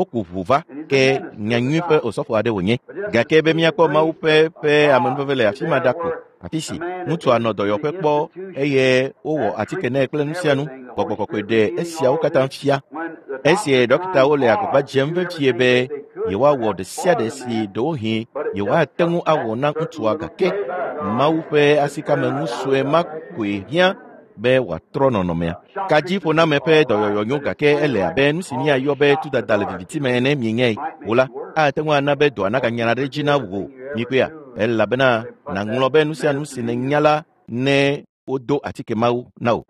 Woku ʋu va ke nyanyui ƒe osɔfo aɖe wònye. Gake be míakpɔ Mawu ƒe ƒe amenuveve le afi ma ɖa ko, afi si ŋutsua nɔ dɔyɔƒe kpɔ eye wowɔ atike nɛ kple nu sia nu. Gbɔgbɔ kɔkɔe ɖe esiawo katã fia. Esi ɖɔkitawo le agbagba dzem vevie be yewoawɔ ɖe sia ɖe si ɖewohĩ yewoate ŋu awɔ na ŋutsua gake Mawu ƒe asikame sue ma koe hiã be wòatrɔ nɔnɔmea. Kadziƒoname ƒe dɔyɔyɔ nyo gake ele abe nu si míayɔ be tudada le viviti me ene mienyae o la, ate ŋu ana be dɔa naganyana ɖe edzi na wò mikpɔea elabena nàŋlɔ be nu sia nu si nènya la ne wodo atike mawo na wò.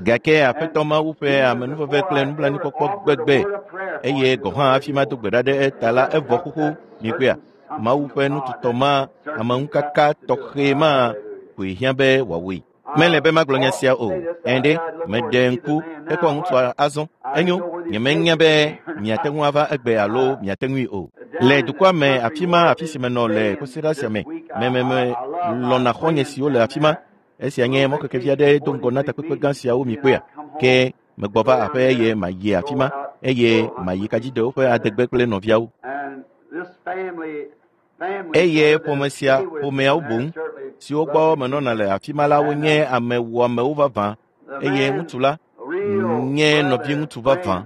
Gake Aƒetɔ Mawu ƒe amenuveve kple nublanuikpɔkpɔ gbegbe eye gɔ̃ hã hafi mado gbe ɖa ɖe eta la evɔ xoxo mikpɔea Mawu ƒe nututɔ ma ameŋukaka tɔxɛ ma koe hiã be wòawɔe. Mele be magblɔ nya sia o. Ẽ ɖe, meɖe ŋku hekpɔ ŋutsua azɔ. Enyo, nyemenya be miate ŋu ava egbe alo miate ŋui o. Le dukɔa me afi ma afi si menɔ le kɔsiɖa sia me, mememe lɔ̃na xɔ̃nye siwo le afi ma. Esia nye mɔkekevi aɖe do ŋgɔ na takpekpe gã siawo mi kpɔea. Ke megbɔ va aƒe eye mayi afi ma eye mayi kadzidewo ƒe adegbe kple nɔviawo. Eye ƒome sia ƒomeawo boŋ siwo gbɔ menɔna le afi ma la wonye ame wɔamewo vavã eye ŋutsu la nye nɔviŋutsu vavã.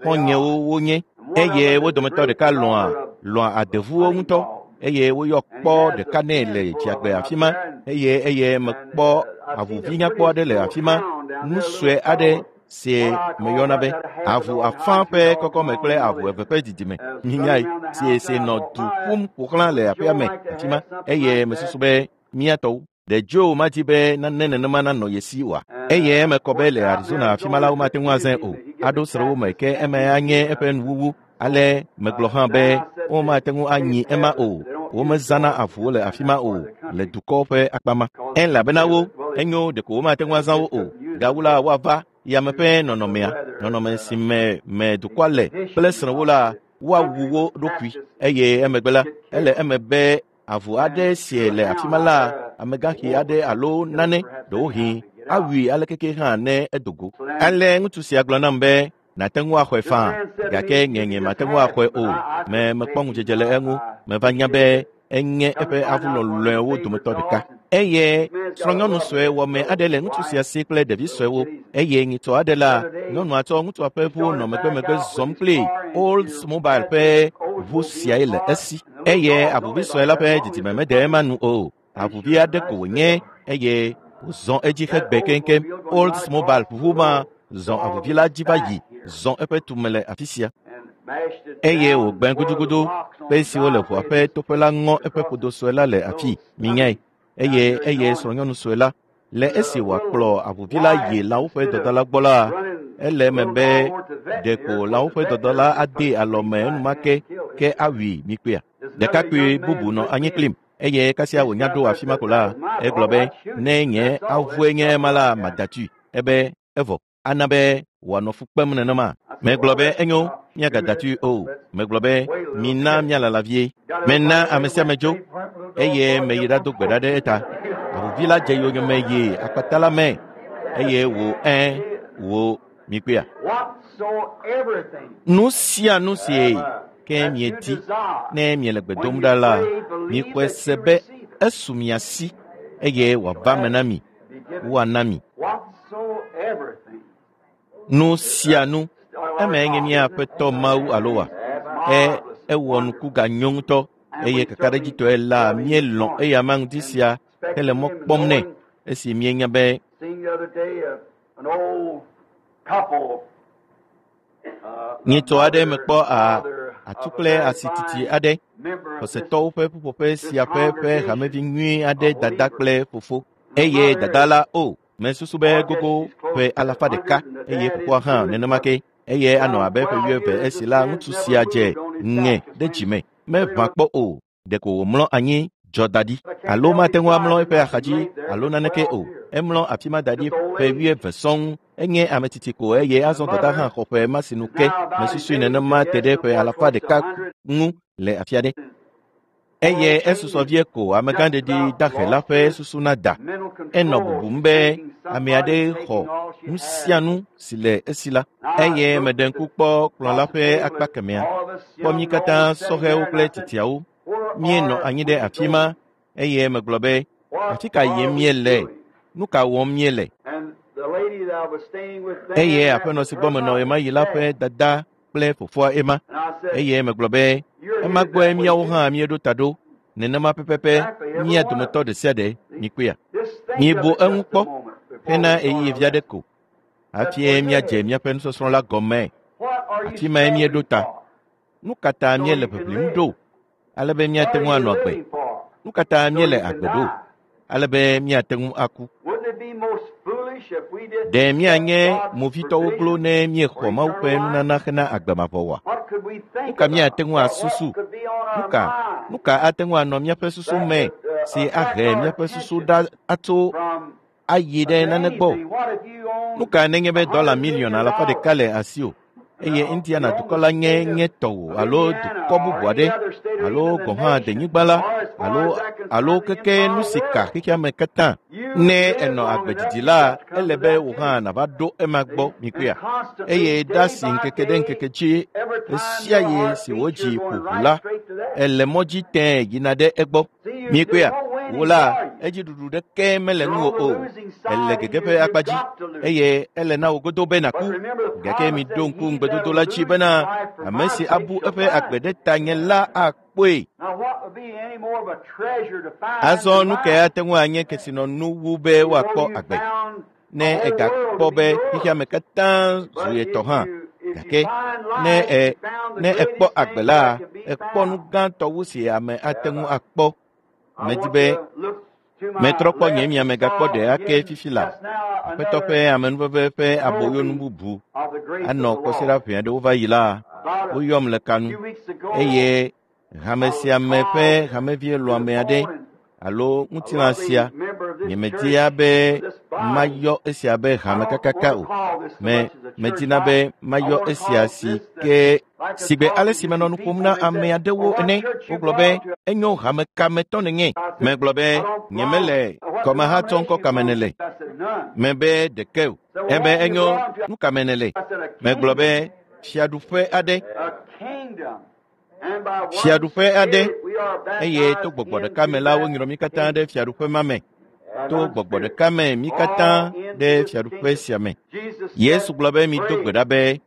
Xɔ̃nyewo wonye eye wo dometɔ ɖeka lɔ̃a lɔ̃a adevuwo ŋutɔ eye woyɔ kpɔ ɖeka nɛ le dziagbe afi ma eye eye mekpɔ avuvi nyakpɔ aɖe le afi ma nu sue aɖe si meyɔna be avu afã ƒe kɔkɔme kple avu eve ƒe didime nyae si si nɔ du ƒum ƒo xlã le aƒea me afi ma eye mesusu be mía tɔwo ɖe Joe madi be nane nenema nanɔ ye si oa eye eme kɔ be le Arizona afi ma la womate ŋu azãe o aɖo srɔ̃wo me ke eme anye eƒe nuwuwu ale megblɔ hã be womate ŋu anyi ema o womezãna avuwo le afi ma o le dukɔ ƒe akpa ma elabena wo enyo ɖeko womate ŋu azã wo o gawu la woava yame ƒe nɔnɔmea nɔnɔme si me me dukɔa le kple srɔ̃wo la woawu wo ɖokui eye emegbe la ele eme be avu aɖe si le afi ma la amegãxi aɖe alo nane ɖewohĩ awui alekeke hã ne edo go. Ale ŋutsu sia gblɔ nam be nàte ŋu axɔe faa gake nye nye mate ŋu axɔe o. Me mekpɔ ŋudzedze le eŋu meva nya be enye eƒe avu lɔlɔ̃ewo dometɔ ɖeka. Eye srɔ̃nyɔnu sue wɔme aɖe le ŋutsu sia si kple ɖevi suewo eye nyitɔ aɖe la nyɔnua tsɔ ŋutsua ƒe ʋu nɔ megbemegbe zɔm kpli Oldsmobile ƒe ʋu siae le esi eye avuvi sue la ƒe didime mede ema nu o. Avuvi aɖe ko wònye eye wòzɔ edzi hegbe keŋkeŋ. Oldsmobile ʋu ma zɔ avuvi la dzi va yi zɔ eƒe tume le afi sia eye wògbẽ gudugudu kpe siwo le ʋua ƒe toƒe la ŋɔ eƒe ƒodo sue la le afi minyae eye eye srɔ̃nyɔnu sue la le esi wòakplɔ avuvi la yi lãwo ƒe dɔdala gbɔ la ele eme be ɖeko lãwo ƒe dɔdala ade alɔme enumake ke awui mikpea. Ɖekakpui bubu nɔ anyi kplim eye kasia wònya ɖo afi ma ko la egblɔ be ne nye avue nye ema la madatui ebe evɔ ana be wòanɔ fu kpem nenema. Megblɔ be enyo míagadatui o. Megblɔ be mina míalala vie. Mena ame sia ame dzo eye meyi ɖado gbe ɖa ɖe eta. Avuvi la dze yonyeme yi akpata la me eye wò ẽ wò mikpɔea. Nu sia nu si ke miedi ne miele gbe dom ɖa la mixɔe se be esu mia si eye wòava me na mi woana mi. Nu sia nu eme nye mía Aƒetɔ Mawu alo wa e ewɔ nuku ganyo ŋutɔ eye kakaɖedzitɔe la míelɔ̃ eya ma ŋuti sia hele mɔ kpɔm nɛ esi míenya be nyitsɔ aɖe mekpɔ atu kple asititi aɖe xɔsetɔwo ƒe ƒuƒoƒe sia ƒe ƒe hamevi nyui aɖe dada kple fofo eye dada la o mesusu be gogo ƒe 100 eye fofoa hã nenema ke eye anɔ abe ƒe 70 esi la ŋutsu sia dze ŋe ɖe dzime meʋã kpɔ o ɖeko wòmlɔ anyi dzɔ da ɖi alo mate ŋu amlɔ eƒe axadzi alo naneke o emlɔ afi ma da ɖi ƒe 70 sɔŋ enye ame tsitsi ko eye azɔ dada hã xɔ ƒe ma sinu ke mesusui nenema te ɖe ƒe 100 ŋu le afi aɖe eye esusɔ vie ko amegãɖeɖi dahe la ƒe susu nada enɔ bubum be ame aɖe xɔ nu sia nu si le esi la eye meɖe ŋku kpɔ kplɔ̃ la ƒe akpa kemɛa kpɔ mí katã sɔhɛwo kple tsitsiawo míenɔ anyi ɖe afi ma eye megblɔ be afi ka yim míele nu ka wɔm míele eye aƒenɔ si gbɔ menɔ ɣemaɣi la ƒe dada kple fofoa ema eye megblɔ be ema gbɔe míawo hã míeɖo ta ɖo nenema pɛpɛpɛ mía dometɔ ɖe sia ɖe mikpɔea. Míebu eŋu kpɔ hena ɣeyiɣi vi aɖe ko hafi míadze míaƒe nusɔsrɔ̃ la gɔme. Afi mae míeɖo ta. Nu ka ta míele ʋiʋlim ɖo ale be míate ŋu anɔ agbe? Nu ka ta míele agbe ɖo ale be míate ŋu aku? Ɖe míanye movitɔwo glo ne míexɔ Mawu ƒe nunana hena agbe mavɔ oa? Nu ka míate ŋu asusu? Nu ka ate ŋu anɔ míaƒe susu me si ahe míaƒe susu ɖa atso ayi ɖe nane gbɔ? Nu ka nenye be dɔla miliɔn 150 le asiwò eye Indiana dukɔ la nye nye tɔwò alo dukɔ bubu aɖe alo gɔ̃ hã denyigba la alo keke nu si ka xexea me katã? Ne ènɔ agbe didi la, ele be wò hã nàva ɖo ema gbɔ mikpɔea? Eye da si ŋkeke ɖe ŋkeke dzi ɣe sia ɣi si wò dzi ƒo ʋu la, èle mɔ dzi tẽe yina ɖe egbɔ. Mikpɔea? Wò la, edziɖuɖu ɖeke mele ŋuwò o. Èle gege ƒe akpa dzi eye ele na wò godo be nàku. Gake miɖo ŋku ŋugbedodo la dzi bena ame si abu eƒe agbe ɖe tanye la akpɔe. Azɔ nu kae ate ŋu anye kesinɔnu wu be woakpɔ agbe? Ne ègakpɔ be xexea me katã zu ye tɔ hã, gake ne èkpɔ agbe la, èkpɔ nu gãtɔ wu si ame ate ŋu akpɔ. Medi be metrɔ kpɔ nye miame gakpɔ ɖe ake fifi la. Aƒetɔ ƒe amenuveve ƒe aboyonu bubu anɔ kɔsiɖa ʋɛ aɖewo va yi la, woyɔm le kanu eye hame sia me ƒe hamevi lɔ̃ame aɖe alo ŋutilã sia nyemedia be mayɔ esia be hame kakaka o. Medina be mayɔ esia si ke sigbe ale si menɔ nu ƒom na ame aɖewo ene. Wogblɔ be enyo hame kametɔ nenye. Megblɔ be nyemele kɔmehatsɔ ŋkɔ kame nele. Mebe ɖeke o. Ebe enyo nu kame nele. Megblɔ be fiaɖuƒe aɖe. Fiaɖuƒe aɖe eye to gbɔgbɔ ɖeka me la wonyrɔ mí katã ɖe fiaɖuƒe ma me. To gbɔgbɔ ɖeka me mí katã ɖe fiaɖuƒe sia me. Yesu gblɔ be mido gbe ɖa be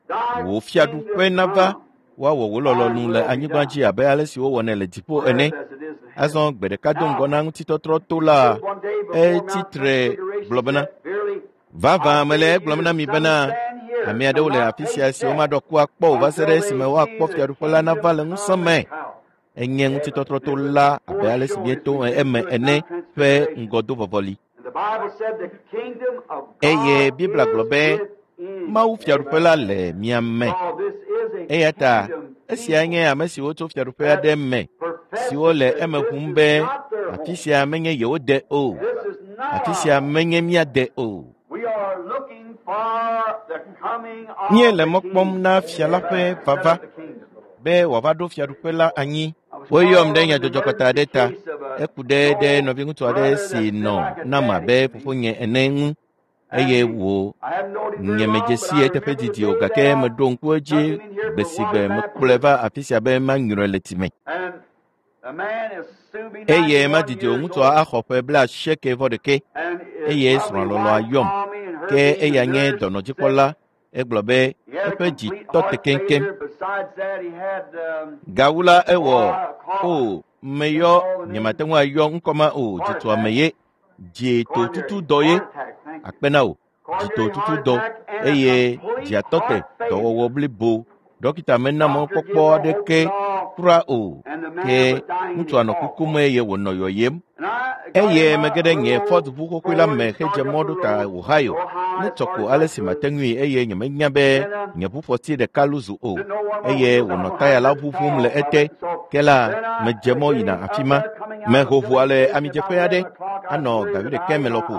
wò fiaɖuƒe nava, woawɔ wò lɔlɔ̃nu le anyigba dzi abe ale si wowɔnɛ le dziƒo ene. Azɔ gbe ɖeka do ŋgɔ na ŋutitɔtrɔ to la, etsi tre gblɔ bena, vavã mele egblɔm na mi bena ame aɖewo le afi sia si womaɖɔ ku akpɔ o va se ɖe esime woakpɔ fiaɖuƒe la nava le ŋusẽ me. Enye ŋutitɔtrɔ to la abe ale si míeto eme ene ƒe ŋgɔdovɔvɔli. Eye Biblia gblɔ be Mawu fiaɖuƒe la le mia me. Eya ta esia nye ame siwo tso fiaɖuƒe aɖe me siwo le eme ʋum be afi sia menye yewo de o, afi sia menye mía de o. Míele mɔ kpɔm na fia la ƒe vava be wòava ɖo fiaɖuƒe la anyi. Woyɔm ɖe nyadzɔdzɔkɔta aɖe ta. Eku ɖe ɖe nɔviŋutsu aɖe si nɔ nam abe fofonye ene ŋu eye wò nyemedzesi eteƒe didi o gake meɖo ŋku edzi gbe si gbe mekplɔe va afi sia be manyrɔe le tsi me. Eye madidi o ŋutsua axɔ ƒe 91 eye srɔ̃a lɔlɔ̃a yɔm ke eya nye dɔnɔdzikpɔla. Egblɔ be eƒe dzi tɔ te keŋkeŋ. Gawu la ewɔ o meyɔ nyemate ŋu ayɔ ŋkɔ ma o dzituame ye dzitotutu dɔ ye akpe na wò dzitotutu dɔ eye dziatɔ te dɔwɔwɔ blibo. Dɔkita mena mɔkpɔkpɔ aɖeke kura o ke ŋutsua nɔ kukum eye wònɔ yɔyem. Eye mege ɖe nye Ford ʋu xoxoe la me hedze mɔ ɖo ta Ohio. Ne tsɔ ko ale si mate ŋui eye nyemenya be nye ʋufɔti ɖeka luzu o eye wònɔ taya la ʋuʋum le ete. Ke la medze mɔ yina afi ma. Meho ʋua le amidzeƒe aɖe anɔ ga wuiɖekɛ me lɔƒo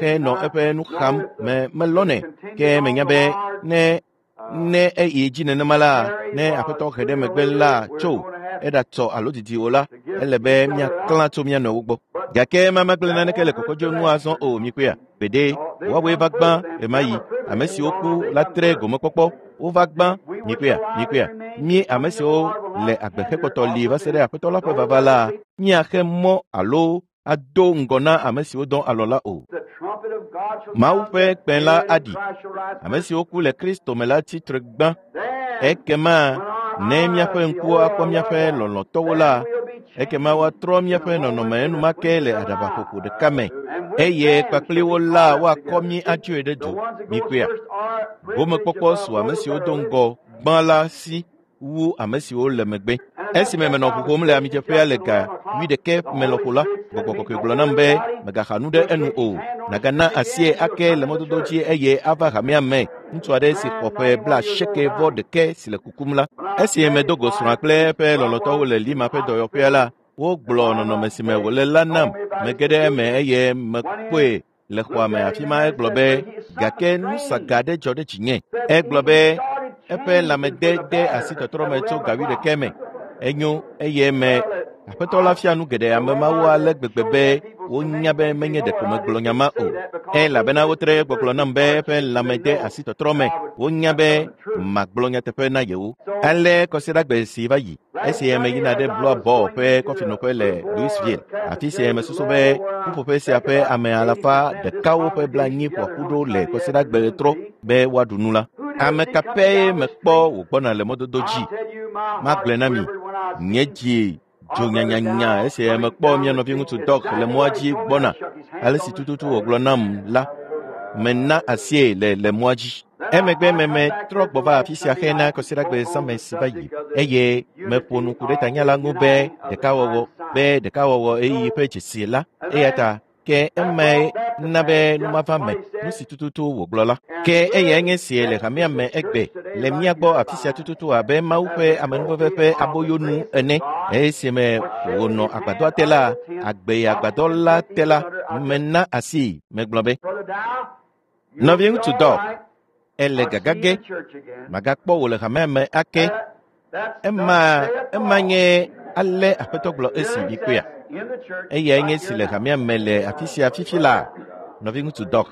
henɔ eƒe nu xam me melɔnɛ ke menya be ne eyi dzi nenema la, ne aƒetɔ he ɖe megbe la tso eɖatsɔ alo didi o la, ele be míaklã tso mía nɔewo gbɔ. Gake mamagblẽ naneke le kɔkɔdzo ŋu azɔ o mikpɔea. Gbeɖe woawoe va gbã ɣemaɣi. Ame siwo ku la tre gomekpɔkpɔ wova gbã mikpɔea. Mí ame siwo le agbe hekpɔtɔ li va se ɖe aƒetɔ la ƒe vava la, míaxe mɔ alo ado ŋgɔ na ame siwo dɔ alɔ la o. Mawu ƒe kpẽ la aɖi. Ame siwo ku le Kristo me la tsi tre gbã. Ekema ne míaƒe ŋkuwo akpɔ míaƒe lɔlɔ̃tɔwo la, ekema woatrɔ míaƒe nɔnɔme enumake le aɖabaƒoƒo ɖeka me eye kpakpli wo la woakɔ mí atsoe ɖe du. Mikpɔea? Gomekpɔkpɔ su ame siwo do ŋgɔ gbã. gbã la si wu ame siwo le megbe. Esime menɔ ʋu ƒom le amidzeƒea le ga 11 me lɔƒo la, gbɔgbɔ kɔkɔe gblɔ nam be megaxa nu ɖe enu o. Nagana asie ake le mɔdodo dzi eye ava hamea me. Ŋutsu aɖe si xɔ ƒe 91 si le kukum la. Esi medo go srɔ̃a kple eƒe lɔlɔ̃tɔwo le Lima ƒe dɔyɔƒea la, wogblɔ nɔnɔme si me wòle la nam. Mege ɖe eme eye mekpɔe le xɔa me afi ma. Egblɔ be gake nu saga aɖe dzɔ ɖe dzinye. Egblɔ be eƒe lãmede de asi tɔtrɔ me tso ga 11 me. Enyo eye me aƒetɔ la fia nu geɖe ame mawo ale gbegbe be wonya be menye ɖeko megblɔ nya ma o. Elabena wotre gbɔgblɔ nam be eƒe lãme de asi tɔtrɔ me. Wonya be magblɔ nyateƒe na yewo. Ale kɔsiɖagbe si va yi esi meyina ɖe Blois Ball ƒe kɔfinoƒe le Louisville, afi si mesusu be ƒuƒoƒe sia ƒe ame 140 ƒo ƒu ɖo le kɔsiɖagbe ɣetrɔ be woaɖu nu la. Ame ka pɛ mekpɔ wògbɔna le mɔdodo dzi? Magblɔe na mi, nye dzi dzo nyanyanya esi mekpɔ mía nɔviŋutsu Doc le mɔa dzi gbɔna. Ale si tututu wògblɔ nam la, mena asie le mɔa dzi. Emegbe meme trɔ gbɔ va afi sia hena kɔsiɖagbe zãme si va yi eye meƒo nu ku ɖe tanya la ŋu be ɖekawɔwɔ ɣeyiɣi ƒe dzesi la. Eya ta ke emae na be nu mava me nu si tututu wògblɔ la. Ke eyae nye sie le hamea me egbe le mía gbɔ afi sia tututu abe Mawu ƒe amenuveve ƒe aboyonu ene. Esime wònɔ agbadɔa te la, agbe agbadɔ la te la, mena asi megblɔ be, nɔviŋutsu Doc, ele gagage, magakpɔ wò le hamea me ake. Ema nye ale aƒetɔ gblɔ esi mikpɔea. Eyae nye si le hamea me le afi sia fifi la, nɔviŋutsu Doc.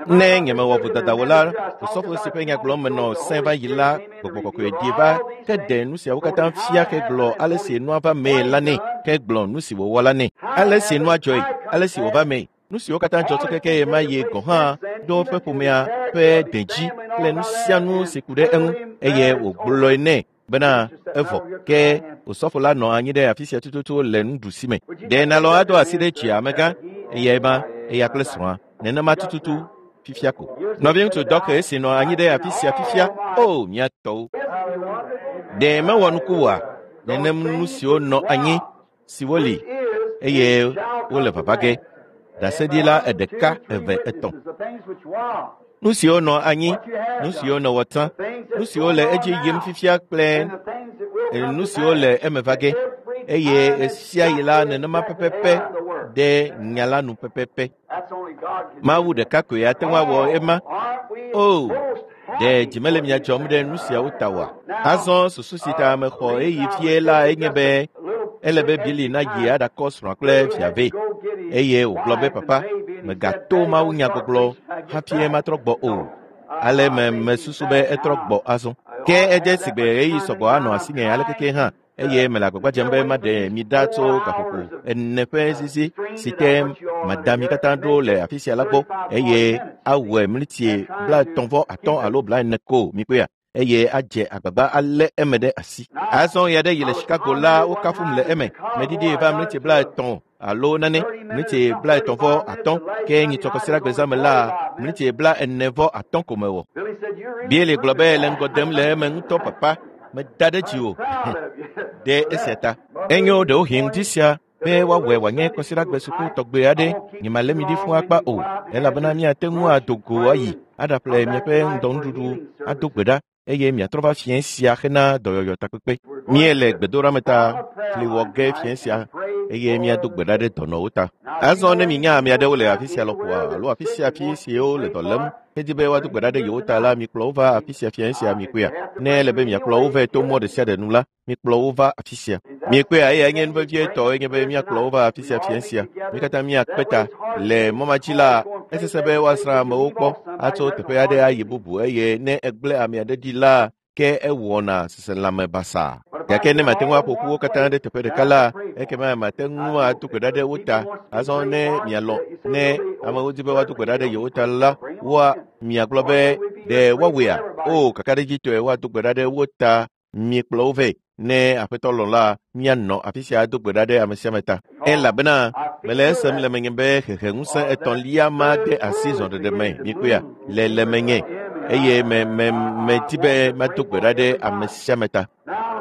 Ne nyemewɔ vodada o la, osɔfo si ƒe nya gblɔm menɔ sẽ va yi la, gbɔgbɔ kɔkɔe ɖi va ke ɖe nu siawo katã fia ke gblɔ ale si nua va mee la nɛ, ke gblɔ nu si wòwɔ la nɛ, ale si nua dzɔe, ale si wòva mee. Nu siwo katã dzɔ tso keke ye ma ye gɔ̃ hã ɖo eƒe ƒomea ƒe dedzi kple nu sia nu si ku ɖe eŋu eye wògblɔe nɛ bena evɔ. Ke osɔfo la nɔ anyi ɖe afi sia tututu le nuɖusi me. Ɖe nalɔ ado asi ɖe dzi amegã eyae ma eya kple srɔ̃a nenema tututu fifia ko. Nɔviŋutsu Doc esi nɔ anyi ɖe afi sia fifia, o mía tɔwo. Ɖe mewɔ nuku oa? Nenem nu siwo nɔ anyi siwo li eye wole vava ge. Ɖaseɖila 1, 2, 3. Nu siwo nɔ anyi, nu siwo nɔ wɔtsã, nu siwo le edzi yim fifia kple nu siwo le eme va ge. Eye esia yi la nenema pɛpɛpɛ ɖe nya la nu pɛpɛpɛ. Mawu ɖeka koe ate ŋu awɔ ema. O, ɖe dzi mele mia dzɔm ɖe nu siawo ta oa? Azɔ susu si ta mexɔ ɣeyiɣi fie la enye be ele be Billy nayi aɖakɔ srɔ̃a kple via vɛ. Eye wògblɔ be papa, megato Mawu nyagbɔgblɔ hafi matrɔ gbɔ o. Ale me mesusu be etrɔ gbɔ azɔ. Ke edze sigbe ɣeyiɣi sɔgbɔ anɔ asinye alekeke hã eye mele agbagba dzem be maɖe mi ɖa tso gaƒoƒo 4 ƒe zizi si te mada mi katã ɖo le afi sia la gbɔ eye awɔe mliti 35 alo 40 ko mikpɔea. Eye adze agbagba alé eme ɖe asi. Azɔ ya ɖe yi le Chicago la wokafum le eme. Meɖiɖi va mliti 30 alo nane, mliti 33 ke nyitsɔ kɔsiɖagbe zãme la mliti 43 ko mewɔ. Billy gblɔ be le ŋgɔ dem le eme ŋutɔ papa, meda ɖe dzi o. Ɖe esia ta. Enyo ɖewohĩ ŋdi sia be woawɔe wòanye kɔsiɖagbe suku tɔgbe aɖe nyemalé mi ɖi fũ akpa o, elabena miate ŋu ado go ayi aɖaƒle miaƒe ŋdɔnuɖuɖu ado gbe ɖa eye miatrɔ va fiẽ sia hena dɔyɔyɔ takpekpe. Míele gbedoɖame ta fli wɔ ge fiẽ sia eye míado gbe ɖa ɖe dɔnɔwo ta. Azɔ ne minya ame aɖewo le afi sia lɔƒoa alo afi sia afi siwo le dɔ lém hedi be woado gbe ɖa ɖe yewo ta la, mikplɔ wo va afi sia fiẽ sia mikpɔea. Ne ele be miakplɔ wo vɛ to mɔ ɖe sia ɖe nu la, mikplɔ wo va afi sia. Mikpɔea, eyae nye nu vevietɔ enye be míakplɔ wo va afi sia fiẽ sia. Mi katã míakpe ta le mɔ ma dzi la, esesẽ be woasrã amewo kpɔ atso teƒe aɖe ayi bubu eye ne egblẽ ame aɖe ɖi la, ke ewɔna seselãme basaa. Gake ne mate ŋu aƒo ƒu wo katã ɖe teƒe ɖeka la, ekema mate ŋu ado gbe ɖa ɖe wo ta. Azɔ ne mialɔ̃ ne amewo di be woado gbe ɖa ɖe yewo ta la, woa miagblɔ be ɖe woawɔea? O, kakaɖedzitɔe woado gbe ɖa ɖe wo ta. Miekplɔ wo vɛ ne Aƒetɔ lɔ̃ la, míanɔ afi sia ado gbe ɖa ɖe ame sia ame ta. Elabena mele esem le menye be xexeŋusẽ etɔ̃lia ma de asi zɔɖeɖe me miekpɔea le le menye eye me me medi be mado gbe ɖa ɖe ame sia ame ta.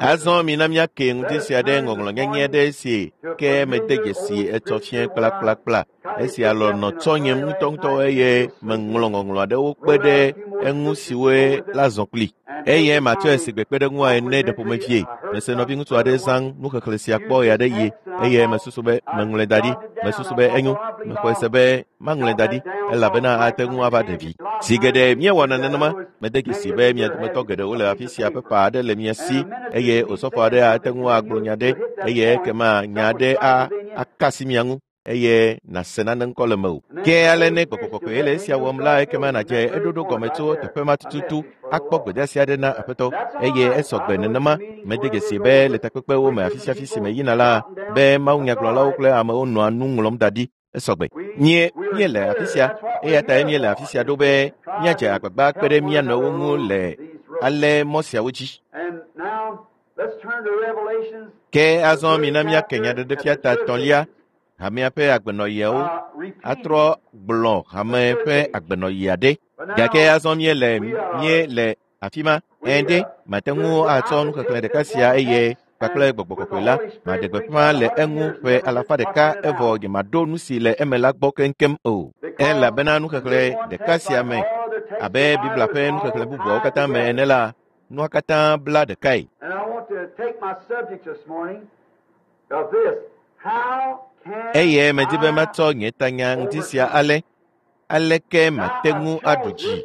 Azɔ mina míake ŋdi sia ɖe ŋɔŋlɔ nyanyɛ aɖe si ke mede dzesi etsɔ fiẽ kplakplakpla. Esia lɔ nɔ tsɔnyem ŋutɔŋutɔ eye meŋlɔ ŋɔŋlɔ aɖewo kpe ɖe eŋu siwoe la zɔ kpli. Eye matsɔe si gbe kpe ɖe ŋua ene ɖe ƒomevie. Mese nɔviŋutsu aɖe zã nuxexlẽ sia kpɔ ɣe aɖe ɣi eye mesusu be meŋlɔe da ɖi. Mesusu be enyo. Mexɔe se be maŋlɔe da ɖi elabena ate ŋu ava ɖe vi. Zi geɖe míewɔna nenema. Mede dzesi be mia dometɔ geɖewo le afi sia pepa aɖe le mia si eye osɔfo aɖe ate ŋu agblɔ nya ɖe eye ekema nya aɖe a aka asi mia ŋu eye nàse nane ŋkɔ le mewò. Ke ale ne gbɔgbɔ kɔkɔe le esia wɔm la ekema nàdze eɖoɖo gɔme tso teƒe ma tututu akpɔ gbedeasi aɖe na Aƒetɔ eye esɔgbe nenema. Mede dzesi be le takpekpewo me afi sia afi si meyina la be mawunyagblɔlawo kple amewo nɔa nu ŋlɔm da ɖi. Esɔgbe. Mie míele afi sia eya tae míele afi sia ɖo be míadze agbagba kpe ɖe mía nɔewo ŋu le ale mɔ siawo dzi. And now let's turn to Revelations. Ke azɔ mina míake nyaɖeɖefia ta etɔ̃lia hamea ƒe agbenɔɣiawo atrɔ gblɔ hame ƒe agbenɔɣi aɖe. Gake azɔ míele míele afi ma. Ɛ̃ ɖe mate ŋu atsɔ nuxexlẽ ɖeka sia eye kpakple gbɔgbɔ kɔkɔe la maɖe gbeƒã le eŋu ƒe alafa ɖeka evɔ nyemaɖo nu si le eme la gbɔ keŋkeŋ o. Elabena nuxexlẽ ɖeka sia me abe Biblia ƒe nuxexlẽ bubuawo katã me ene la, nua katã bla ɖekae. And I want to take my subject this morning of this. How can Eye medi be I matsɔ nye tanya ŋdi sia ale aleke mate ŋu aɖu dzi.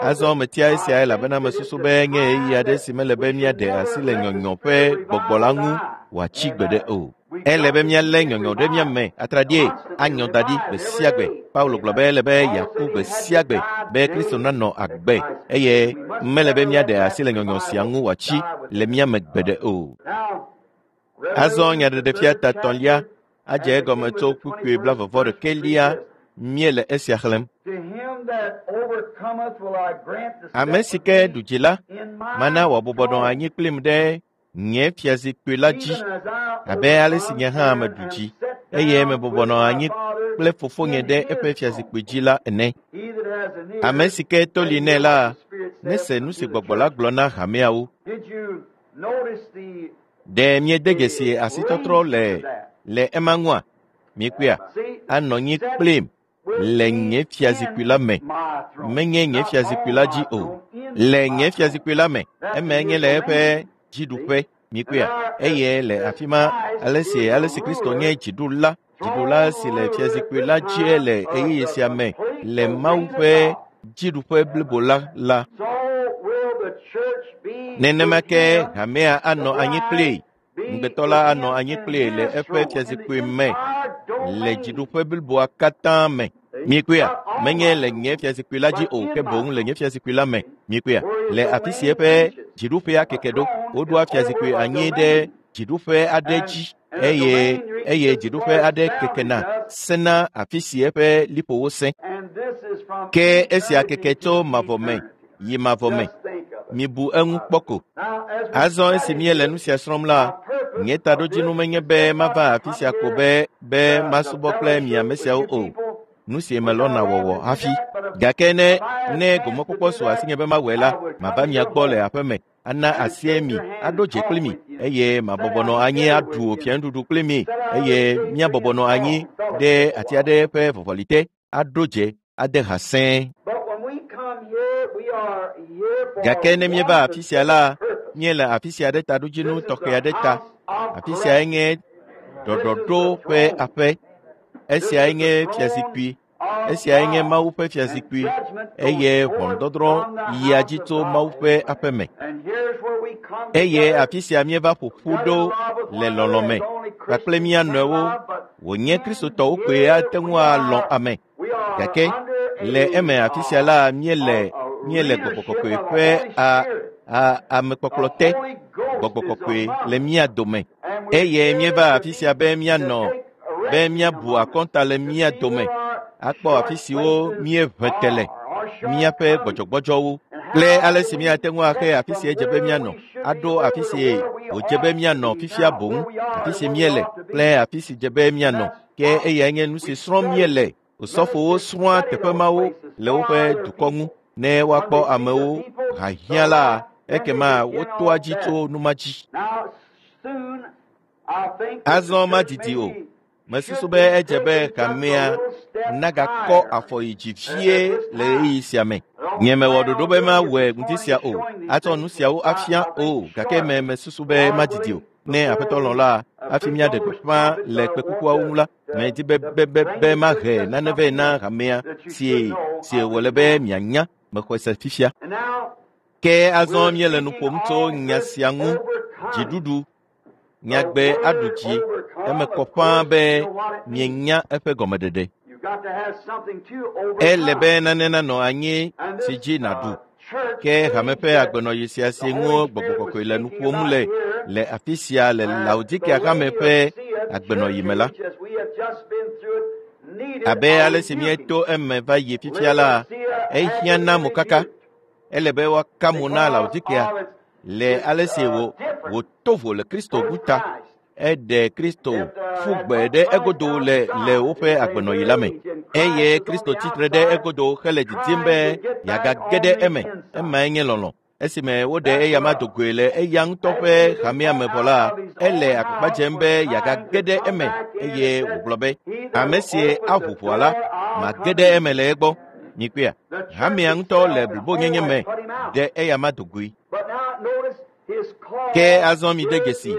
Azɔ metia esia elabena mesusu be nye ɣeyiɣi aɖe si mele be míaɖe asi le nyɔnyɔ ƒe gbɔgbɔ la ŋu wòatsi gbeɖe o. Ele be míalé nyɔnyɔ ɖe mía me atraɖie anyɔ da ɖi gbe sia gbe. Paulo gblɔ be ele be yeaku gbe sia gbe be Kristo nanɔ agbe eye mele be míaɖe asi le nyɔnyɔ sia ŋu wòatsi le mía me gbeɖe o. Now, Azɔ nyaɖeɖefia ta etɔ̃lia adze egɔme tso kpukpui blaeve-vɔ-ɖekɛlia míele esia xlẽm. To him that overcometh will I grant to Ame sit si with ke me ɖu dzi la, in my mana wòabɔbɔ nɔ throne, anyi kplim ɖe nye fiazikpui la dzi even as I abe ale si overcome nye hã and meɖu am dzi set eye down mebɔbɔ with nɔ my anyi Father kple fofonye in ɖe his eƒe throne. fiazikpui dzi la ene. He that has an Ame ear, si ke to let li him nɛ hear la, what the Spirit saith nese nu unto si the gbɔgbɔ la churches. gblɔ na hameawo. Did you notice the Ɖe miede the dzesi asitɔtrɔ link le to that? le ema ŋua? Miekpɔea? See, Anɔ anyi set kplim with le me nye fiazikpui la in me. my throne. Menye nye Not fiazikpui on la my dzi o. throne, in Le my nye throne. fiazikpui la me. That's Emae in nye his le eƒe domain. See? dziɖuƒe. And Miekpɔea? there, as, Eye le as afi ma, Christ ale si is ale the si Kristo ruler, nye dziɖula, dziɖula throne si le ruler at fiazikpui this la dzie time le of ɣeyiɣi the sia me complete le Mawu domain of ƒe God. dziɖuƒe blibo la la. So will the church be Nenema with ke him, hamea the anɔ anyi bride kplii, be ŋugbetɔ with la anɔ him anyi in kplii le his eƒe throne, in the fiazikpui me entire le domain. dziɖuƒe bliboa katã me. See? Miekpɔea? Not on Menye my le throne, nye fiazikpui la dzi but o, in ke my boŋ le throne. nye fiazikpui la me. See? Miekpɔea? Where his Le afi si domain eƒe reaches. dziɖuƒea A keke ɖo, throne is woɖoa over fiazikpui a anyi ɖe domain. dziɖuƒe aɖe And, dzi and the eye domain reaches eye as dziɖuƒe far as aɖe down it kekena does. sena afi si eƒe liƒowo sẽ. And this is from Ke esia eternity keke tso to mavɔ me eternity. yi mavɔ me. Just think of it. Mibu eŋu kpɔ ko. Now, as we Azɔ esi study míele this, nu sia srɔ̃m my la, purpose nye of taɖodzinu this menye is be just not mava to afi come sia ko here be be to, to masubɔ kple mi fellowship ame with siawo you o. people. Nu si We're not melɔ̃na allowed wɔwɔ to do hafi. that, but if, Gake ne if I had a ne chance to gomekpɔkpɔ do su that, asinye be mawɔe la, I would mava come to mia your gbɔ le home aƒe me, ana and asie shake mi, your hand aɖo and dze kpli talk mi with you, eye sit mabɔbɔ down nɔ anyi together aɖu with you, fianuɖuɖu kpli mi sit out under eye the shade tree míabɔbɔ and nɔ talk anyi and fellowship ɖe a ati while. aɖe ƒe vɔvɔli te, aɖo dze, ade ha sẽe. But when we come here, we are here for Gake ne one míeva afi sia la, specific purpose. míele afi sia ɖe taɖodzinu This is tɔxɛ the aɖe ta. house of Afi siae correction. nye This is ɖɔɖɔɖo the ƒe throne. aƒe. This Esiae is the nye throne fiazikpui. of Esiae nye God. Mawu ƒe And fiazikpui judgment goes eye forth ʋɔnudɔdrɔ̃ from the yia house dzi of tso God. Mawu ƒe aƒe me. And here's where we come Eye together, afi sia míeva ƒo ƒu brother ɖo in love with le one lɔlɔ̃ another me as only kpakple Christians mía can nɔewo. love, but Wònye in Kristotɔwo koe here ate ŋu we alɔ̃ are ame. we are Gake under le eme afi sia la, míele a míele gbɔgbɔ leadership kɔkɔe of the ƒe Holy a Spirit. a The amekpɔkplɔ te. Holy Ghost Gbɔgbɔ is kɔkɔe among le us. mía dome And we're eye here míeva to afi be sia be to míanɔ take a be reckoning míabu among us, akɔnta le to mía see dome where our akpɔ afi short siwo places míeʋe te le are, our míaƒe shortcomings, gbɔdzɔgbɔdzɔwo and Kple ale si míate ŋu axe afi si edze be míanɔ, aɖo afi si wòdze be míanɔ fifia boŋ, afi si míele kple afi si dze be míanɔ. Ke eyae nye nu si srɔ̃m míele. Osɔfowo srɔ̃a teƒe mawo le woƒe dukɔ ŋu ne woakpɔ amewo hahiã la, ekema wotoa dzi tso nu ma dzi. Azɔ madidi o. Mesusu be edze be hamea nagakɔ afɔ yi dzi vie le ɣeyiɣi sia me. Nye mewɔ ɖoɖo be mawɔe ŋdi sia o, atsɔ nu siawo afia o, gake me mesusu be madidi o. Ne Aƒetɔ lɔ̃ la, hafi míaɖe gbeƒã le kpekukuawo ŋu la, medi be be be be mahe nane vɛ na hamea si si wòle be mianya mexɔe se fifia. Ke azɔ míele nu ƒom tso nya sia ŋu, dziɖuɖu. Nyagbe aɖu dzi eme kɔ ƒãa be mienya eƒe gɔmeɖeɖe. Ele be nane nanɔ anyi si dzi nàɖu. Ke hame ƒe agbenɔɣi sia si ŋu Gbɔgbɔ Kɔkɔe le nu ƒom le le afi sia le Laodikea hame ƒe agbenɔɣi me la, abe ale si míeto eme va yi fifia la, ehiã na mokaka. Ele be woaka mo na Laodikea le ale si wò wòto vo le Kristo ŋu ta. Eɖe Kristo ƒu gbe ɖe egodo le le woƒe agbenɔɣi la me eye Kristo tsitre ɖe egodo hele didim be yeagage ɖe eme. Emae nye lɔlɔ̃. Esime woɖe eyama do goe le eya ŋutɔ ƒe hamea me vɔ la, ele agbagba dzem be yeagage ɖe eme eye wògblɔ be, ame si aʋu ʋɔa la, mage ɖe eme le egbɔ. Mikpɔea, hamea ŋutɔ le blibonyenye me ɖe eyama do goe. Ke azɔ mide dzesi,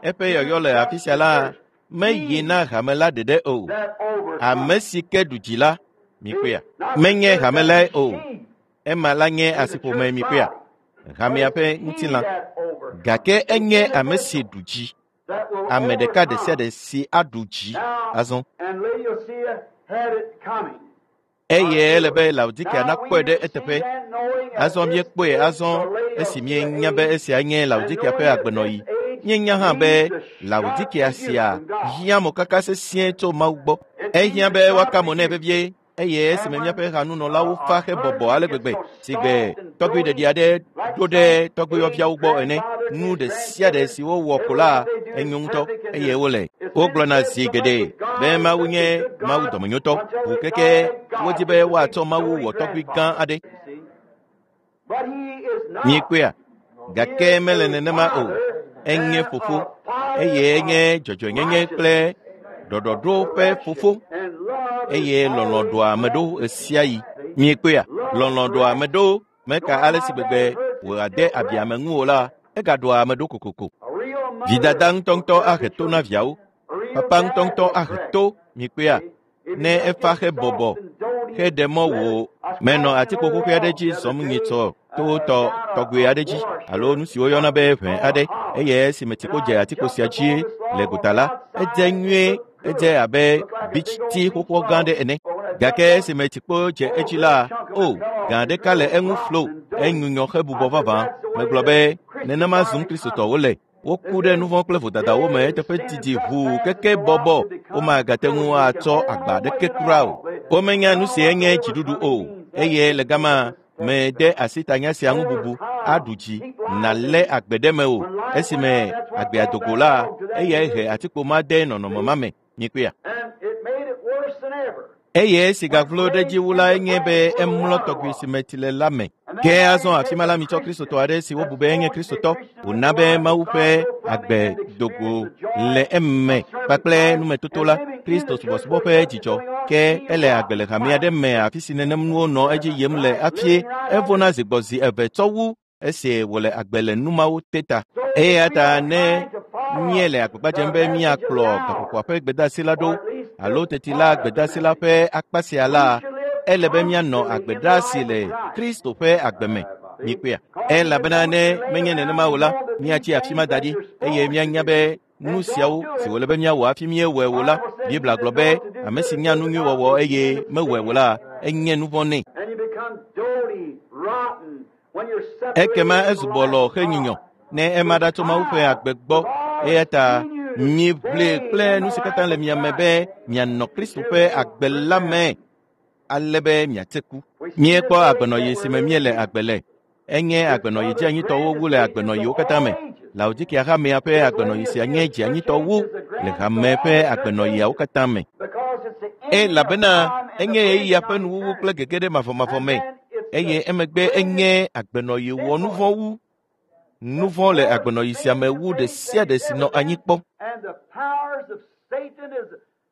eƒe yɔyɔ le afi sia la meyi na hame la ɖeɖe o. Ame si ke ɖu dzi la, mikpɔea, menye hame lae o. Ema la nye asiƒome mikpɔea, hamea ƒe ŋutilã. Gake enye ame si ɖu dzi. Ame ɖeka ɖe sia ɖe si aɖu dzi azɔ. Eye ele be Laodikea nakpɔe ɖe eteƒe. Azɔ míekpɔe azɔ esi míenya be esia nye Laodikea ƒe agbenɔɣi. Míenya hã be Laodikea sia hiã mokaka sesĩe tso Mawu gbɔ. Ehiã be woaka mo nɛ vevie eye esime míaƒe hanunɔlawo fa hebɔbɔ ale gbegbe si gbe tɔgbui ɖeɖi aɖe ɖo ɖe tɔgbuiyɔviawo gbɔ ene. Nu ɖe sia ɖe si wowɔ ko la enyo ŋutɔ eye wole. Wogblɔna zi geɖe be Mawu nye Mawu dɔmenyotɔ. Ʋu keke wodi be woatsɔ Mawu wɔ tɔgbui gã aɖe. Miekpɔea? Gake mele nenema o. Enye fofo eye enye dzɔdzɔenyenye kple ɖɔɖɔɖo ƒe fofo eye lɔlɔ̃ ɖoa ame ɖo ɣesiaɣi. Miekpɔea? Lɔlɔ̃ ɖoa ame ɖo meka ale si gbegbe wòade abi ame ŋu o la, egaɖoa ame ɖo kokoko. Vidada ŋutɔŋutɔ ahe to na viawo. Papa ŋutɔŋutɔ ahe to mikpɔea ne efa hebɔbɔ heɖe mɔ wò menɔ atikpo xoxoe aɖe dzi zɔm nyitsɔ to tɔ tɔgbe aɖe dzi alo nu si woyɔna be ʋe aɖe eye esime tsikpo dze atikpo sia dzi le gota la, edze nyuie, edze abe bitsi xoxoa gã aɖe ene. Gake esime tsikpo dze edzi la, o, gã ɖeka le eŋu flo, enyunyɔ hebubɔ vavã. Megblɔ be nenema zum Kristotɔwo le. Woku ɖe nu vɔ̃ kple vodadawo me eteƒe didi ʋuu keke bɔbɔ womagate ŋu atsɔ agba aɖeke kura o. Womenya nu si enye dziɖuɖu o eye le gama mede asi tanya sia ŋu bubu aɖu dzi nàlé agbe ɖe me o. Esime agbea do go la, eyae he atikpo ma de nɔnɔme ma me. Mikpɔea? Eye esi gavlo ɖe edzi wu la enye be emlɔ tɔgbui si me tsi le la me. Ke azɔ afi ma la mitsɔ Kristotɔ aɖe si wobu be enye Kristotɔ wòna be Mawu ƒe agbe do go le eme kpakple numetoto la, Kristo subɔsubɔ ƒe dzidzɔ. Ke ele agbe le hame aɖe me afi si nenem nuwo nɔ edzi yim le hafi evona zi gbɔ zi eve tsɔ wu esi wòle agbe le nu mawo te ta. Eya ta ne míele agbagba dzem be míakplɔ gaƒoƒoa ƒe gbedeasi la ɖo alo teti la gbedeasi la ƒe akpa sia la, ele be míanɔ agbe ɖaa si le Kristo ƒe agbe me. Mikpɔea? Elabena ne menye nenema o la, míatsi afi ma da ɖi eye míanya be nu siawo si wòle be míawɔ hafi míewɔe o la, Biblia gblɔ be ame si nya nu nyui wɔwɔ eye mewɔe o la, enye nu vɔ̃ nɛ. Ekema ezu bɔlɔ henyunyɔ ne ema ɖa tso Mawu ƒe agbe gbɔ. Eya ta miʋli kple nu si katã le mia me be mianɔ Kristo ƒe agbe la me ale be miatse ku. Míekpɔ agbenɔɣi si me míele agbe le. Enye agbenɔyi dzianyitɔwo wu le agbenɔyiwo katã me. Laodikea hamea ƒe agbenɔyi sia nye dzianyitɔ wu le hame ƒe agbenɔyiawo katã me. Elabena enye ɣeyiɣia ƒe nuwuwu kple gege ɖe mavɔmavɔ me eye emegbe enye agbenɔyi wɔ nuvɔ̃ wu. Nuvɔ̃ le agbenɔyi sia me wu ɖe sia ɖe si nɔ anyi kpɔ.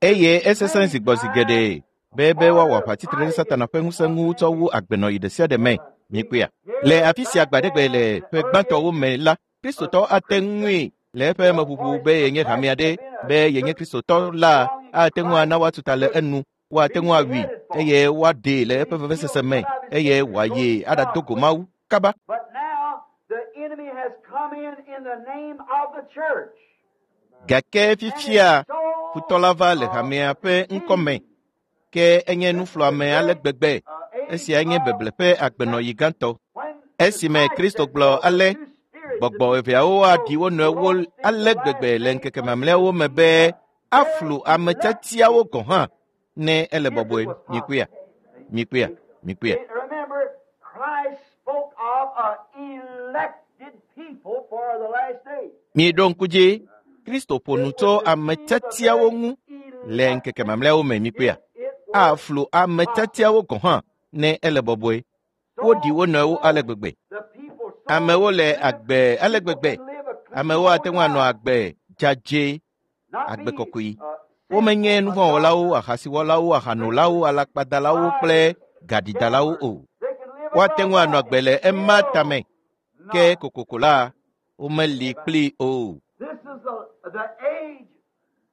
Eye esesẽ zi gbɔ zi geɖe be woawɔ aʋatsitre ɖe Satana ƒe ŋusẽ ŋu tsɔ wu agbenɔyi ɖe sia ɖe me. Mikpɔea? Le afi sia gbaɖegbe le ƒe gbãtɔwo me la, Kristotɔ ate ŋui le eƒe meʋuʋu be yenye hame aɖe be yenye Kristotɔ la ate ŋu ana woatu ta le enu, woate ŋu awui eye woaɖee le eƒe vevesese me eye wòayi aɖado go Mawu kaba. Gake fifia futɔ la va le hamea ƒe ŋkɔme ke enye nufluame ale gbegbe. Esia nye beble ƒe agbenɔyi gãtɔ. Esime Kristo gblɔ ale gbɔgbɔ eveawo aɖi wo nɔewo ale gbegbe le ŋkeke mamlɛawo me be aflu ame tiatiawo gɔ̃ hã ne ele bɔbɔe. Mikpɔea? Mikpɔea? Mikpɔea? Miɖo ŋku dzi, Kristo ƒo nu tso ame tiatiawo ŋu le ŋkeke mamlɛawo me. Mikpɔea? Aflu ame tiatiawo gɔ̃ hã ne ele bɔbɔe. Woɖi wo nɔewo ale gbegbe. Amewo le agbe ale gbegbe. Amewo ate ŋu anɔ agbe dzadzɛ, agbe kɔkɔe. Womenye nuvɔ̃wɔlawo, ahasiwɔlawo, ahanolawo, alakpadalawo kple gaɖidalawo o. Woate ŋu anɔ agbe le ema tame, ke kokoko la, womeli kplii o.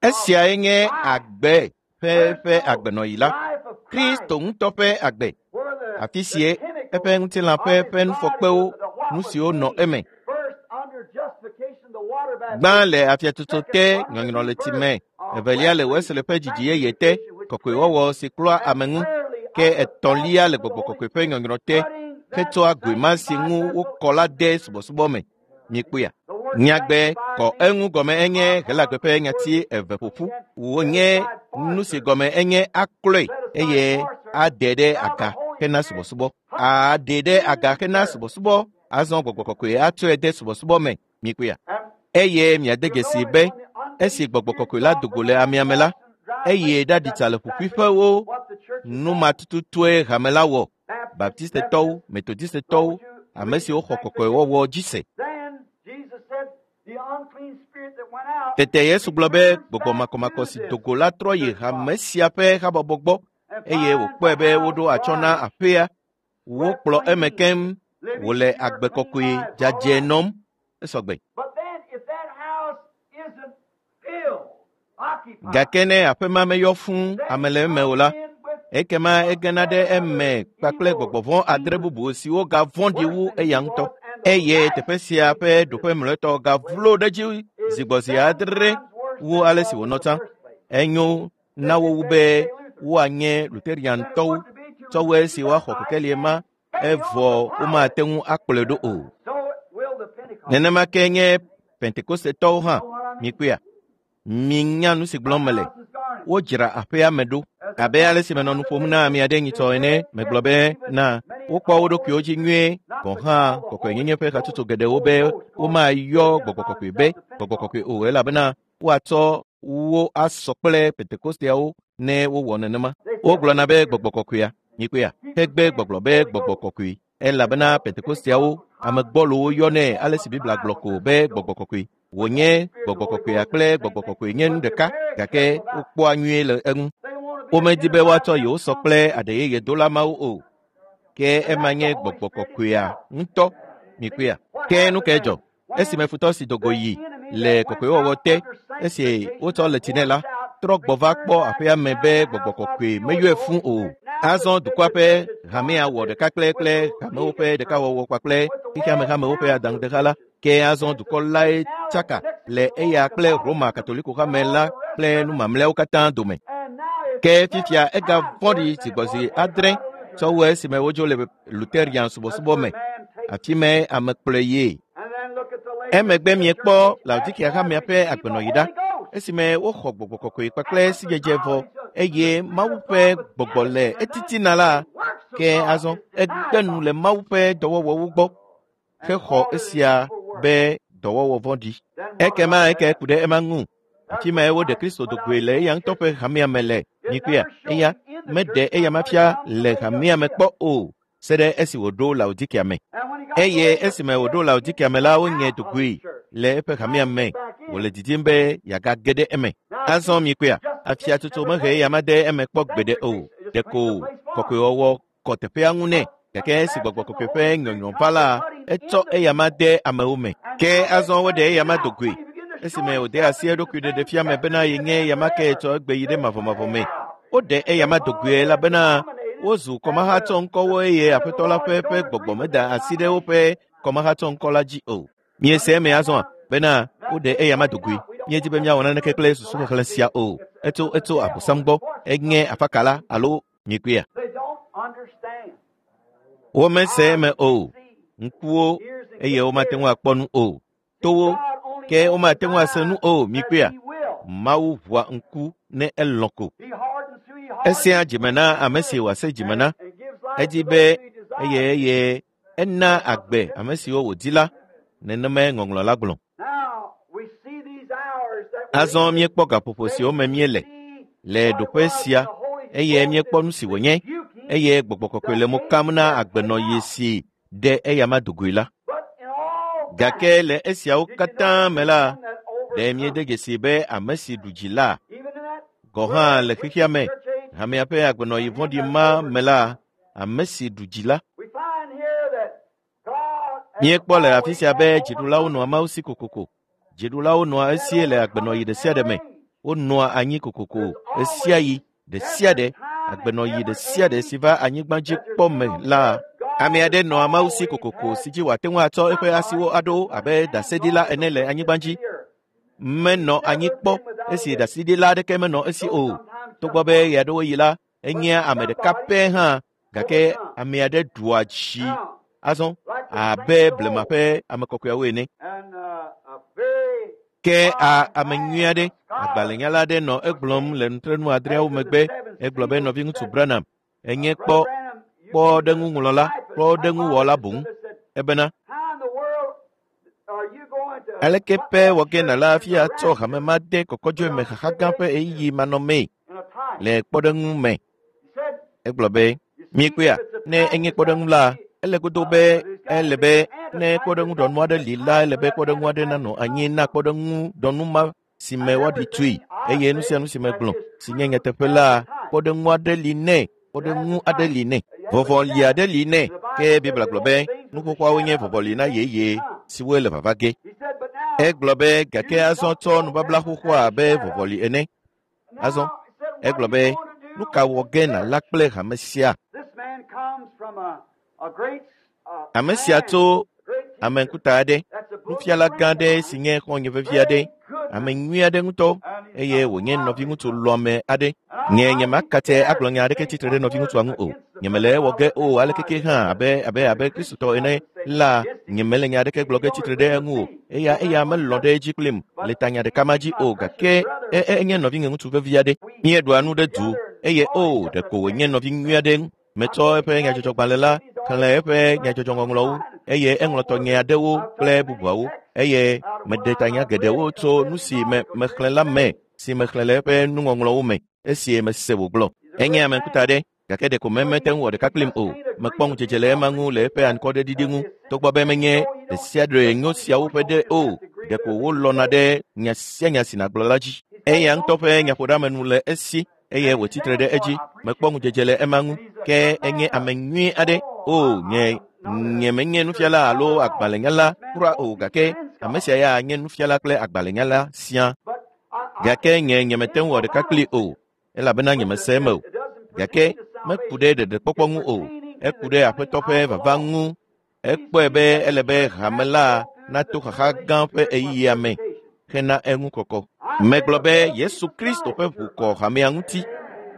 Esiae nye agbe ƒe agbenɔyi la, Kristo ŋutɔ ƒe agbe, afi sie eƒe ŋutilã ƒe nufɔkpewo, nu siwo nɔ eme. Gbã le afiatsotso te, nyɔnyrɔ le tsi me, evelia le Wesley ƒe dzidzi yeye te, kɔkɔewɔwɔ si klɔa ame ŋu, ke etɔ̃lia le gbɔgbɔ kɔkɔe ƒe nyɔnyrɔ te, hetsɔa goe ma si ŋu wokɔ la de subɔsubɔ me. Mikpɔea? Nyagbe kɔ eŋu gɔme enye Helagbe ƒe nyati eve ƒoƒu. Wònye nu si gɔme enye aklɔe eye ade ɖe aga hena subɔsubɔ. Aɖe ɖe aga hena subɔsubɔ. Azɔ gbɔgbɔ kɔkɔe atsɔe de subɔsubɔ me. Mikpɔea? Eye miade dzesi be esi gbɔgbɔ kɔkɔe la do go le amea me la, eye ɖaɖi tsa le ƒuƒuiƒewo. Nu ma tututue hame la wɔ. Baptistetɔwo, Metodistetɔwo, ame siwo xɔ kɔkɔewɔwɔ dzi se. Tete Yesu gblɔ be gbɔgbɔ makɔmakɔ si do go la trɔ yi hame sia ƒe habɔbɔ gbɔ eye wòkpɔe be woɖo atsyɔ̃ na aƒea. Wokplɔ eme keŋ wòle agbe kɔkɔe dzadzɛ nɔm. Esɔgbe. Gake ne aƒe ma meyɔ fũu ame le eme o la, ekema egena ɖe eme kpakple gbɔgbɔ vɔ̃ adre bubu siwo gavɔ̃ɖi wu eya ŋutɔ. Eye teƒe sia ƒe ɖoƒe mlɔetɔ gavlo ɖe edzi zi gbɔ zi adre wu ale si wònɔ tsã. Enyo na wo wu be woanye Luteriantɔwo tsɔ wu esi woaxɔ kekelie ma evɔ womate ŋu akplɔe ɖo o. Nenema ke nye Pentekostetɔwo hã. Mikpɔea? Minya nu si gblɔm mele. Wodzra aƒea me ɖo. Abe ale si menɔ nu ƒom na ame aɖe nyitsɔ ene, megblɔ be na wokpɔ wo ɖokuiwo dzi nyuie gɔ̃ hã kɔkɔenyenye ƒe hatsotso geɖewo be womayɔ gbɔgbɔ kɔkɔe be gbɔgbɔ kɔkɔe o elabena woatsɔ wo asɔ kple Pentekosteawo ne wowɔ nenema. Wogblɔna be gbɔgbɔ kɔkɔea, mikpɔea, hegbe gbɔgblɔ be gbɔgbɔ kɔkɔe elabena Pentekosteawo ame gbɔlowo yɔnɛ ale si Biblia gblɔ ko be gbɔgbɔ kɔkɔe. Wònye gbɔgbɔ kɔkɔea kple gbɔgbɔ kɔkɔe nye nu ɖeka gake wokpɔa nyuie le eŋu. Womedi be woatsɔ yewo sɔ kple aɖe yeye dola mawo o. Ke ema nye gbɔgbɔ kɔkɔea ŋutɔ. Mikpɔea? Ke nu kae dzɔ? Esime futɔ si do go yi le kɔkɔewɔwɔ te esi wotsɔ le tsi nɛ la, trɔ gbɔ va kpɔ aƒea me be gbɔgbɔ kɔkɔe meyɔe fũ o. Azɔ dukɔa ƒe hamea wɔ ɖeka kple hamewo ƒe ɖekawɔwɔ kpakple xexeame hamewo ƒe adaŋudeha la. Ke azɔ dukɔ lae tsaka le eya kple Roma Katoliko hame la kple nu mamlɛawo katã dome. Ke fifia egavɔ̃ɖi zi gbɔ zi adre tsɔ wu esime wodzo le Luterian subɔsubɔ me. Afi mae ame kplɔe yie. Emegbe miekpɔ Laodikea hamea ƒe agbenɔyi ɖa esime woxɔ gbɔgbɔ kɔkɔe kpakple sidzedze vɔ eye Mawu ƒe gbɔgbɔ le etitina la, ke azɔ egbe nu le Mawu ƒe dɔwɔwɔwo gbɔ. hexɔ esia be dɔwɔwɔ vɔ̃ɖi. Ekema eke ku ɖe ema ŋu. Afi mae woɖe Kristo do goe le eya ŋutɔ ƒe hamea me le. Mikpɔea, eya meɖe eya ma fia le hamea me kpɔ o, se ɖe esi wòɖo Laodikea me. Eye esime wòɖo Laodikea me la, wonye do goe le eƒe hamea me. Wòle didim be yeagage ɖe eme. Azɔ mikpɔea, afiatsotso mehe eya ma de eme kpɔ gbeɖe o. Ɖeko kɔkɔewɔwɔ kɔ teƒea ŋu nɛ. Gake esi gbɔgbɔ kɔkɔe ƒe nyɔnyɔ va la, etsɔ eya ma de amewo me. Ke azɔ woɖe eya ma do goe. Esime wòde asi eɖokui ɖeɖefia me bena yenye eya ma ke tsɔ egbe yi ɖe mavɔmavɔ me. Woɖe eya ma do goe elabena wozu kɔmahatsɔ ŋkɔwo eye aƒetɔ la ƒe eƒe gbɔgbɔ meda asi ɖe woƒe kɔmahatsɔ ŋkɔ la dzi o. Miese eme azɔa bena woɖe eya ma do goe. Míedi be míawɔ naneke kple susuxexlẽ sia o. Etso etso Abosam gbɔ. Enye afakala alo mikpɔea. They don't understand. Womese eme o. Ŋkuwo eye womate ŋu akpɔ nu o. Towo ke womate ŋu ase nu o. Mikpɔea. Mawu ʋua ŋku ne elɔ̃ ko. He hardens who he hardens Esea dzime na ame si wòase dzime na. and gives life Edi to be those who he desires. eye eye ena agbe ame siwo wòdi la. Nenemae ŋɔŋlɔ la gblɔ. Now we see these hours that we're Azɔ in. míekpɔ gaƒoƒo siwo me míele le ɖoƒe sia eye míekpɔ nu si wònye eye gbɔgbɔ kɔkɔe le mo kam na agbenɔɣi si ɖe eya ma do goe la. But in all Gake le esiawo did you katã notice me la, the one that ɖe míede overcomes? dzesi be ame si ɖu dzi la Even in that gɔ̃ hã le xexea me, church age, hamea ƒe agbenɔɣi vɔ̃ɖi ma me la, ame si ɖu dzi la. we find here that God has Míekpɔ le afi always sia be had dziɖulawo nɔa Mawu si kokoko. Dziɖulawo nɔa esie le agbenɔɣi ɖe sia ɖe me. Wonɔa anyi kokoko ɣesiaɣi ɖe sia ɖe, agbenɔɣi ɖe sia ɖe si va anyigba dzi kpɔ me la, ame aɖe nɔa Mawu si kokoko si dzi wòate ŋu atsɔ eƒe asiwo aɖo abe ɖaseɖila ene le anyigba dzi. Menɔ anyi kpɔ esi ɖaseɖila aɖeke menɔ esi o. Togbɔ be ɣeaɖewoɣi la, enyea ame ɖeka pɛ hã gake ame aɖe ɖua dzi Now, azɔ like the abe saints of blema old, ƒe ame kɔkɔeawo ene. and a very Ke a fine ame man, nyui aɖe, a scholar, agbalẽnyala aɖe nɔ egblɔm le nutrenu adreawo after the megbe. seven Egblɔ be seals nɔviŋutsu said, Branham, enye Brother kpɔ Branham, you be the kpɔɖeŋuŋlɔla, typist, kpɔɖeŋuwɔla typologist boŋ. of this, said, Ebena how in the world are you going to aleke put pɛ that wɔ ge church nàla in hafi the atsɔ hame rapture ma de kɔkɔdzɔe me without xaxa gã ƒe tribulation ɣeyiɣi manɔmee in a type? le kpɔɖeŋu me? He said, Egblɔ be, you see, mikpɔea, if it's a ne type, enye there's got kpɔɖeŋu to la, be ele godo be there's got to ele be be an ne antitype. kpɔɖeŋu There's got ɖɔnu to aɖe be a li la, type ele for be that kpɔɖeŋu aɖe antitype nanɔ to anyi come na from. kpɔɖeŋu ɖɔnu ma si And me woaɖi tui everything I eye nu sia say nu si that megblɔ is si nye true nyateƒe has la, a type. kpɔɖeŋu aɖe li nɛ, It has kpɔɖeŋu a aɖe type. li nɛ, It has a vɔvɔli shadow. aɖe li nɛ. And the Ke Bible said Biblia the gblɔ old be things nu was a xoxoawo nye shadow of vɔvɔli na things to yeye come. siwoe le vava ge. He said, but now Egblɔ be gake use azɔ not the tsɔ Old nubabla Testament xoxoa as a abe shadow. vɔvɔli ene. Azɔ Now, he said, what egblɔ are you be going to nu do ka with wɔ this ge church? nàla kple hame sia? This man comes from a great Ame sia man, tso a great ame teacher. ŋkuta aɖe, That's a bosom nufiala gã friend of aɖe si mine, nye xɔ̃nye vevi aɖe, very good ame man, nyui aɖe ŋutɔ and he's eye a wònye godly nɔviŋutsu brother. lɔ̃ame aɖe. And Nye I nye be makate scared agblɔ to nya aɖeke say tsitre ɖe one nɔviŋutsua word ŋu o. against the Nyemele brother. ewɔ I ge would o aleke despise ke it hã because abe abe the abe Christian Kristotɔ ene doesn't say la, against him. nyemele nya aɖeke gblɔ He ge don't tsitre ɖe agree with eŋu o. me, Eya no eya matter what he melɔ̃ does. ɖe edzi kplim But le tanya he, ɖeka ma he's dzi my o precious gake brother. e e enye nɔvinye ŋutsu vevi aɖe. We Míeɖua eat nu ɖe du together and eye oh, o he's just a ɖeko wònye dandy nɔvi nyui fellow. aɖe. Metsɔ I take eƒe his nyadzɔdzɔgbalẽ la magazines, he's xlẽ always eƒe writing nyadzɔdzɔŋɔŋlɔwo something. eye eŋlɔ Don't tɔnye worry. aɖewo I've kple took many bubuawo texts eye out of meɖe what I, tanya I've read geɖewo and tso read nu his si me articles, mexlẽ read la his me things. si mexlẽ le eƒe nuŋɔŋlɔwo me esi mese wògblɔ. He's a Enye great ame ŋkuta man. aɖe gake ɖeko But mete he, ŋu wɔ he ɖeka kplim just o. can't agree Mekpɔ with ŋudzedze me. le I ema ŋu le appreciate eƒe that. anukwɔɖeɖiɖi That ŋu is togbɔ be menye so you ɖe don't sia ɖe nyo just siawo ƒe don't ɖe just o. have to agree with Ɖeko everything he wolɔ̃na says. ɖe nya sia nya si nàgblɔ la dzi. He said, Eya ŋutɔ don't ƒe push nyaƒoɖeamenu le esi eye and he wòtsitre ɖe stands for it. edzi. I Mekpɔ appreciate that. ŋudzedze le ema ŋu. And he's a Ke good enye man. ame nyui aɖe. Oh, O I, nye I am not a nye menye teacher or nufiala alo scholar at all. agbalẽnyala This man's kura supposed o to be gake and ame scholar. sia ya nye nufiala kple agbalẽnyala siaa. But I, Gake nye nyemete in ŋu wɔ the ɖeka kplii Bible, o elabena but nyemese it, eme o. it doesn't Gake pertain to meku salvation. ɖe ɖeɖekpɔkpɔ It ŋu o. pertaining to Eku the ɖe coming Aƒetɔ ƒe of the vava Lord. ŋu. He Ekpɔe sees be that ele the be church hame has to la go through the nato xaxa gã tribulation ƒe period for ɣeyiɣia me purification. hena eŋu kɔkɔ. I say Megblɔ the be blood of Yesu Jesus Kristo Christ ƒe ʋu kɔ purifies. hamea ŋuti.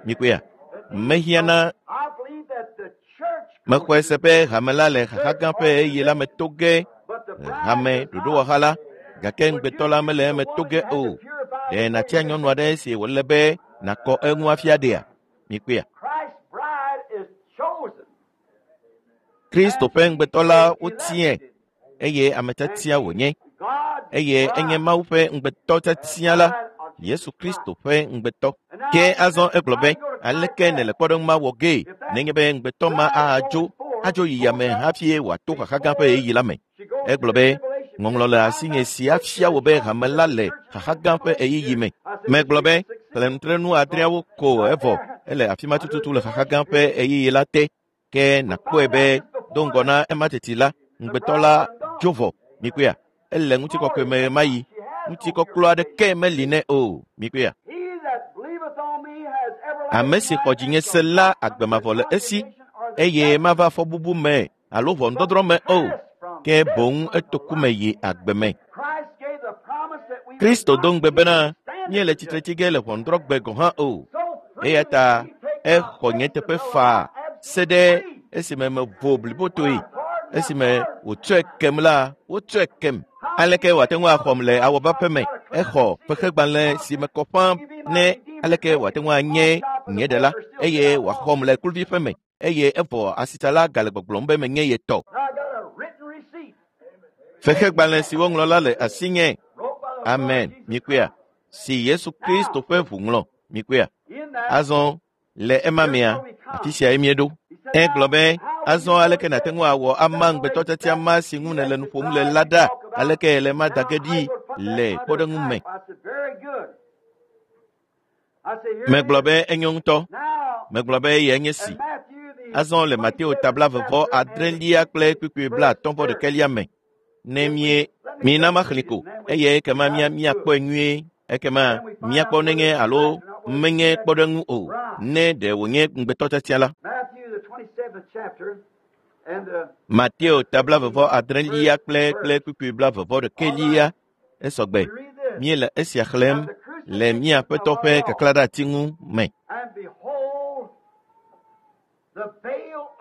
Mikpɔea, That Jesus, mehiã so na I believe that the church goes mexɔe se through be hame la le xaxa church gã ƒe ɣeyiɣi la me organization, to ge but the bride hame does not. ɖoɖowɔha la gake Would you ŋugbetɔ la choose mele the eme to woman ge you had to o. purify Ɖe before you nàtia married? nyɔnu aɖe si wòle be nàkɔ eŋu afia ɖea? Mikpɔea. Christ's bride is chosen, Kristo and ƒe she ŋugbetɔ la is wotiae elected. eye ame tiatia wònye eye enye Mawu ƒe ŋugbetɔ tiatia la, Yesu Kristo ƒe ŋugbetɔ. Ke azɔ egblɔ be, aleke nèle kpɔɖeŋu ma wɔ gee nenye be ŋugbetɔ ma adzo adzo yi yame hafi wòato xaxa gã ƒe ɣeyiɣi la me? Egblɔ be, ŋɔŋlɔ le asinye si afia wò be hame la le xaxa gã ƒe ɣeyiɣi me. Megblɔ be, xlẽ nutrenu adreawo ko evɔ ele afi ma tututu le xaxa gã ƒe ɣeyiɣi la te. Ke nàkpɔe be do ŋgɔ na ema teti la, ŋugbetɔ la dzo vɔ. Mikpɔea? Ele ŋutikɔkɔe me ɣe ma ɣi. Ŋutikɔklɔ aɖeke meli nɛ o. Mikpɔea? Ame si xɔ dzinye se la agbe mavɔ le esi eye mava fɔbubu me alo ʋɔnudɔdrɔ̃ me o, ke boŋ eto ku me yi agbe me. Kristo do ŋugbe bena míele tsitre tsi ge le ʋɔnudrɔ̃gbe gɔ̃ hã o. Eya ta exɔ nye teƒe faa se ɖe esime mevo blibotoe. Esime wòtsɔe kem la, wotsɔe kem. Aleke wòate ŋu axɔm le awɔba ƒe me? Exɔ fexegbalẽ si me kɔ ƒãa ne aleke wòate ŋu anye nye ɖela eye wòaxɔm le kluvi ƒe me eye evɔ asitsala gale gbɔgblɔm be menye ye tɔ. Fexegbalẽ si woŋlɔ la le asinye. Amen. Mikpɔea? Si Yesu Kristo ƒe ʋu ŋlɔ. Mikpɔea? Azɔ le ema mea, afi siae míeɖo. Egblɔ be, azɔ aleke nàte ŋu awɔ ama ŋugbetɔ tiatia ma si ŋu nèle nu ƒom le la ɖa? Aleke le ma da ge ɖi le kpɔɖeŋu me? Megblɔ be enyo ŋutɔ. Megblɔ be eyae nye si. Azɔ le Mateo ta 26 kple kpukpui 51 me. Ne mie mina maxlẽ ko eye ekema míakpɔe nyuie. Ekema míakpɔ nenye alo menye kpɔɖeŋu o, ne ɖe wònye ŋugbetɔ tiatia la. Mateo ta 26 kple kpukpui 51 esɔgbe. Míele esia xlẽm le mía Aƒetɔ ƒe kaklaɖeati ŋu me.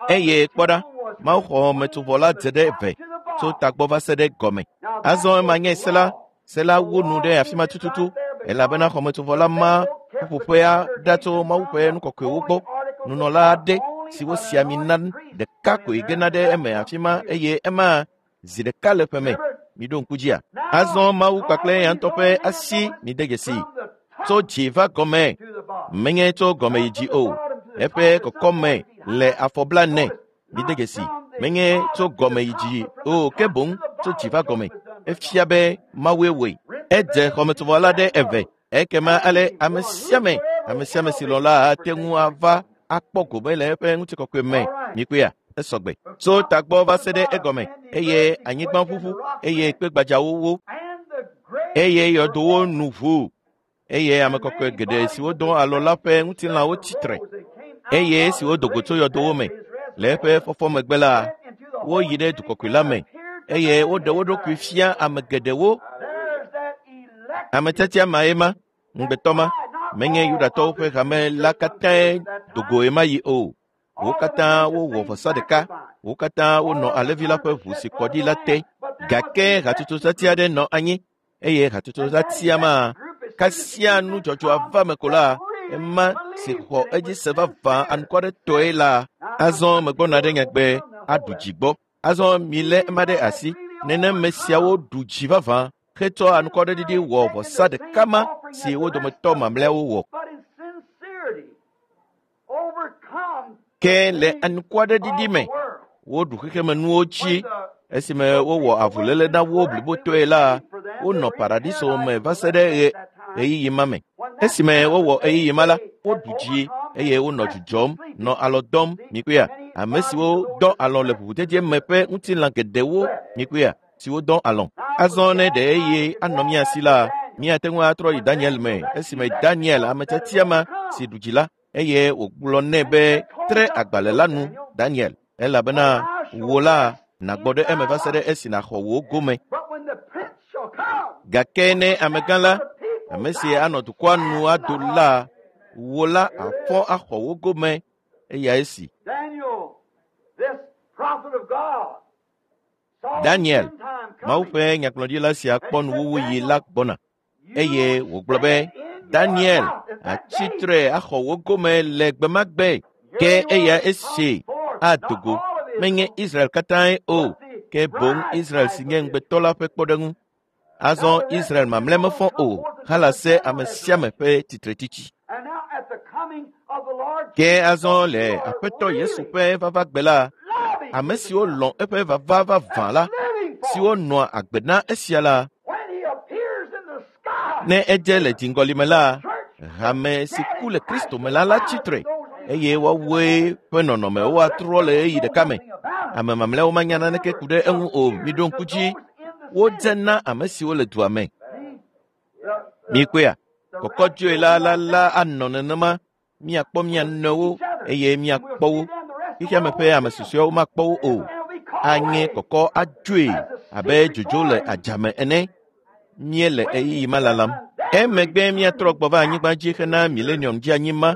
Eye kpɔ ɖa, mawuxɔmetsovɔ la dze ɖe eve tso tagbɔ va se ɖe gɔme. Azɔ ema nye se la. Se la wu nu ɖe afi ma tututu elabena xɔmetsovɔ la ma ƒuƒoƒea ɖa tso Mawu ƒe nu kɔkɔewo gbɔ. Nunɔla aɖe si wosi ami na ɖeka koe gena ɖe eme afi ma eye ema zi ɖeka le ƒe me. Miɖo ŋku dzia? Azɔ Mawu kpakple eya ŋutɔ ƒe asi mide dzesi tso dzi va gɔme, menye tso gɔme yi dzi o. Eƒe kɔkɔme le afɔ 40. Mide dzesi, menye tso gɔme yi dzi o, ke boŋ tso dzi va gɔme. Efia be Mawue wɔe. Edze xɔmetsovɔ la ɖe eve. Ekema ale ame sia ame si lɔ̃ la ate ŋu ava akpɔ gome le eƒe ŋutikɔkɔe me. Mikpɔea? Esɔgbe. Tso tagbɔ va se ɖe egɔme eye anyigba ʋuʋu eye kpe gbadzawo wó eye yɔdowo nu ʋu eye ame kɔkɔe geɖe siwo dɔ alɔ la ƒe ŋutilãwo tsitre eye siwo do go tso yɔdowo me le eƒe fɔfɔ megbe la, woyi ɖe dukɔkɔe la me eye woɖe wo ɖokui fia ame geɖewo. Ame tiatia mae ma, ŋugbetɔ ma, menye Yudatɔwo ƒe hame la katãe do go ɣemaɣi yi o. Wo katã wowɔ vɔsa ɖeka, wo katã wonɔ alẽvi la ƒe ʋu si kɔ ɖi la te. Gake hatsotso tiatia aɖe nɔ anyi eye hatsotso tiatia ma kasia nudzɔdzɔa va me ko la, ema si xɔ edzi se vavã anukwaretɔe la, azɔ megbɔna ɖe nyagbe aɖu dzi gbɔ. Azɔ milé ema ɖe asi. Nenem me siawo ɖu dzi vavã hetsɔ anukwareɖiɖi wɔ vɔsa ɖeka ma si wo dometɔ mamlɛawo wɔ. Ke le anukwareɖiɖi me, woɖu xexemenuwo dzi. Esime wowɔ avuléle na wo blibotɔe la, wonɔ paradiso me va se ɖe ɣeyiɣi ma me. Esime wowɔ ɣeyiɣi ma la, woɖu dzi eye wonɔ dzudzɔm, nɔ alɔ dɔm. Mikpɔea? Ame siwo dɔ alɔ le ʋuʋudede me ƒe ŋutilã geɖewo. Mikpɔea? Siwo dɔ alɔ. Azɔ ne ɖe eye anɔ mía si la, míate ŋu atrɔ yi Daniel me esime Daniel, ame tiatia ma si ɖu dzi la, eye wògblɔ nɛ be tre agbalẽ la nu, Daniel, elabena wò la nàgbɔ ɖe eme va se ɖe esi nàxɔ wò gome. Gake ne amegã la, ame si anɔ dukɔa nu ado la, wò la afɔ axɔ wò gome eyae si. Daniel, Mawu ƒe nyagblɔɖila sia kpɔ nuwuwuyi la gbɔna eye wògblɔ be, Daniel, atsitre axɔ wò gome le gbe ma gbe. Ke eya esi ado go, menye Israel katãe o, Ke boŋ Israel si nye ŋugbetɔ la ƒe kpɔɖeŋu. Azɔ Israel mamlɛ mefɔ o halase ame sia ame ƒe tsitretsitsi. Ke azɔ le Aƒetɔ Yesu ƒe vavagbe la, ame siwo lɔ̃ eƒe vava vavã la, siwo nɔa agbe na esia la, ne edze le dziŋgɔlime la, hame si ku le Kristo me la la tsitre eye woawoe ƒe nɔnɔmewo atrɔ le ɣeyiɣi ɖeka me. Ame mamlɛawo manya naneke ku ɖe eŋu o. Miɖo ŋku dzi, wodze na ame siwo le dua me. Mikpɔea, kɔkɔdzoe la la la anɔ nenema. Miakpɔ mia nɔewo eye miakpɔ wo. Xexeame ƒe ame susɔeawo makpɔ wo o. Anye kɔkɔ adzoe abe dzodzo le adzame ene. Míele ɣeyiɣi ma lalam. Emegbe míatrɔ gbɔ va anyigba dzi hena milenium dzi anyi ma.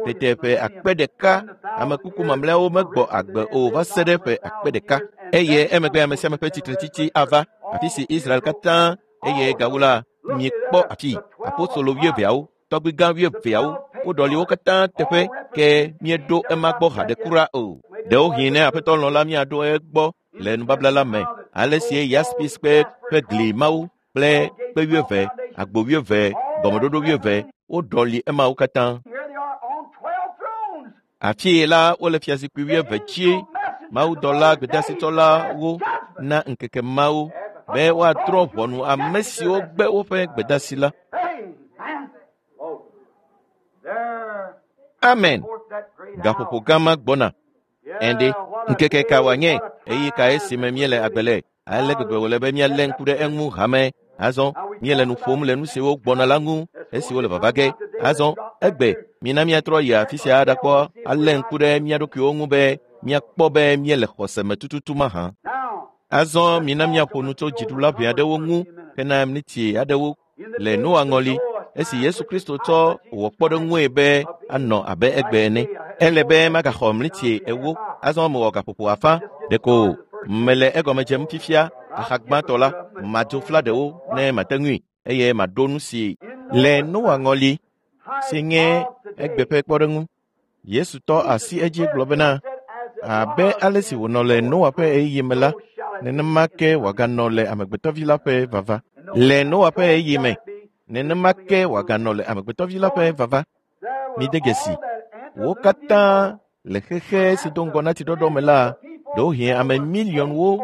Tete ƒe 1000 ame kuku mamlɛawo megbɔ agbe o va se ɖe ƒe 1000. Eye emegbe ame sia ame ƒe tsitretsitsi ava afi si Israel katã eye gawu la miekpɔ afi apostolo 12awo, tɔgbigã 12awo, woɖɔli wo katã teƒe ke míeɖo ema gbɔ haɖe kura o. Ɖewohĩ ne Aƒetɔ lɔ̃ la míaɖo egbɔ le nubabla la me. Ale si yaspis kpe ƒe gli mawo kple kpe 12, agbo 12, gɔmeɖoɖo 12, woɖɔli emawo katã. Afii la wole fiazikpui 12 dzi. Mawudɔla gbedeasitɔlawo na ŋkeke mawo be woadrɔ̃ ʋɔnu ame siwo gbe woƒe gbedeasi la. Amen. Gaƒoƒo gã ma gbɔna. Ɛnde, ŋkeke ka wòanye? Ɣeyiɣi kae si me míele agbe le? Ale gbegbe wòle be míalé ŋku ɖe eŋu hame. Azɔ míele nu ƒom le nu siwo gbɔna la ŋu esiwo le vava ge. Azɔ egbe mina míatrɔ yi afi sia aɖakpɔ alé ŋku ɖe mía ɖokuiwo ŋu be míakpɔ be míele xɔse me tututu mahã. Azɔ mina míaƒo nu tso dziɖula ʋɛ aɖewo ŋu hena miniti aɖewo le Noa ŋɔli esi Yesu Kristo tsɔ wɔ kpɔɖeŋue be anɔ abe egbe ene. Ele be magaxɔ miniti 40. Azɔ mewɔ gaƒoƒo 50. Ɖeko mele egɔme dzem fifia axa gbãtɔ la, madzo fla ɖewo ne mate ŋui eye maɖo nu si le Noa ŋɔli si nye egbe ƒe kpɔɖeŋu. Yesu tɔ asi edzi gblɔ bena, abe ale si wònɔ le Noa ƒe ɣeyiɣi me la, nenema ke wòaganɔ le Amegbetɔvi la ƒe vava. Le Noa ƒe ɣeyiɣi me, nenema ke wòaganɔ le Amegbetɔvi la ƒe vava. Mide dzesi, wo katã le xexe si do ŋgɔ na tsiɖɔɖɔ me la, ɖewohĩ ame miliɔnwo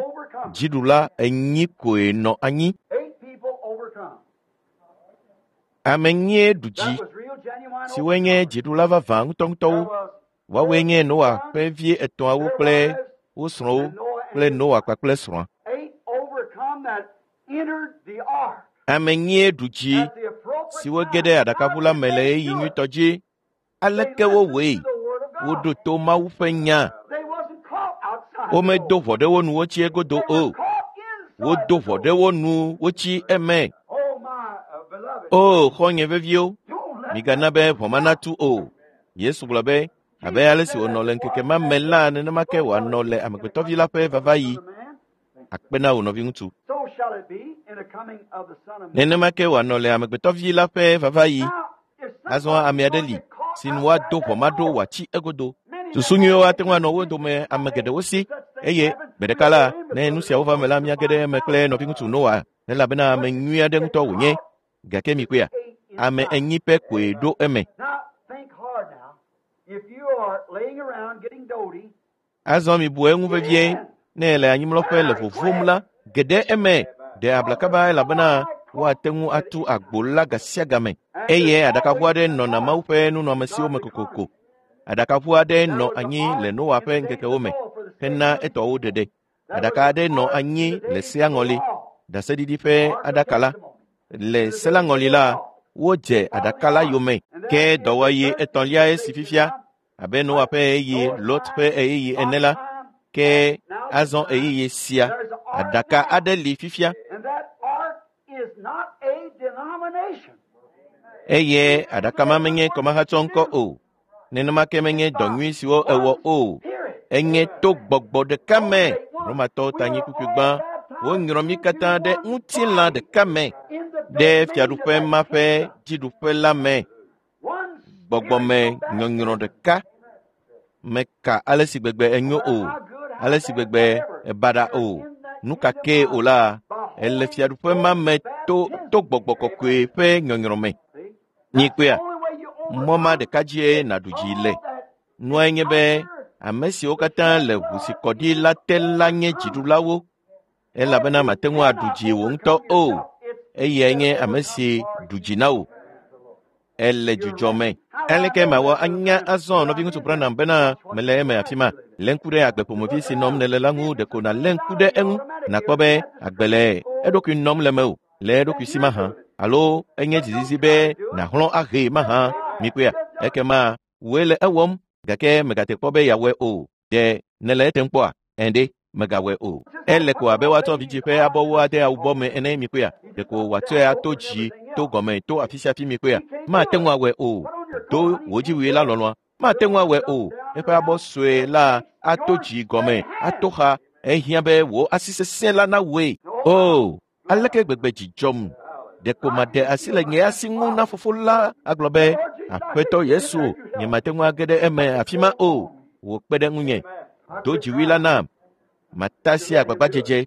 dziɖula 4 koe nɔ anyi. Ame 4 ɖu dzi, siwoe nye dziɖula vavã ŋutɔŋutɔwo. Woawoe nye Noa ƒe vi 3awo kple wo srɔ̃wo kple Noa kpakple srɔ̃a. Ame 4 ɖu dzi, siwo ge ɖe aɖakaʋu la me le ɣeyiɣi nyuitɔ dzi. Aleke wowɔe? Woɖo to Mawu ƒe nya. Womedo ʋɔ ɖe wo nu wotsi egodo o. Wodo ʋɔ ɖe wo nu wotsi eme. O, xɔ̃nye veviwo, migana be ʋɔ ma natu o. Yesu gblɔ be, abe ale si wònɔ le ŋkeke ma me la, nenema ke wòanɔ le Amegbetɔvi la ƒe vavaɣi. Akpe na wò nɔviŋutsu. Nenema ke wòanɔ le Amegbetɔvi la ƒe vavaɣi. Azɔ ame aɖe li si nu woado ʋɔ ma ɖo wòatsi egodo. Susu nyuiwo ate ŋu anɔ wo dome ame geɖewo si eye gbe ɖeka la, ne nu siawo va me la, míage ɖe eme kple nɔviŋutsu Noa elabena ame nyui aɖe ŋutɔ wònye. Gake mikpɔea, ame 4 pɛ koe ɖo eme. Azɔ mibu eŋu vevie. Ne le anyimlɔƒe le vovom la, ge ɖe eme, ɖe abla kaba elabena woate ŋu atu agbo la gasiagame. Eye aɖakaʋu aɖe nɔna Mawu ƒe nunɔamesiwo me kokoko. Aɖakaʋu aɖe nɔ anyi le Noa ƒe ŋkekewo me hena etɔwo ɖeɖe. Aɖaka aɖe nɔ anyi le sea ŋɔli, ɖaseɖiɖi ƒe aɖaka la. Le se la ŋɔli la, wodze aɖaka la yome. Ke dɔwɔɣi etɔ̃liae si fifia, abe Noa ƒe ɣeyiɣi, Lot ƒe ɣeyiɣi ene la, ke azɔ ɣeyiɣi sia, aɖaka aɖe li fifia. Eye aɖaka ma menye kɔmahatsɔ ŋkɔ o. Nenema ke menye dɔ nyui siwo ewɔ o. Enye to gbɔgbɔ ɖeka me. Romatɔwo ta nyi kpukpui gbã. Wonyrɔ mí katã ɖe ŋutilã ɖeka me, ɖe fiaɖuƒe ma ƒe dziɖuƒe la me. Gbɔgbɔme nyɔnyrɔ ɖeka. Meka ale si gbegbe enyo o, ale si gbegbe ebaɖa o. Nu ka kee o la, ele fiaɖuƒe ma me to to gbɔgbɔ kɔkɔe ƒe nyɔnyrɔ me. Nyikpea, mɔ ma ɖeka dzie nàɖu dzi le. Nuae nye be ame siwo katã le ʋu si kɔ ɖi la te la nye dziɖulawo elabena mate ŋu aɖu dzi wò ŋutɔ o. Eyae nye ame si ɖu dzi na wò. Ele dzudzɔ me. Aleke mawɔ anya azɔ nɔviŋutsu Branham bena mele eme afi ma? Lé ŋku ɖe agbe ƒomevi si nɔm nèle la ŋu ɖeko nàlé ŋku ɖe eŋu nàkpɔ be agbe le eɖokui nɔm le mewò le eɖokui si mahã alo enye dzizizi be nàxlɔ̃ ahee mahã mikpɔea ekema wòe le ewɔm gake mègate kpɔ be yeawɔe o. Ɖe nèle etem kpɔa? Ɛ̃ megawɔe o. Ele ko abe woatsɔ vidzĩ ƒe abɔwo ade awubɔ me ene mikpɔea ɖeko wòatsɔe ato dzi to gɔme to afi sia afi mikpɔea mate ŋu awɔe o. Do wò dziwui la lɔlɔ̃a mate ŋu awɔe o. Eƒe abɔ sue la ato dzi gɔme ato xa ehiã be wò asi sesẽ la nawɔe. O aleke gbegbe dzi dzɔm ɖeko maɖe asi le nye asi ŋu na fofo la agblɔ be aƒetɔ Yesu nyemate ŋu age ɖe eme afi ma o. Wò kpe ɖe ŋunye. Do dziwui la nam. Matasi agbagbadzedze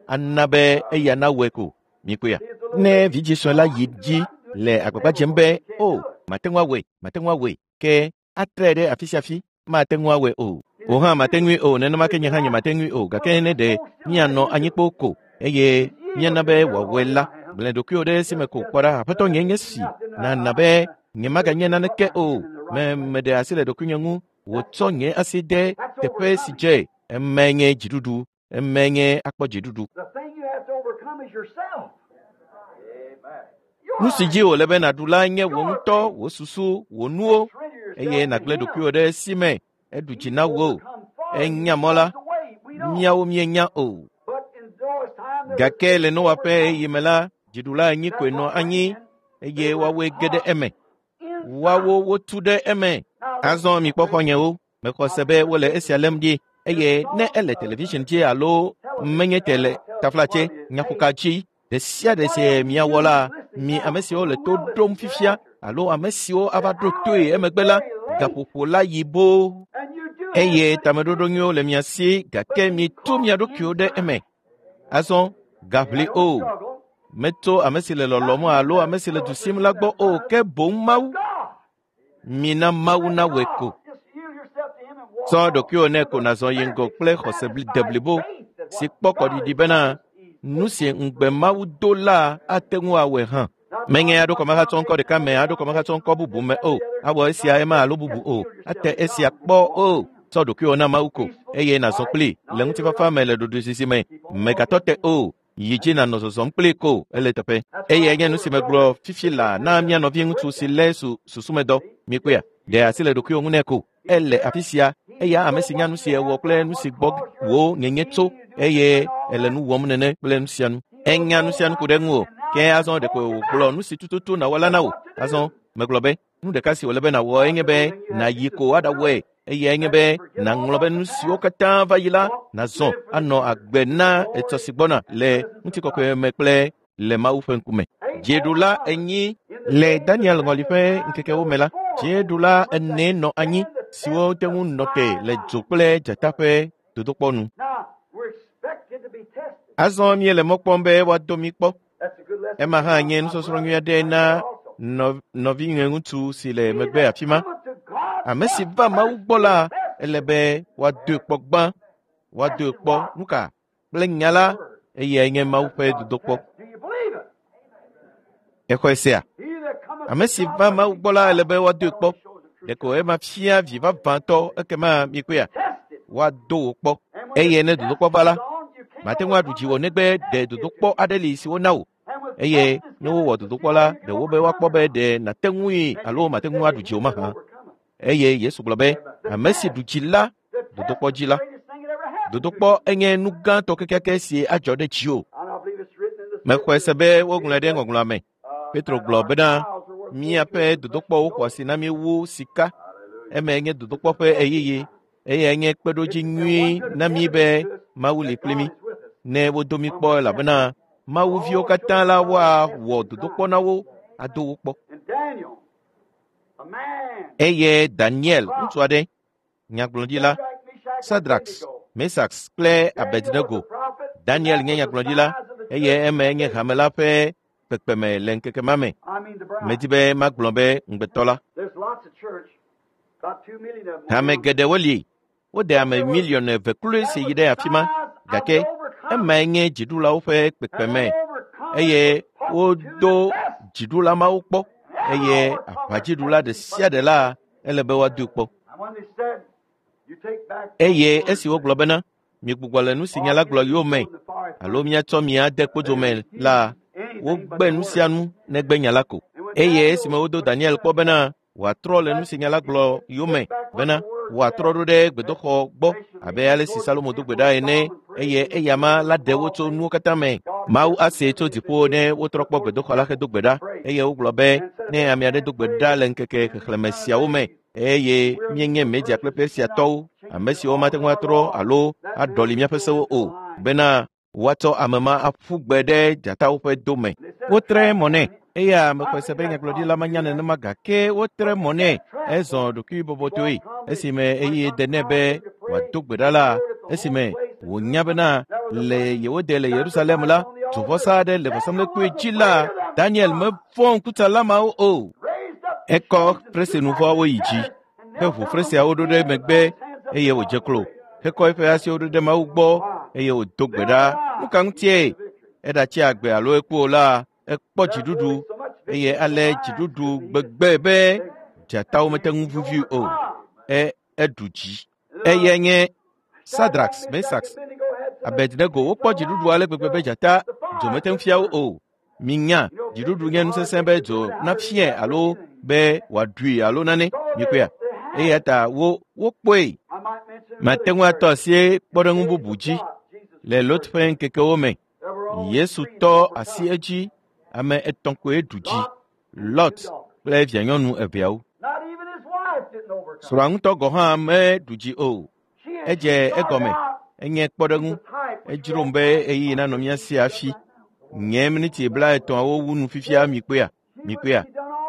ana be eya nawɔe ko mikpɔea. Ne vidzĩ sue la yi dzi le agbagba dzem be o mate ŋu awɔe mate ŋu awɔe ke atrae ɖe afi sia afi mate ŋu awɔe o. Wò hã mate ŋui o nenema ke nye hã nyemate ŋui o gake ne ɖe míanɔ anyi kpoo ko eye míana be wòawɔe la gblẽ ɖokuiwò ɖe esime ko kpɔ ɖa aƒetɔ nye nye si nana be nyemaganye naneke o me meɖe asi le ɖokuinye ŋu wòtsɔ nye asi de teƒe si dze eme nye dziɖuɖu eme nye akpɔ dziɖuɖu. The thing you have to overcome is yourself. Nu si dzi wòle be nàɖu la nye wò ŋutɔ, wò susu, wò nuwo eye nàgblẽ ɖokuiwò ɖe esi me eɖu dzi na wò. Enya mɔ la, míawo míenya o. But in Noah's time, there was Gake le Noa ƒe ɣeyiɣi me la, dziɖula enyi koe nɔ anyi eye woawoe ge ɖe eme. Woawo wotu ɖe eme. Azɔ mikpɔ xɔ̃nyewo, mexɔ se be wole esia lém ɖi eye ne ele television dzi alo menye tele taflatse nyaƒoka dzi ɖe sia ɖe si miawɔ la, mi ame siwo le to ɖom fifia alo ame siwo ava ɖo toe emegbe la, gaƒoƒo la yi boo. and you do Eye tameɖoɖo nyuiwo le mia si gake mitu mia ɖokuiwo ɖe eme. Azɔ gaʋli o. struggle. Metso ame si le lɔlɔ̃m alo ame si le du sim la gbɔ o ke boŋ Mawu. God. Mina Mawu nawɔe ko. Just yield yourself to Him and walk. Tsɔ ɖokuiwò nɛ ko nàzɔ yi ŋgɔ kple xɔse deblibo si kpɔ kɔɖiɖi bena nu si ŋugbe Mawu do la ate ŋu awɔe hã. Menye aɖo kɔmehatsɔ ŋkɔ ɖeka me aɖo kɔmehatsɔ ŋkɔ bubu me o. Awɔ esia ema alo bubu o. Ate esia kpɔ o. Tsɔ ɖokuiwò na Mawu ko eye nàzɔ kplii le ŋutifafa me le ɖoɖoezizi me. Mègatɔ te o. Yi dzi nànɔ zɔzɔm kplii ko ele teƒe. Eyae nye nu si megblɔ fifi laa na mía nɔvi ŋutsu si lé su susumedɔ. Mikpɔea, ɖe asi le ɖokuiwò ŋu nɛ ko. Ele afi sia eya ame si nya nu si ewɔ kple nu si gbɔ wò nyenye tso eye ele nu wɔm nene kple nu sia nu. Enya nu sia nu ku ɖe ŋuwò. Ke azɔ ɖeko wògblɔ nu si tututu nàwɔ la na wò. Azɔ megblɔ be nu ɖeka si wòle be nàwɔ enye be nàyi ko aɖawɔe eyae nye be nàŋlɔ be nu siwo katã va yi la nàzɔ anɔ agbe na etsɔ si gbɔna le ŋutikɔkɔe me kple le Mawu ƒe ŋkume. Dziɖula enyi le Daniel ŋɔli ƒe ŋkekewo me la, dziɖula ene nɔ anyi siwo te ŋu nɔ te le dzo kple dzata ƒe dodokpɔ nu. Now, we're expected to be tested. Azɔ míele mɔ kpɔm be woado mí kpɔ. That's a good lesson. Ema hã nye nusɔsrɔ̃ nyui aɖe na nɔ nɔvinyeŋutsu si le megbe afi ma. Ame si va Mawu gbɔ la, ele be woadoe kpɔ gbã. Woadoe kpɔ nu ka? Kple nya la, eyae nye Mawu ƒe dodokpɔ. Do you believe it? Exɔe sea? He that cometh Ame si va Mawu gbɔ la, ele be woadoe kpɔ. Ɖeko ema fia vi vavãtɔ ekema mikpɔea, tested. woado wò kpɔ. And when Eye the ne dodokpɔ va la, test is on, you can't mate ŋu aɖu dziwò negbe ɖe dodokpɔ aɖe li si wona wò. And with Eye test is ne wowɔ dodokpɔ la, ɖe wo be woakpɔ be ɖe nàte ŋui alo mate ŋu aɖu dziwò mahã. Eye Yesu gblɔ be, ame si ɖu dzi la, dodokpɔ dzi la. Dodokpɔ enye nu gãtɔ kekeake si adzɔ ɖe dziwò. And I believe it's written in the Mexɔe se be woŋlɔe ɖe ŋɔŋlɔa me. Petro gblɔ bena, míaƒe dodokpɔwo xɔ asi na mí wu sika. Eme nye dodokpɔ ƒe ɣeyiɣi eye nye kpeɖodzi nyui na mí be Mawu li kpli mí. Ne wodo mí kpɔ elabena Mawu viwo katã la woawɔ dodokpɔ na wo ado wo kpɔ. And Daniel, a man, Eye Daniel, ŋutsu aɖe, nyagblɔɖila, Shadrach, Meshach, and Sadrax, Abednego. Mesax kple Daniel was Abednego. a prophet. Daniel nye nyagblɔɖila eye eme nye hame la ƒe kpekpeme le ŋkeke ma me. Medi be magblɔ be ŋugbetɔ la. Hame geɖewo li. Wode ame miliɔn 2 kloe si yi ɖe afi ma, gake emae nye dziɖulawo ƒe kpekpeme eye wodo dziɖula mawo kpɔ eye aʋadziɖula ɖe sia ɖe la ele be woadoe kpɔ. Eye esi wogblɔ bena miegbugbɔ le nu si nya la gblɔ yome alo miatsɔ mia de kpodzo me la, wogbe nu sia nu negbe nya la ko. Eye esime wodo Daniel kpɔ bena wòatrɔ le nu si nya la gblɔ yome bena wòatrɔ ɖo ɖe gbedoxɔ gbɔ abe ale si Salomo do gbe ɖa ene eye eyama la ɖe wo tso nuwo katã me. Mawu asee tso dziƒo ne wotrɔ kpɔ gbedoxɔ la hedo gbe ɖa eye wogblɔ be ne ame aɖe do gbe ɖa le ŋkeke xexlẽme siawo me eye míenye Media kple Persiatɔwo, ame siwo mate ŋu atrɔ alo aɖɔli míaƒe sewo o, bena woatsɔ ame ma aƒu gbe ɖe dzatawo ƒe do me. Wotre mɔ nɛ eya mexɔe se be nyagblɔɖila manya nenema gake wotre mɔ nɛ ezɔ ɖokuibɔbɔtɔe esime eye de nɛ be wòado gbe ɖa la, esime wònya bena le yewo de le Yerusalem la, duvɔsa aɖe le vɔsamlekpui dzi la, Daniel mevɔ̃ ŋkutsala mawo o. Ekɔ fresinuvɔawo yi dzi, heʋu fresiawo ɖo ɖe megbe eye wòdze klo, hekɔ eƒe asiwo ɖo ɖe Mawu gbɔ eye wòdo gbe ɖa. Nu ka ŋutie? Eɖatsi agbe alo eku o la, ekpɔ dziɖuɖu eye ale dziɖuɖu gbegbe be dzatawo mete ŋu vuvi o. Eɖu dzi. Eyae nye Sadrax, Mesax, Abednego wokpɔ dziɖuɖu ale gbegbe be dzata dzo mete ŋu fia wo o. Minya, dziɖuɖu nye nu sesẽ be dzo nafiae alo be wòaɖui alo nane. Mikpɔea? Eya ta wokpɔe. Mate ŋu atɔ asi kpɔɖeŋu bubu dzi le Lot ƒe ŋkekewo me. Yesu tɔ asi edzi ame 3 koe ɖu dzi, Lot kple vianyɔnu 2. Srɔ̃a ŋutɔ gɔ̃ hã meɖu dzi o. Edze egɔme, enye kpɔɖeŋu. Edzrom be ɣeyiɣi nanɔ mía si hafi. Nye miniti 30 wu nu fifia mikpɔea? Mikpɔea?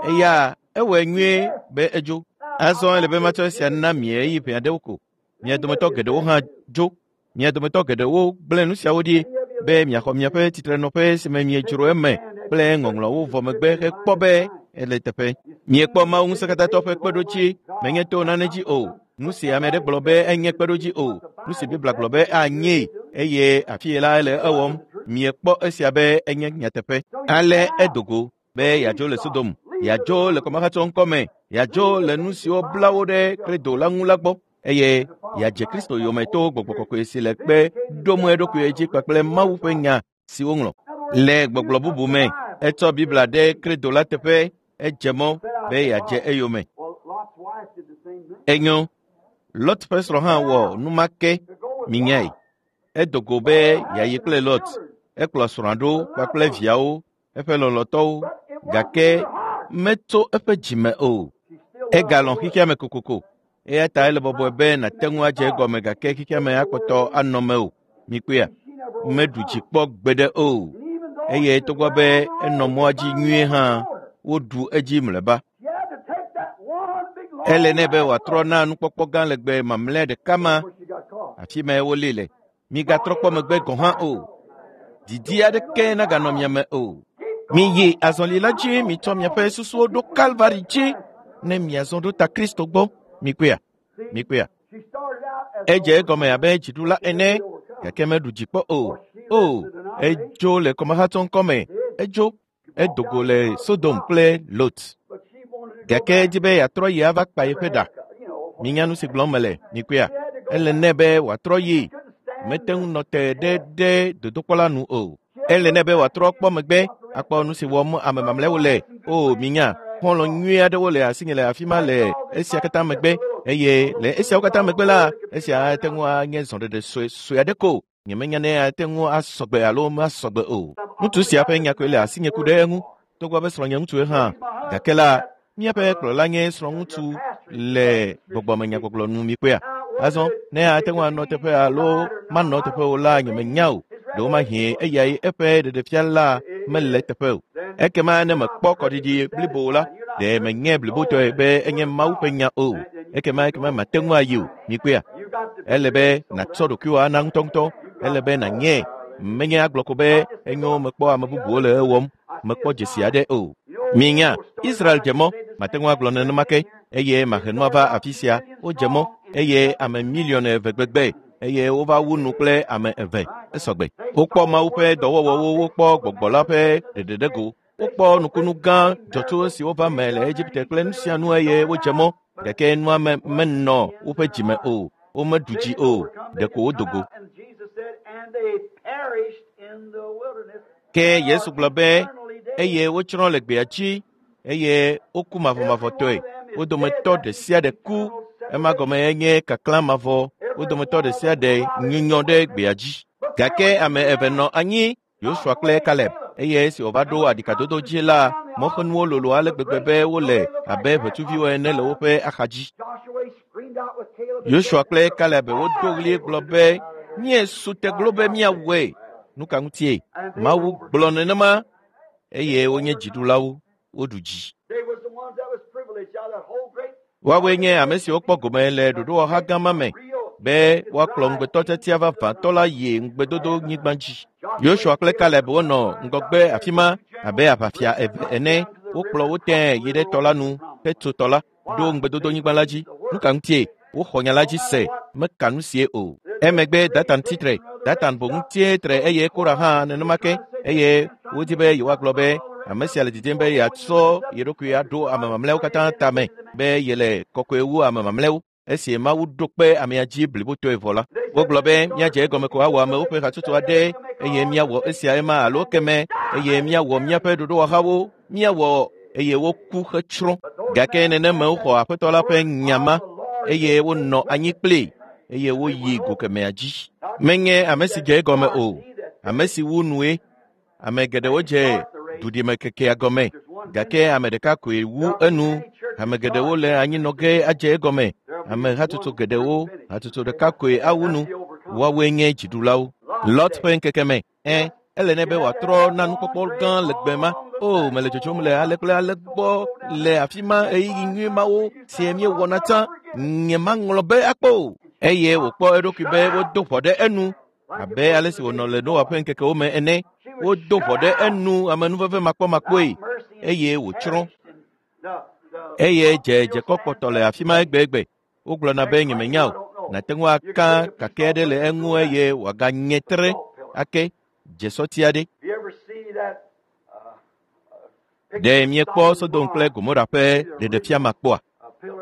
Eya ewɔe nyuie be edzo. Azɔ ele be matsɔ esia na mi ɣeyiɣi ʋɛ aɖewo ko. Mia dometɔ geɖewo hã dzo. Mia dometɔ geɖewo gblẽ nu siawo ɖi be miaxɔ miaƒe tsitrenɔƒe si me miedzro eme kple ŋɔŋlɔwo vɔ megbe hekpɔ be ele teƒe. Miekpɔ Mawu ŋusẽkatãtɔ ƒe kpeɖodzi menye to nane dzi o. Nu si ame aɖe gblɔ be enye kpeɖodzi o. Nu si Biblia gblɔ be anyee eye afie la ele ewɔm. Miekpɔ esia be enye nyateƒe. Ale edo go be yeadzo le Sodom, yeadzo le kɔmahatsɔ ŋkɔme, yeadzo le nu siwo bla wo ɖe kredo la ŋu la gbɔ eye yeadze Kristo yome to gbɔgbɔ kɔkɔe si le kpe ɖom eɖokui dzi kpakple Mawu ƒe nya si woŋlɔ. Le gbɔgblɔ bubu me, etsɔ Biblia ɖe kredo la teƒe, edze mɔ be yeadze eyome. Enyo, Lot ƒe srɔ̃ hã wɔ nu ma ke, minyae. Edo go be yeayi kple Lot. Ekplɔ srɔ̃a ɖo kpakple viawo, eƒe lɔlɔ̃tɔwo, gake metso eƒe dzime o. Egalɔ̃ xexea me kokoko. Eya ta ele bɔbɔe be nàte ŋu adze egɔme gake xexea me akpɔtɔ anɔ me o. Mikpɔea? Meɖu dzi kpɔ gbeɖe o. Eye togbɔ be enɔ mɔa dzi nyuie hã, woɖu edzi mlɔeba. Ele nɛ be wòatrɔ na nukpɔkpɔ gã legbe mamlɛa ɖeka ma, afi mae wolée le. Migatrɔ kpɔ megbe gɔ̃ hã o. Didi aɖeke naganɔ mia me o. Miyi azɔli la dzi, mitsɔ miaƒe susuwo ɖo Kalvari dzi ne miazɔ ɖo ta Kristo gbɔ. Mikpɔea? Mikpɔea? Edze egɔme abe dziɖula ene, gake meɖu dzi kpɔ o. O, edzo le kɔmahatsɔ ŋkɔme, edzo, edo go le Sodom kple Lot. Gake edzi be yeatrɔ yi ava kpa yeƒe ɖa. Minya nu si gblɔm mele, mikpɔea? Ele nɛ be wòatrɔ yi. Mete ŋu nɔ te ɖe ɖe dodokpɔ la nu o. Ele nɛ be wòatrɔ kpɔ megbe akpɔ nu si wɔm ame mamlɛawo le. O, minya, xɔlɔ̃ nyui aɖewo le asinye le afi ma le esia katã megbe eye le esiawo katã megbe la, esia ate ŋu anye zɔɖeɖe sue sue aɖe ko. Nyemenya ne ate ŋu asɔgbe alo masɔgbe o. Ŋutsu sia ƒe nya koe le asinye ku ɖe eŋu, togbɔ be srɔ̃nye ŋutsue hã. Gake la, míaƒe kplɔla nye srɔ̃ŋutsu le gbɔgbɔmenyagbɔgblɔ nu mikpɔea? Azɔ, ne ate ŋu anɔ teƒe alo manɔ teƒe o la, nyemenya o. Ɖewomahi eyae eƒe ɖeɖefia la mele teƒe o. Ekema ne mekpɔ kɔɖiɖi blibo la, ɖe menye blibotɔe be enye Mawu ƒe nya o. Ekema mate ŋu ayi o. Mikpɔea? Ele be nàtsɔ ɖokuiwò ana ŋutɔŋutɔ. Ele be nànye. Menye agblɔ ko be enyo mekpɔ ame bubuwo le ewɔm, mekpɔ dzesi aɖe o. Minya, Israel dze mɔ, mate ŋu agblɔ nenema ke, eye mahe nua va afi sia. Wodze mɔ eye ame miliɔn 2 gbegbe eye wova wu nu kple ame 2. Esɔgbe. Wokpɔ Mawu ƒe dɔwɔwɔwo, wokpɔ gbɔgbɔ la ƒe ɖeɖeɖego, wokpɔ nukunu gã dzɔtso siwo va me le Egipte kple nu sia nu eye wodze mɔ, gake nua me menɔ woƒe dzime o, womeɖu dzi o, ɖeko wodo go. Ke Yesu gblɔ be eye wotsrɔ̃ le gbea dzi eye woku mavɔmavɔtɔe. Wo dometɔ ɖe sia ɖe ku, ema gɔme enye kaklã mavɔ. Wo dometɔ ɖe sia ɖe nyunyɔ ɖe gbea dzi. Gake ame 2 nɔ anyi, Yosua kple Kaleb, eye esi wòva ɖo aɖikadodo dzi la, mɔxenuwo lolo ale gbegbe be wole abe ʋetsuviwo ene le woƒe axadzi. Yosua kple Kaleb wodo ɣli gblɔ be, míesu te glo be míawɔe. Nu ka ŋutie? Mawu gblɔ nenema eye wonye dziɖulawo, woɖu dzi. Woawoe nye ame siwo kpɔ gome le ɖoɖowɔha gã ma me be woakplɔ ŋugbetɔ tiatia vavãtɔ la yi ŋugbedodo nyigba dzi. Yosua kple Kaleb wonɔ ŋgɔgbe afi ma abe aʋafia 2 ene. Wokplɔ wo tẽe yi ɖe tɔ la nu hetso tɔ la ɖo ŋugbedodo nyigba la dzi. Nu ka ŋutie? Woxɔ nya la dzi se, meka nu sie o. Emegbe Datan tsitre. Datan boŋ tie tre eye Kora hã nenema ke, eye wodi be yewoagblɔ be ame sia le didim be yeatsɔ ye ɖokui aɖo ame mamlɛawo katã tame be yele kɔkɔe wu ame mamlɛawo. Esi Mawu ɖo kpe amea dzi blibotɔe vɔ la, wogblɔ be míadze egɔme ko awɔ amewo ƒe hatsotso aɖe eye míawɔ esia ema alo keme eye míawɔ míaƒe ɖoɖowɔhawo, míawɔ eye woku hetsrɔ̃. Gake nenema woxɔ Aƒetɔ la ƒe nya ma eye wonɔ anyi kplii eye woyi go kemea dzi. Menye ame si dze egɔme o, ame si wu nue. Ame geɖewo dze duɖimekekea gɔme, gake ame ɖeka koe wu enu. Ame geɖewo le anyinɔ ge adze egɔme. Ame hatsotso geɖewo, hatsotso ɖeka koe awu nu. Woawoe nye dziɖulawo. Lot ƒe ŋkeke me, ele nɛ be wòatrɔ na nukpɔkpɔ gã le gbe ma. O, mele dzodzom le ale kple ale gbɔ le afi ma ɣeyiɣi nyui mawo si míewɔna tsã. Nyemaŋlɔ be akpɔ o. Eye wòkpɔ eɖokui be wodo ʋɔ ɖe enu abe ale si wònɔ le Noa ƒe ŋkekewo me ene. Wodo ʋɔ ɖe enu amenuveve makpɔmakpɔe eye wòtsrɔ̃. Eye dze dzekɔ kpɔtɔ le afi ma egbegbe. Wogblɔna be nyemenya o. Nàte ŋu aka kake aɖe le eŋu eye wòaganye tre ake dzesɔti aɖe. Ɖe miekpɔ Sodom kple Gomora ƒe ɖeɖefia ma kpɔa?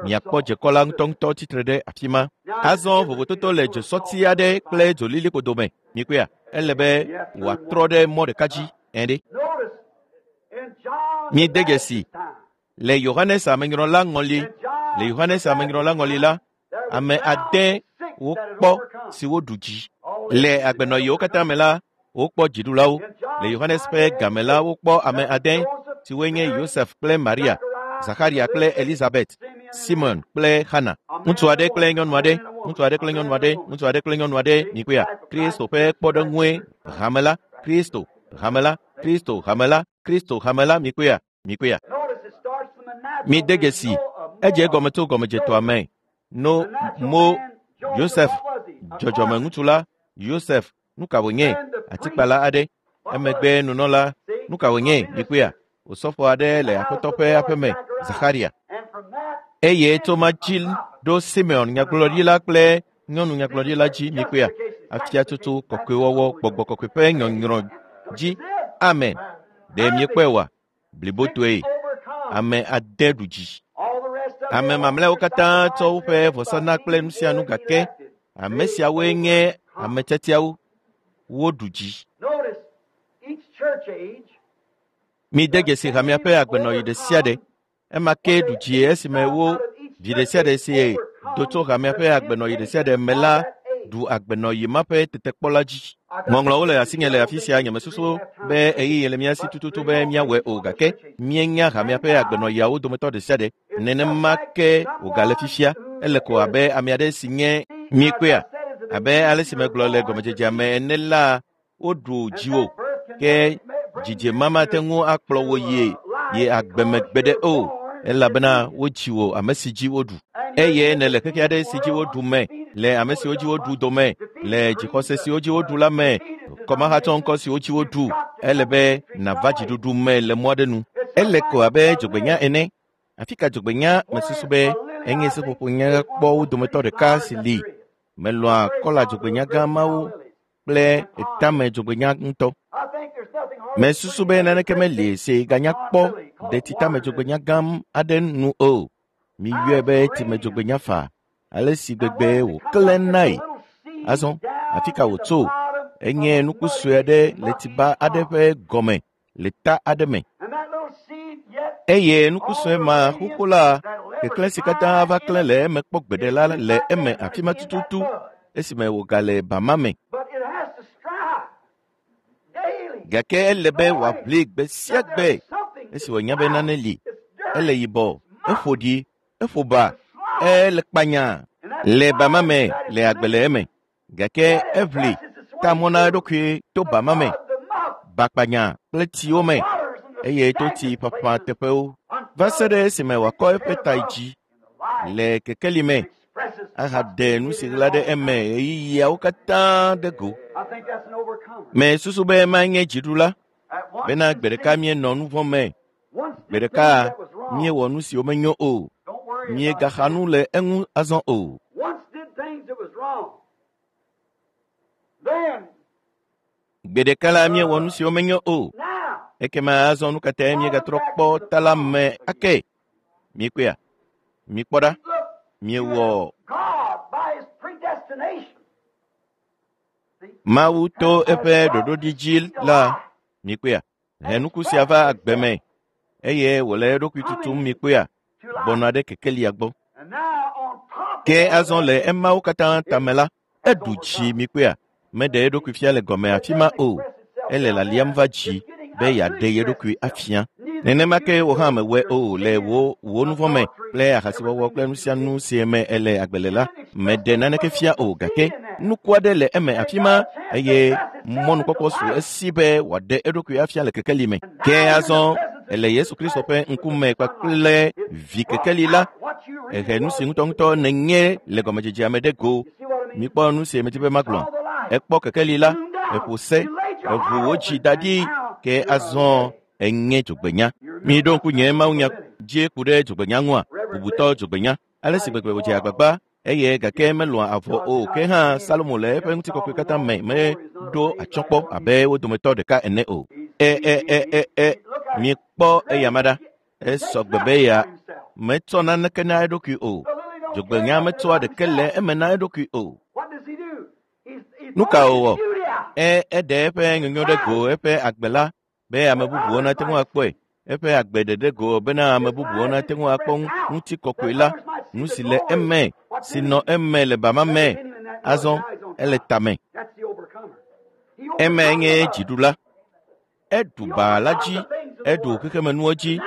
Miakpɔ dzekɔ la ŋutɔŋutɔ tsitre ɖe afi ma. Azɔ vovototo le dzesɔti aɖe kple dzolilikpo dome. Mikpɔea? Ele be wòatrɔ ɖe mɔ ɖeka dzi ene. Miede dzesi le Yohanes amenyrɔla ŋɔli, le Yohanes amenyrɔla ŋɔli la, ame 8 wokpɔ siwo ɖu dzi. Le agbenɔɣiwo katã me la, wokpɔ dziɖulawo. Le Yohanes ƒe game la, wokpɔ ame 8 siwoe nye Yosef kple Maria, Zakaria kple Elizabeth, Simon kple Hana. Ŋutsu aɖe kple nyɔnu aɖe, ŋutsu aɖe kple nyɔnu aɖe, ŋutsu aɖe kple nyɔnu aɖe, mikpɔea? Kristo ƒe kpɔɖeŋue hame la, Kristo hame la, Kristo hame la, Kristo hame la, mikpɔea? Mikpɔea? Mide dzesi, edze egɔme tso gɔmedzetɔa me. No, Mo, Yosef, dzɔdzɔme ŋutsu la, Yosef, nu ka wònye? Atikpala aɖe. Emegbe nunɔla, nu ka wònye? Mikpɔea? Osɔfo aɖe le Aƒetɔ ƒe aƒeme, Zakaria. Eye tso ma dzi ɖo Simeon nyagblɔɖila kple nyɔnu nyagblɔɖila dzi, mikpɔea? Afiatsotso kɔkɔewɔwɔ, gbɔgbɔ kɔkɔe ƒe nyɔnyrɔ dzi. Amen. Ɖe miekpɔe oa? Blibotoe. Ame 8 ɖu dzi. Ame mamlɛawo katã tsɔ woƒe vɔsana kple nu sia nu gake ame siawoe nye ame tiatiawo. Woɖu dzi. Mide dzesi hamea ƒe agbenɔɣi ɖe sia ɖe. Ema ke ɖu dzie esime wo vi ɖe sia ɖe si do tso hamea ƒe agbenɔɣi ɖe sia ɖe me la ɖu agbenɔɣi ma ƒe tetekpɔ la dzi. Ŋɔŋlɔwo le asinye le afi sia. Nyemesusu be ɣeyiɣi le mía si tututu be míawɔe o, gake míenya hamea ƒe agbenɔɣiawo dometɔ ɖe sia ɖe. Nenema ke wògale fifia. Ele ko abe ame aɖe si nye mikpɔea? Abe ale si megblɔ le gɔmedzedzea me ene la, woɖu dziwò ke dzidzema mate ŋu akplɔ wò yi agbemegbe ɖe o. Elabena wodzi wò ame si dzi woɖu. Eye nèle xexe aɖe si dzi woɖu me, le ame siwo dzi woɖu dome, le dzixɔse siwo dzi woɖu la me, kɔmahatsɔ ŋkɔ siwo dzi woɖu. Ele be nàva dziɖuɖu me le mɔ aɖe nu. Ele ko abe dzogbenya ene. Afi ka dzogbenya mesusu be enye seƒoƒo nyakpɔwo dometɔ ɖeka si li. Melɔ̃a kɔla dzogbenya gã mawo kple etame dzogbenya ŋutɔ. Mesusu be naneke meli si ganya kpɔ ɖetitame dzogbenya gã aɖe nu o. Miyɔe be time dzogbenya fa ale si gbegbe wòklẽ nae. Azɔ afi ka wòtso? Enye nuku sue aɖe le tsiba aɖe ƒe gɔme le ta aɖe me. Eye nuku sue ma xoxo la, keklẽ si katã va klẽ le eme kpɔ gbeɖe la le eme afi ma tututu esime wògale bama me. Gake ele be wòaʋli gbe sia gbe esi wònya be nane li. Ele yibɔ, eƒo ɖi, eƒo ba, ele kpanya le bama me le agbe le eme. Gake eʋli ta mɔ na eɖokui to bama me, bakpanya kple tsiwo me eye to tsi ƒaƒã teƒewo va se ɖe esime wòakɔ eƒe ta dzi le kekeli me ahaɖe nu si ɣla ɖe eme ɣeyiɣiawo katã ɖe go. Mesusu be manye dziɖula bena gbe ɖeka míenɔ nu vɔ̃ me, gbe ɖeka míewɔ nu siwo menyo o, míegaxa nu le eŋu azɔ o. Gbe ɖeka la míewɔ nu siwo menyo o. Ekema azɔ nu ka tae míegatrɔ kpɔ ta la me ake? Míekpɔea? Mikpɔ ɖa. Miewɔ Mawu to eƒe ɖoɖoɖi dzi la, mikpɔea? He nuku sia va agbe me eye wòle eɖokui tutum mikpɔea? Gbɔna ɖe kekelia gbɔ. Ke azɔ le emawo katã tame la, eɖu dzi mikpɔea? Meɖe eɖokui fia le gɔme afi ma o. Ele laliam va dzi be yeaɖe ye ɖokui afia. Nenema ke wò hã mewɔe o le wò wò nu vɔ̃ me kple ahasiwɔwɔ kple nu sia nu si me ele agbe le la, meɖe naneke fia o gake nuku aɖe le eme afi ma eye mɔnukpɔkpɔ su esi be wòaɖe eɖokui afia le kekeli me. Ke azɔ ele Yesu Kristo ƒe ŋkume kpakple vi kekeli la, ehe nu si ŋutɔŋutɔ nènye le gɔmedzedzea me ɖe go. Mikpɔ nu si medi be magblɔ. Ekpɔ kekeli la, eƒo se, eʋu wò dzi da ɖi ke azɔ enye dzogbenya. Miɖo ŋku nye mawunya dzi ku ɖe dzogbenya ŋua? Bubutɔ dzogbenya. Ale si gbegbe wòdze agbagba eye gake melɔ̃a avɔ o ke hã Salomo le eƒe ŋutikɔkɔe katã me meɖo atsyɔ̃ kpɔ abe wo dometɔ ɖeka ene o. E Mikpɔ eyama ɖa. Esɔ gbe be ya metsɔ naneke na eɖokui o. Dzogbenya metsɔa ɖeke le eme na eɖokui o. Nu ka wòwɔ? Eɖe eƒe nyonyo ɖe go eƒe agbe la be ame bubuwo nate ŋu akpɔe. Eƒe agbe ɖeɖe go bena ame bubuwo nate ŋu akpɔ ŋutikɔkɔe la, nu si le eme, si nɔ eme le bama me. Azɔ ele tame. Eme nye dziɖula. Eɖu ba la dzi, eɖu xexemenuwo dzi,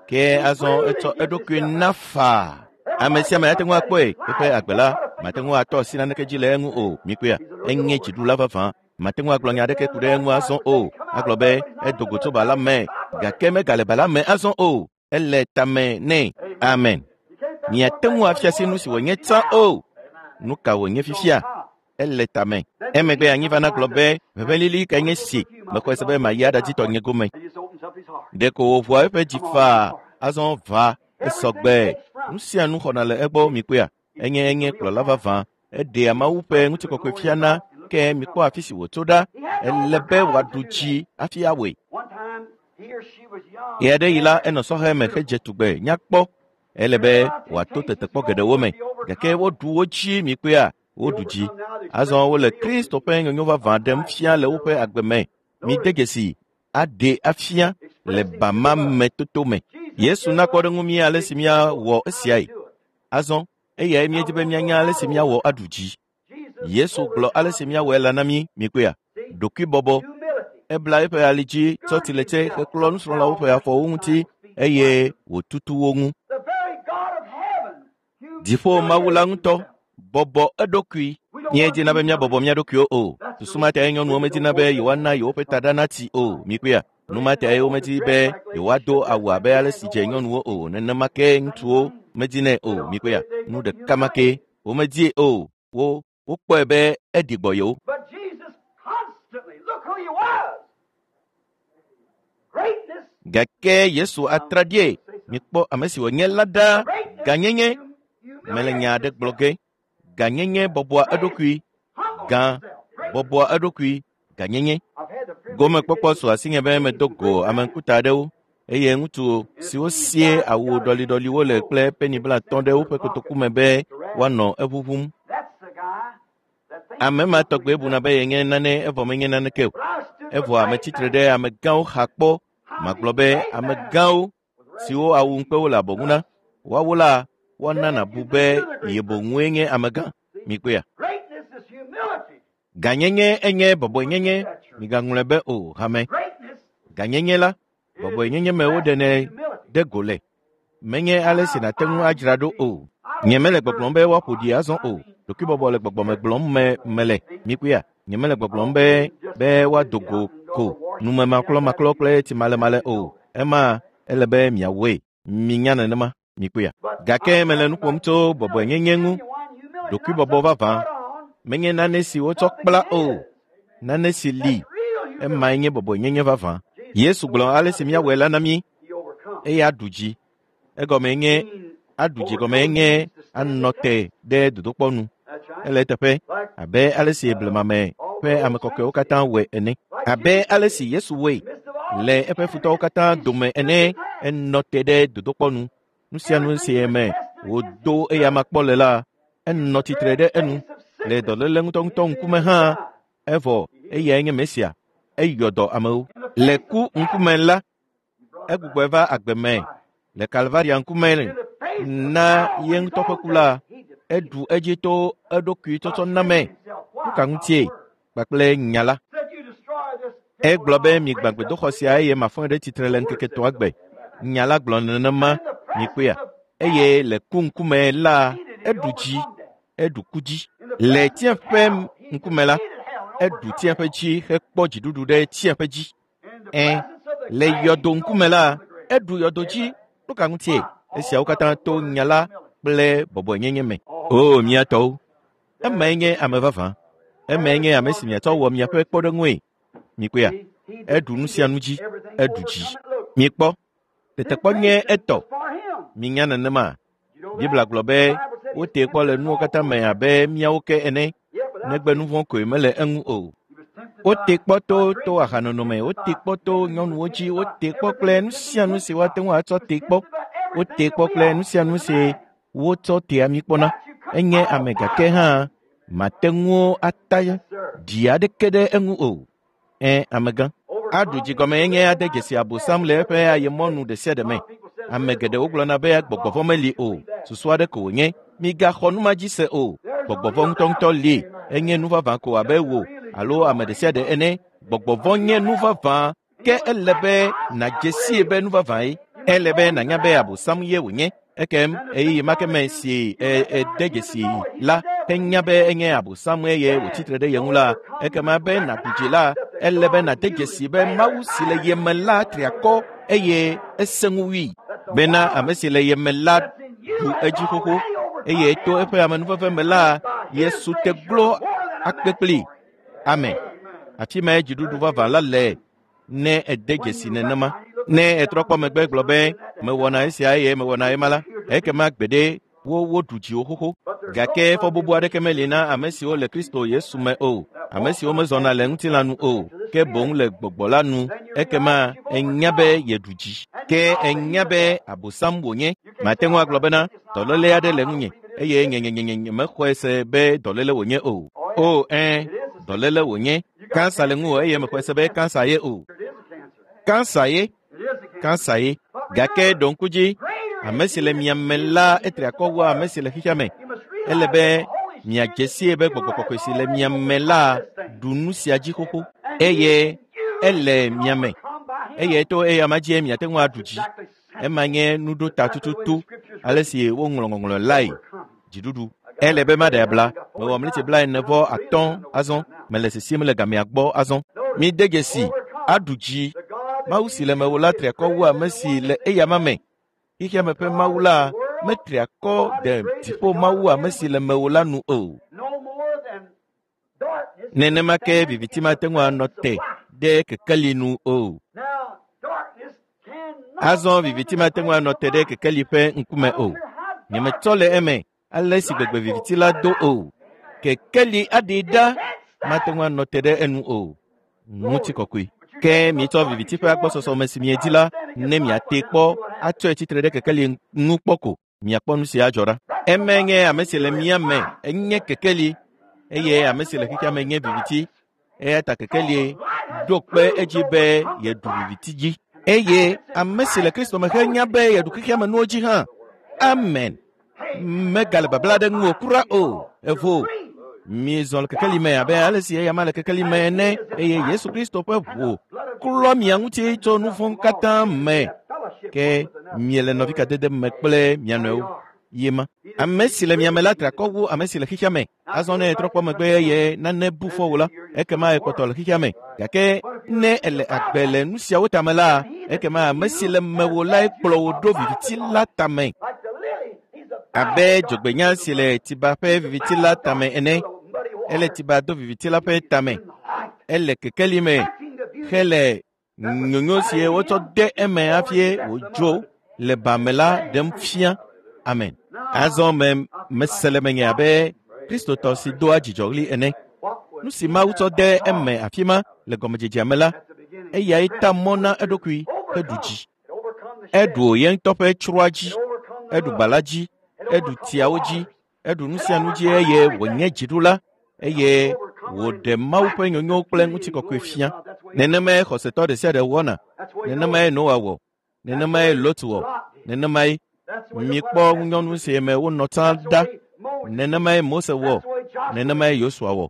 ke azɔ etsɔ eɖokui na faa. Ame sia ame ate ŋu akpɔe eƒe agbe la mate ŋu atɔ asi naneke dzi le eŋu o. Mikpɔea? Enye dziɖula vavã. Mate ŋu agblɔ nya aɖeke ku ɖe eŋu azɔ o. Agblɔ be edo go tso ba la me gake megale ba la me azɔ o. Ele tame nɛ. Amen. Miate ŋu afia si nu si wònye tsã o. Nu ka wònye fifia? Ele tame. Emegbe anyi va na gblɔ be ʋeʋẽlili kae nye si mexɔe se be mayi aɖadzi tɔnye gome. Ɖeko wòʋua eƒe dzi faa azɔ va esɔgbe. Nu sia nu xɔna le egbɔ mikpɔea? Enye enye kplɔla vavã. Eɖea Mawu ƒe ŋutikɔkɔe fiana ke mikpɔ afi si wòtso ɖa. Ele be wòaɖu dzi hafi awɔe. Ɣe aɖe yi la enɔ sɔhɛ me hedze tugbe nyakpɔ. Ele be wòato tetekpɔ geɖewo me gake woɖu wo dzi mikpɔea? Woɖu dzi. Azɔ wole Kristo ƒe nyonyo vavã ɖem fia le woƒe agbe me. Mide dzesi aɖe afia le bama me toto me. Yesu na kpɔɖeŋu mí ale si míawɔ esiae. Azɔ eyae míedi be míanya ale si míawɔ aɖu dzi. Yesu gblɔ ale si míawɔe la na mí mikpɔea? Ɖokuibɔbɔ. Ebla eƒe ali dzi tsɔ tsiletse heklɔ nusrɔ̃lawo ƒe afɔwo ŋuti eye wòtutu wo ŋu. Dziƒo Mawu la ŋutɔ bɔbɔ eɖokui. Míedina be míabɔbɔ mía ɖokuiwo o. Susu ma tae nyɔnuwo medina be yewoana yewoƒe taɖa natsi o. Mikpɔea? Nu ma tae womedi be yewoado awu abe ale si dze nyɔnuwo o. Nenema ke ŋutsuwo medinɛ o. Mikpɔea, nu ɖeka ma ke womedie o. Wo wokpɔe be eɖi gbɔ yewo. But Jesus constantly, look who he was. Greatness, Gake Yesu atraɖie. Mikpɔ ame si wònye la ɖa. greatness, Gãnyenye mele nya aɖe gblɔ ge. Gãnyenye bɔbɔa eɖokui. humbles Gã himself. Great. bɔbɔa eɖokui. Gãnyenye. I've had the privilege Gomekpɔkpɔ to su asinye be medo go ame ŋkuta aɖewo eye ŋutsu siwo sie awu ɖɔliɖɔliwo le kple peni blatɔ̃ ɖe woƒe kotoku me be woanɔ eʋuʋum. That's the guy that thinks Ame ma tɔgbe buna be yenye nane evɔ menye naneke o. But I stood Evɔ beside ame tsitre that. ɖe amegãwo xa kpɔ. How Magblɔ did be he say that? amegãwo siwo awu ŋukpewo le abɔ ŋu na, woawo la woana nàbu be ye boŋue nye amegã. Mikpɔea. Greatness is humility. Gãnyenye enye bɔbɔenyenye. Migaŋlɔe be o hame. Greatness Gãnyenye la, bɔbɔenyenye me woɖenɛ humility. ɖe go le. Menye ale si nàte ŋu adzra ɖo o. Nyemele gbɔgblɔm be woaƒo ɖi azɔ o. Ɖokuibɔbɔ le gbɔgbɔme gblɔm me mele. Mikpɔea, nyemele gbɔgblɔm be be woado go ko numemaklɔmaklɔ kple tsimalemale o. Ema ele be miawɔe. Minya nenema. Mikpɔea. Gake mele nu ƒom tso bɔbɔenyenye ŋu. Ɖokuibɔbɔ vavã menye nane si wotsɔ kpla o. Nane si li. Emae nye bɔbɔenyenye vavã. Yesu gblɔ ale si míawɔe la na mí He overcomes. eye aɖu dzi. Egɔmee nye aɖu dzi gɔmee nye anɔ te ɖe dodokpɔ nu. That's right. Ele eteƒe Like abe ale si blemame ƒe ame kɔkɔewo katã wɔe ene. Abe ale si Yesu wɔe in the midst of all le eƒe futɔwo katã dome ene, enɔ te ɖe dodokpɔ nu. Nu sia nu si me wòdo eyama kpɔ le la, enɔ tsitre ɖe enu le dɔléle ŋutɔŋutɔ ŋkume hã. Evɔ eyae nye Mesia. Eyɔ dɔ amewo. Le ku ŋkume la, egbugbɔe va agbe me. Le Kalvaria ŋkume na ye ŋutɔ ƒe ku la, eɖu edzi to eɖokui tsɔtsɔ na me. Nu ka ŋutie? Kpakple nya la. said you destroy this temple Egblɔ and be I'll migbã raise up gbedoxɔ sia eye mafɔe ɖe tsitre le ŋkeke etɔ̃a gbe. Nya la gblɔ nenema mikpɔea. Eye le ku ŋkume la, eɖu dzi, eɖu ku dzi. Le tsiẽƒe ŋkume la, eɖu tsiẽƒe dzi hekpɔ dziɖuɖu ɖe tsiẽƒe dzi. Ẽ, le yɔdo ŋkume la, eɖu yɔdo dzi. Nu ka ŋutie? Esiawo katã to nya la kple bɔbɔenyenye me. O mía tɔwo, emae nye ame vavã. Emae nye ame si miatsɔ wɔ miaƒe kpɔɖeŋue. Mikpɔea, eɖu nu sia nu dzi, eɖu dzi. Mikpɔ, tetekpɔ nye etɔ. for him. Minya nenema. You know that? Biblia gblɔ be wotee kpɔ le nuwo katã me abe míawo ke ene, Yeah, but negbe nu vɔ̃ koe mele eŋu o. he was tempted Wote by kpɔ to to ahanono me, wote kpɔ to nyɔnuwo dzi, wote kpɔ kple nu sia nu si woate ŋu atsɔ te kpɔ. Wote kpɔ kple nu sia nu si wotsɔ tea mí kpɔna. Enye ame gake hã mate ŋu ata ɖi aɖeke ɖe eŋu o. Ẽ, amegã. Aɖu dzi gɔme nye ade dzesi Abosam le eƒe ayemɔnu ɖe sia ɖe me. Ame geɖewo gblɔna be gbɔgbɔ vɔ̃ meli o. Susu aɖe ko wònye. Migaxɔ nu ma dzi se o. Gbɔgbɔ vɔ̃ ŋutɔŋutɔ li. Enye nu vavã ko abe wò alo ame ɖe sia ɖe ene. Gbɔgbɔ vɔ̃ nye nu vavã. Ke ele be nàdze sie be nu vavãe. Ele be nànya be Abosam ye wònye. Ekem ɣeyiɣi ma ke me si e ede dzesi la henya be enye Abosam eye wòtsitre ɖe ye ŋu la, ekema be nàɖu dzi la, ele be nàde dzesi be Mawu si le ye me la tri akɔ eye esẽ ŋu wui. Bena ame si le ye me la ɖu edzi xoxo eye to eƒe amenuveve me la, Yesu te glo akpe kpli. Amen. Afi mae dziɖuɖu vavã la le ne ede dzesi nenema. Ne etrɔ kpɔ megbe gblɔ be mewɔna esia eye mewɔna ema la, ekema gbeɖe wo woɖu dziwò xoxo. Gake fɔbubu aɖeke meli na ame siwo le Kristo Yesu me o, ame siwo mezɔna le ŋutilã nu o, ke boŋ le gbɔgbɔ la nu. Ekema enya be yeɖu dzi. Ke enya be Abosam wònye. Mate ŋu agblɔ bena dɔléle aɖe le ŋunye eye nyenyenyenye mexɔe se be dɔléle wònye o. O ẽ, dɔléle wònye. Kansa le ŋuwò eye mexɔe se be kansa ye o. It is a cancer. Kansa ye, It is a cancer. kansa ye. Gake ɖo ŋku dzi, ame si le mia me la etri akɔ wu ame si le xexea me. You must realize Ele that be the Holy miadze Spirit sie be gbɔgbɔ kɔkɔe si le mia me la ɖu nu sia dzi xoxo eye ele mia me come by him. eye to eya ma dzie miate ŋu aɖu dzi. Exactly Ema nye nuɖota tututu ale si woŋlɔ ŋɔŋlɔ lae overcoming. dziɖuɖu. Ele be maɖe abla. Mewɔ mliti 45 azɔ. Mele sesiem le gamea gbɔ azɔ. Mide dzesi aɖu dzi. The God Mawu si le mewò la tri akɔ wu ame si le eyama me. Xexea me ƒe Mawu la metri akɔ de dziƒo Mawu ame si le mewò la nu o. Nenema ke viviti mate ŋu anɔ te ɖe kekeli nu o. Azɔ viviti mate ŋu anɔ te ɖe kekeli ƒe ŋkume o. Nyemetsɔ le eme ale si gbegbe viviti la do o. Kekeli aɖee ɖa mate ŋu anɔ te ɖe enu o. Ŋutikɔkɔe. Ke mietsɔ viviti ƒe agbɔsɔsɔme si miedi la ne miate kpɔ atsɔe tsitre ɖe kekeli ŋu kpɔ ko. Miakpɔ nu si adzɔ ɖa. Eme nye ame si le mía me enye kekeli eye ame si le xexea me nye viviti. Eya ta kekeli ɖo kpe edzi be yeɖu viviti dzi. Eye ame si le Kristo me henya be yeɖu xexea me nuwo dzi hã. Amen. Megale babla ɖe ŋu o kura o. Evo. Miezɔ le kekeli me abe ale si eyama le kekeli me ene eye Yesu Kristo ƒe ʋu klɔ mia ŋuti tso nu vɔ̃ katã me. Ke miele nɔvikadede me kple mia nɔewo. Yema. Ame si le mia me la tri akɔ wu ame si le xexea me. Azɔ ne etrɔ kpɔ megbe eye nane bu fɔ wò la, ekema ekpɔtɔ le xexea me. Gake ne ele agbe le nu siawo tame la, ekema ame si le mewò lae kplɔ wò ɖo viviti la tame. Abe dzogbenya si le tiba ƒe viviti la tame ene. Ele tiba do viviti la ƒe tame. Ele kekeli me hele nyonyo si wotsɔ de eme hafi wòdzo le ba me la ɖem fia. Amen. Azɔ me mese le menye abe Kristotɔ si doa dzidzɔɣli ene. Nu si Mawu tsɔ de eme afi ma le gɔmedzedzea me la, eyae ta mɔ na eɖokui heɖu dzi. Eɖu ye ŋutɔ ƒe tsroa dzi, eɖu ba la dzi, eɖu tsiawo dzi, eɖu nu sia nu dzi eye wònye dziɖula eye wòɖe Mawu ƒe nyonyo kple ŋutikɔkɔe fia. Nenemae xɔsetɔ ɖe sia ɖe wɔna. Nenemae Noa wɔ. Nenemae Lot wɔ. Nenemae mikpɔ ŋunyɔnu si me wonɔ tsã ɖa. Nenemae Mose wɔ. Nenemae Yosua wɔ.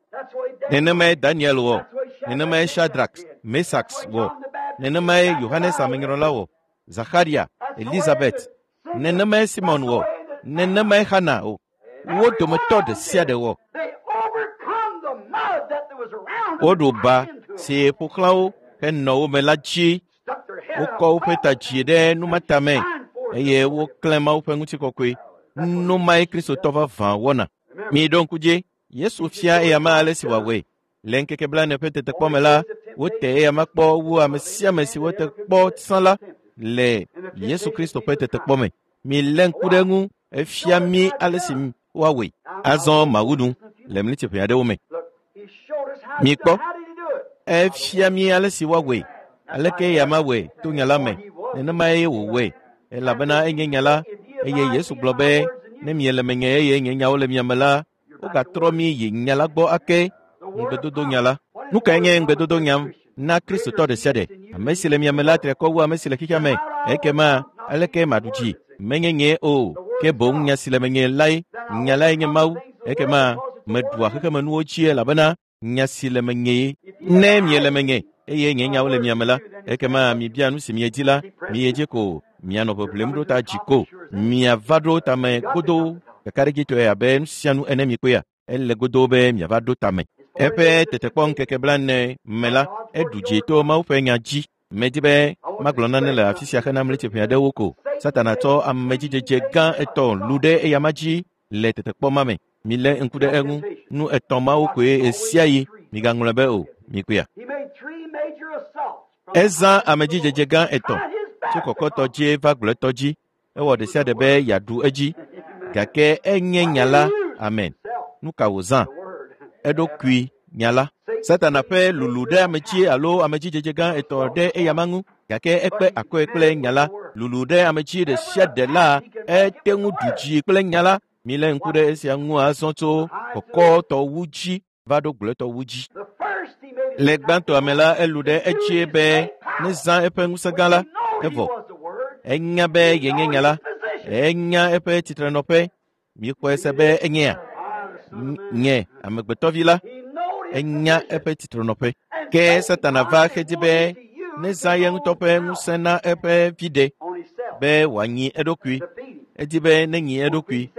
Nenemae Daniel wɔ. Nenemae Shadrach, Mesax wɔ. Nenemae Yohanes Amenyrɔla wɔ. Zacharia, Elizabeth. Nenemae Simon wɔ. Nenemae Hana wɔ. Wo dometɔ ɖe sia ɖe wɔ. Woɖu ba si ƒo xlã wo henɔ wo me la dzi. Wokɔ woƒe ta dzi ɖe numatame eye woklẽ Mawu ƒe ŋutikɔkɔe. Nu mae Kristotɔ vavã wɔna. Miɖo ŋku dzi, Yesu fia eyama ale si wòawɔe. Le ŋkeke blaene ƒe tetekpɔ me la, wote eyama kpɔ wu ame sia ame si wote kpɔ tsã la le Yesu Kristo ƒe tetekpɔ me. Milé ŋku ɖe eŋu, efia mí ale si woawɔe. Azɔ mawu nu le mlitiƒe aɖewo me. Mikpɔ, efia mí ale si woawɔe. Aleke eyama wɔe to nya la me. Nenemae wòwɔe elabena enye nya la eye Yesu gblɔ be ne miele menye eye nye nyawo le mia me la, wogatrɔ mí yi nya la gbɔ ake ŋugbedodo nya la. Nu kae nye ŋugbedodo nya na Kristotɔ ɖe sia ɖe? Ame si le mia me la tri akɔ wu ame si le xexea me. Ekema aleke maɖu dzi? Menye nye o, ke boŋ nya si le menye lae. Nya lae nye Mawu. Ekema meɖua xexemenuwo dzi elabena nya si le menye. Ne miele menye eye nye nyawo le mia me la, ekema mibia nu si miedi la, miyi dzi ko mianɔ ʋeʋlem ɖo ta dzi ko. Miava ɖo tame godoo kakaɖedzitɔe abe nu sia nu ene mikpɔea. Ele godoo be miava ɖo tame. Eƒe tetekpɔ ŋkeke blaene me la, eɖu dzi to Mawu ƒe nya dzi. Medi be magblɔ nane le afi sia hena mlitiƒe aɖewo ko. Satana tsɔ amedzidzedze gã etɔ̃ lu ɖe eyama dzi le tetekpɔ ma me. Milé ŋku ɖe eŋu. Nu etɔ̃ mawo koe ɣe sia ɣi. Migaŋlɔe be o. Mikpɔea? Ezã amedzidzedze gã etɔ̃ tso kɔkɔtɔ dzi va gblɔetɔ dzi. Ewɔ ɖe sia ɖe be yeaɖu edzi. Gake enye nya la. Amen. Nu ka wòzã? Eɖokui nya la. Satana ƒe lulu ɖe ame dzi alo amedzidzedze gã etɔ̃ ɖe eyama ŋu. Gake ekpe akɔe kple nya la. Lulu ɖe ame dzi ɖe sia ɖe la, ete ŋu ɖu dzi kple nya la. Milé ŋku ɖe esia ŋu azɔ tso kɔkɔtɔ wu dzi va ɖo gblɔetɔ wu dzi. Le gbãtɔa me la, elu ɖe edzi be nezã eƒe ŋusẽ gã la. Evɔ enya be yenye nya la. Enya eƒe tsitrenɔƒe. Mikpɔe se be enyea nye amegbetɔvi la. Enya eƒe tsitrenɔƒe. Ke Satana va xedzi be nezã ye ŋutɔ ƒe ŋusẽ na eƒe viɖe be wòanyi eɖokui. Edi be nenyi eɖokui.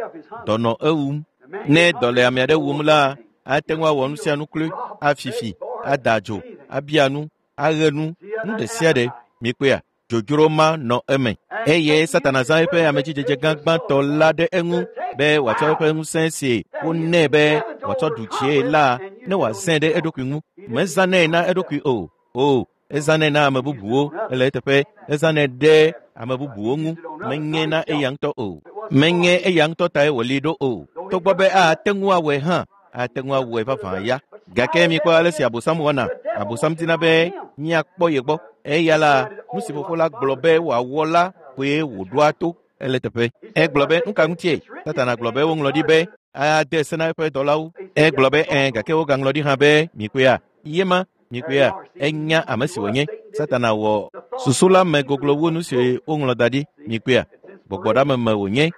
Dɔ nɔ ewum. Ne dɔ le ame aɖe wum la, ate ŋu awɔ nu sia nu kloe, afifi, ada adzo, abia nu, aɣe nu, nu ɖe sia ɖe. Mikpɔea, dzodzro ma nɔ eme. Eye Satana zã eƒe amedzidzedze gã gbãtɔ la ɖe eŋu be wòatsɔ eƒe ŋusẽ si wonɛ be wòatsɔ ɖu dzie la ne wòazãe ɖe eɖokui ŋu. Mezãnɛ na eɖokui o. O, ezãnɛ na ame bubuwo ele eteƒe. Ezãnɛ ɖe ame bubuwo ŋu. Menye na eya ŋutɔ o. Menye eya ŋutɔ tae wòli ɖo o. Togbɔ be ate ŋu awɔe hã, ate ŋu awɔe vavã ya. Gake mikpɔ ale si Abosam wɔna. Abosam dina be míakpɔ ye gbɔ. Eya la, nu si fofo la gblɔ be wòawɔ la koe wòɖoa to ele teƒe. Egblɔ be nu ka ŋutie? Satana gblɔ be woŋlɔ ɖi be ade se na eƒe dɔlawo. Egblɔ be ẽ, gake wogaŋlɔ ɖi hã be mikpɔea, ye ma mikpɔea, enya ame si wònye. Satana wɔ susu la me goglo wu nu si woŋlɔ da ɖi. Mikpɔea, gbɔgbɔɖame me wònye.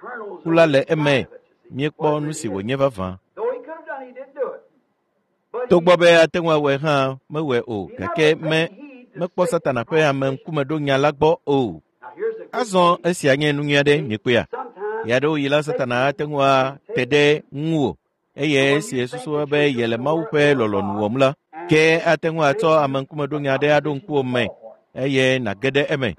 Ku la le eme. Míekpɔ nu si wònye vavã. Togbɔ be ate ŋu awɔe hã mewɔe o, gake mekpɔ Satana ƒe ameŋkumeɖonya la gbɔ o. Azɔ esia nye nu nyui aɖe mikpɔea. Ɣeaɖewoɣi la Satana ate ŋu ate ɖe ŋuwò eye esi esusu be yele Mawu ƒe lɔlɔ̃nu wɔm la, ke ate ŋu atsɔ ameŋkumeɖonya aɖe aɖo ŋkuwò me eye nàge ɖe eme.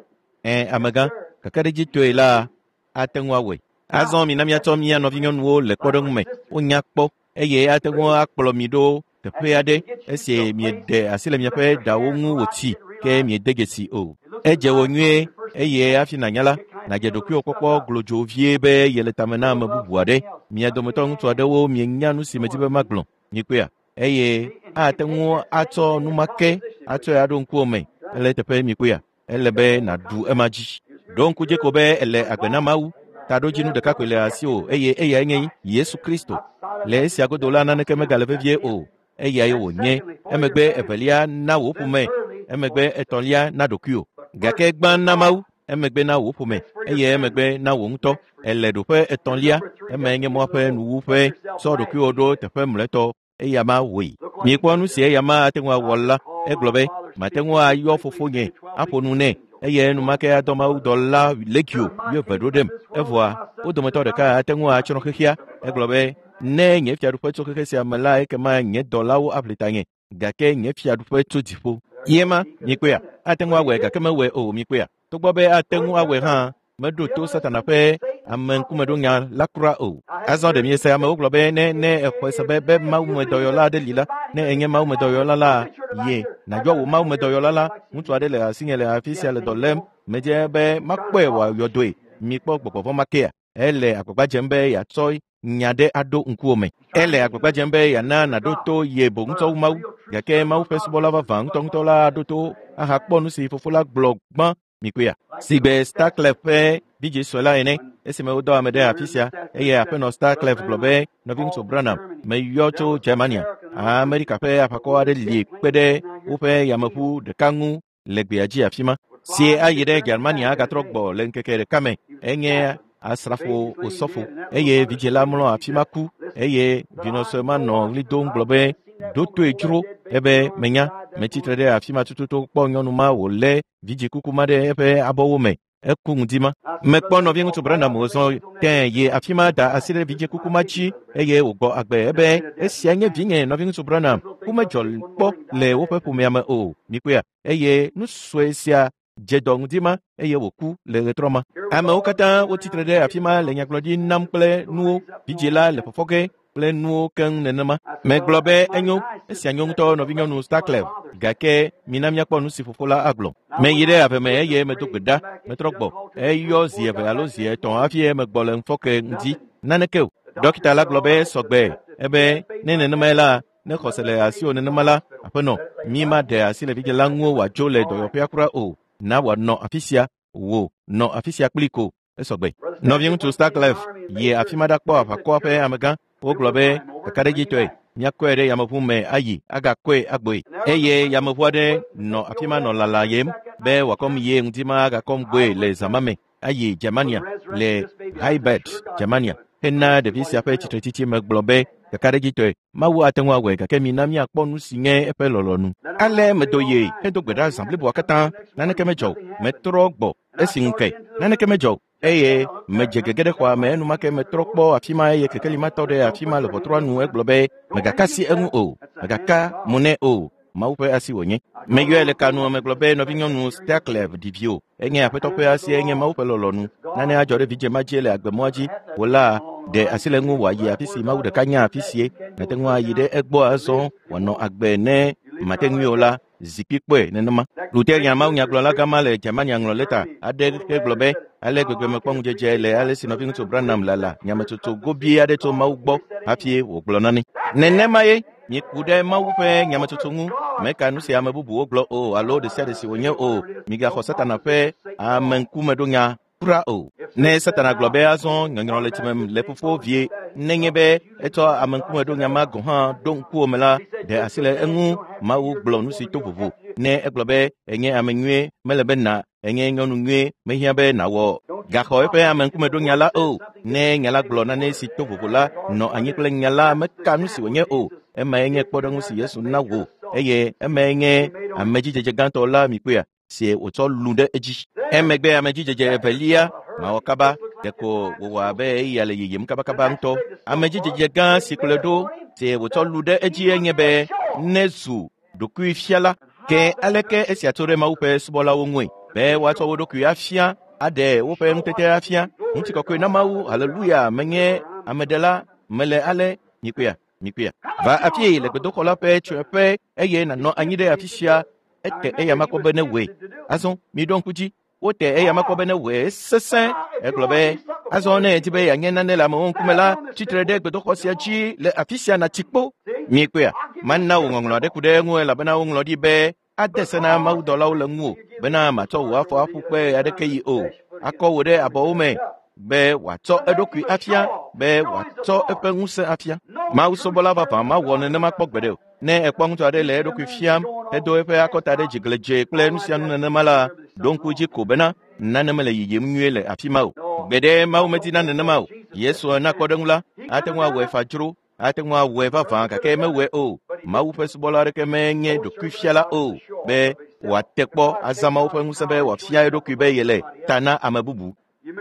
Ẽ, amegã, kakaɖedzitɔe la ate ŋu awɔe. Azɔ mina míatsɔ mía nɔvinyɔnuwo le kpɔɖeŋu me. Wonya kpɔ eye ate ŋu akplɔ mi ɖo teƒe aɖe esi mieɖe asi le miaƒe ɖawo ŋu wòtsi ke miede dzesi o. Edze wò nyuie eye hafi nànya la, nàdze ɖokuiwò kpɔkpɔ glodzo vie be yele tame na ame bubu aɖe. Mia dometɔ ŋutsu aɖewo mienya nu si medi be magblɔ. Mikpɔea? Eye ate ŋu atsɔ nu ma ke atsɔe aɖo ŋkuwò me ele teƒe mikpɔea? Ele be nàɖu ema dzi. Ɖo ŋku dzi ko be ele agbe na Mawu. Taɖodzinu ɖeka koe le asiwò eye eyae nye Yesu Kristo. Le esia godo la naneke megale vevie o. Eyae wònye. Emegbe evelia na wò ƒome. Emegbe etɔ̃lia na ɖokuiwò. Gake gbã na Mawu, emegbe na wò ƒome eye emegbe na wò ŋutɔ. Ele ɖoƒe etɔ̃lia, emae nye mɔa ƒe nuwuƒe. Tsɔ ɖokuiwò ɖo teƒe mlɔetɔ eya ma wɔe. Mikpɔ nu si eya ma ate ŋu awɔ la. Egblɔ be, mate ŋu ayɔ fofonye, aƒo nu nɛ eye enumake adɔ mawudɔla legio wuieve ɖo ɖem. Evɔa, wo dometɔ ɖeka ate ŋu atsrɔ̃ xexea. Egblɔ be, ne nye fiaɖuƒe tso xexe sia me la, ekema nye dɔlawo aʋli tanye. Gake nye fiaɖuƒe tso dziƒo. Ye ma, mikpɔea, ate ŋu awɔe gake mewɔe o, mikpɔea. Togbɔ be ate ŋu awɔe hã, meɖo to Satana ƒe ameŋkumeɖonya la kura o. Azɔ ɖe miese amewo gblɔ be ne exɔe se be mawumedɔyɔla aɖe li la, ne enye mawumedɔyɔla la, ye nàyɔ wò mawumedɔyɔla la, ŋutsu aɖe le asinye le afi sia le dɔ lém, medze be makpɔe wòayɔ dɔe. Mikpɔ gbɔgbɔ vɔ̃ ma kea? Ele agbagba dzem be yeatsɔ nya ɖe aɖo ŋkuwò me. Ele agbagba dzem be yeana nàɖo to ye boŋ ŋutɔ wu Mawu. Gake Mawu ƒe subɔla vavã ŋutɔŋutɔ la aɖo to ahakpɔ nu si fofo la gblɔ gbã mikpɔea. Sigbe Starclef ƒe vidzĩ sue la ene, esime wodɔ ame ɖe afi sia eye aƒenɔ Starclef gblɔ be nɔviŋutsu Branham meyɔ tso Germania. Amerika ƒe aʋakɔ aɖe li kpe ɖe woƒe yameʋu ɖeka ŋu le gbea dzi afi ma. Sie ayi ɖe Germania agatrɔ gbɔ le ŋkeke ɖeka me. Enye asrafo osɔfo eye vidzĩ la mlɔ afi ma ku eye vinɔ sue ma nɔ ɣli dom gblɔ be ɖo toe dzro ebe menya metsitre ɖe afi ma tututu kpɔ nyɔnu ma wòlé vidzĩ kuku ma ɖe eƒe abɔwo me. Eku ŋdi ma. Mekpɔ nɔviŋutsu Branham wòzɔ tẽ yi afi ma da asi ɖe vidzĩ kuku ma dzi eye wògbɔ agbe ebe esia nye vinye nɔviŋutsu Branham. Ku medzɔ kpɔ le woƒe ƒomea me o. Mikpɔea? Eye nu sue sia dze dɔ ŋdi ma eye wòku le ɣetrɔ ma. Amewo katã wotsitre ɖe afi ma le nyagblɔɖi nam kple nuwo. Vidzĩ la le fɔfɔ ge kple nuwo keŋ nenema. Megblɔ be enyo, esia nyo ŋutɔ nɔvinyɔnu Starclef, gake mina míakpɔ nu si fofo la agblɔ. Meyi ɖe ave me eye medo gbe ɖa, metrɔ gbɔ. Eyɔ zi eve alo zi etɔ̃ hafi megbɔ le ŋufɔke ŋdi. Naneke o. Dɔkita la gblɔ be sɔgbe ebe ne nenemae la, ne xɔse le asiwò nenema la, aƒenɔ, mi maɖe asi le vidzĩ la ŋu wòadzo le dɔyɔƒea kura o. Na wòanɔ afi sia, wò nɔ afi sia kpli ko. Esɔgbe. Nɔviŋutsu Starclef yi afi ma ɖakpɔ aʋakɔa ƒe amegã. Wogblɔ be kakaɖedzitɔe míakɔe ɖe yameʋu me ayi agakɔe agbɔe. Eye yameʋu aɖe nɔ afi ma nɔ lalayem be wòakɔm yie ŋdi ma agakɔm gbɔe le zã ma me ayi Germania le Heidelberg, Germania. Hena ɖevi sia ƒe tsitretsitsi megblɔ be kakaɖedzitɔe Mawu ate ŋu awɔe gake mina míakpɔ nu si nye eƒe lɔlɔ̃nu. Ale medo ye hedo gbe ɖa zã bliboa katã. Naneke medzɔ o. Metrɔ gbɔ esi ŋu ke. Naneke medzɔ o. Eye medze gege ɖe xɔa me enumake metrɔ kpɔ afi ma eye kekeli ma tɔ ɖe afi ma le ʋɔtrua nu egblɔ be megaka asi eŋu o, megaka mo nɛ o. Mawu ƒe asi wònye. Meyɔe le kanua megblɔ be nɔvinyɔnu Staklev ɖi vi o. Enye Aƒetɔ ƒe asi, enye Mawu ƒe lɔlɔ̃nu. Nane adzɔ ɖe vidzẽ ma dzi le agbemɔa dzi. Wò la, ɖe asi le eŋu wòayi afi si Mawu ɖeka nya afi sie. Nàte ŋu ayi ɖe egbɔ azɔ wòanɔ agbe ne mate ŋui o la, zikpui kpɔe nenema. Lutheran mawunyagblɔla gama le Germania ŋlɔ lɛta aɖe hegblɔ be ale gbegbe mekpɔ ŋudzedze le ale si nɔviŋutsu Branham lala nyametsotso gobie aɖe tso Mawu gbɔ hafi wògblɔ nane. Nenema ye mieku ɖe Mawu ƒe nyametsotso ŋu. Meka nu si ame bubuwo gblɔ o alo ɖe sia ɖe si wònye o. Migaxɔ Satana ƒe ameŋkumeɖonya kura o. Ne Satana gblɔ be azɔ nyɔnyrɔ le tsime le fofo vie, nenye be etsɔ ameŋkumeɖonya ma gɔ̃ hã ɖo ŋkuwò me la, ɖe asi le eŋu. Mawu gblɔ nu si to vovo. Ne egblɔ be enye ame nyuie, mele be na enye nyɔnu nyuie, mehiã be nàwɔ gaxɔ eƒe ameŋkumeɖonya la o. Ne nya la gblɔ nane si to vovo la, nɔ anyi kple nya la meka nu si wònye o. Emae nye kpɔɖeŋu si Yesu na wò eye emae nye amedzidzedze gãtɔ la mikpɔea si wòtsɔ lu ɖe edzi. Emegbe amedzidzedze evelia mawɔ kaba ɖeko wòwɔ abe eya le yiyim kabakaba ŋutɔ. Amedzidzedze gã si kplɔe ɖo si wòtsɔ lu ɖe edzi enye be nezu ɖokuifiala. Ke aleke esia tso ɖe Mawu ƒe subɔlawo ŋue? Be woatsɔ wo ɖokui afia, aɖe woƒe ŋutete afia. Ŋutikɔkɔe na Mawu, haleluya, menye ameɖela, mele ale, mikpɔea, mikpɔea. Va afie le gbedoxɔ la ƒe tsyɔ̃eƒe eye nànɔ anyi ɖe afi sia. Ete eya makpɔ be newɔe. Azɔ miɖo ŋku dzi. Wote eya makpɔ be newɔe sesẽ. Egblɔ be azɔ ne edi be yeanye nane le amewo ŋkume la, tsitre ɖe gbedoxɔ sia dzi le afi sia natsi kpo. Miekpɔea? Mana wò ŋɔŋlɔ aɖe ku ɖe eŋu elabena woŋlɔ ɖi be ade se na mawudɔlawo le ŋuwò bena màtsɔ wò afɔ aƒu kpe aɖeke yi o. Akɔ wò ɖe abɔwo me be wòatsɔ eɖokui afia, be wòatsɔ eƒe ŋusẽ afia. Mawu subɔla vavã mawɔ nenema kpɔ gbeɖe o. Ne ekpɔ ŋutsu aɖe le eɖokui fiam hedo eƒe akɔta ɖe dzigledzee kple nu sia nu nenema la, ɖo ŋku dzi ko bena nane mele yiyim nyuie le afi ma o. Gbeɖe Mawu medina nenema o. Yesu na kpɔɖeŋu la, ate ŋu awɔe fa dzro, ate ŋu awɔe vavã gake mewɔe o. Mawu ƒe subɔla aɖeke menye ɖokuifiala o be wòate kpɔ azã Mawu ƒe ŋusẽ be wòafia eɖokui be yele ta na ame bubu.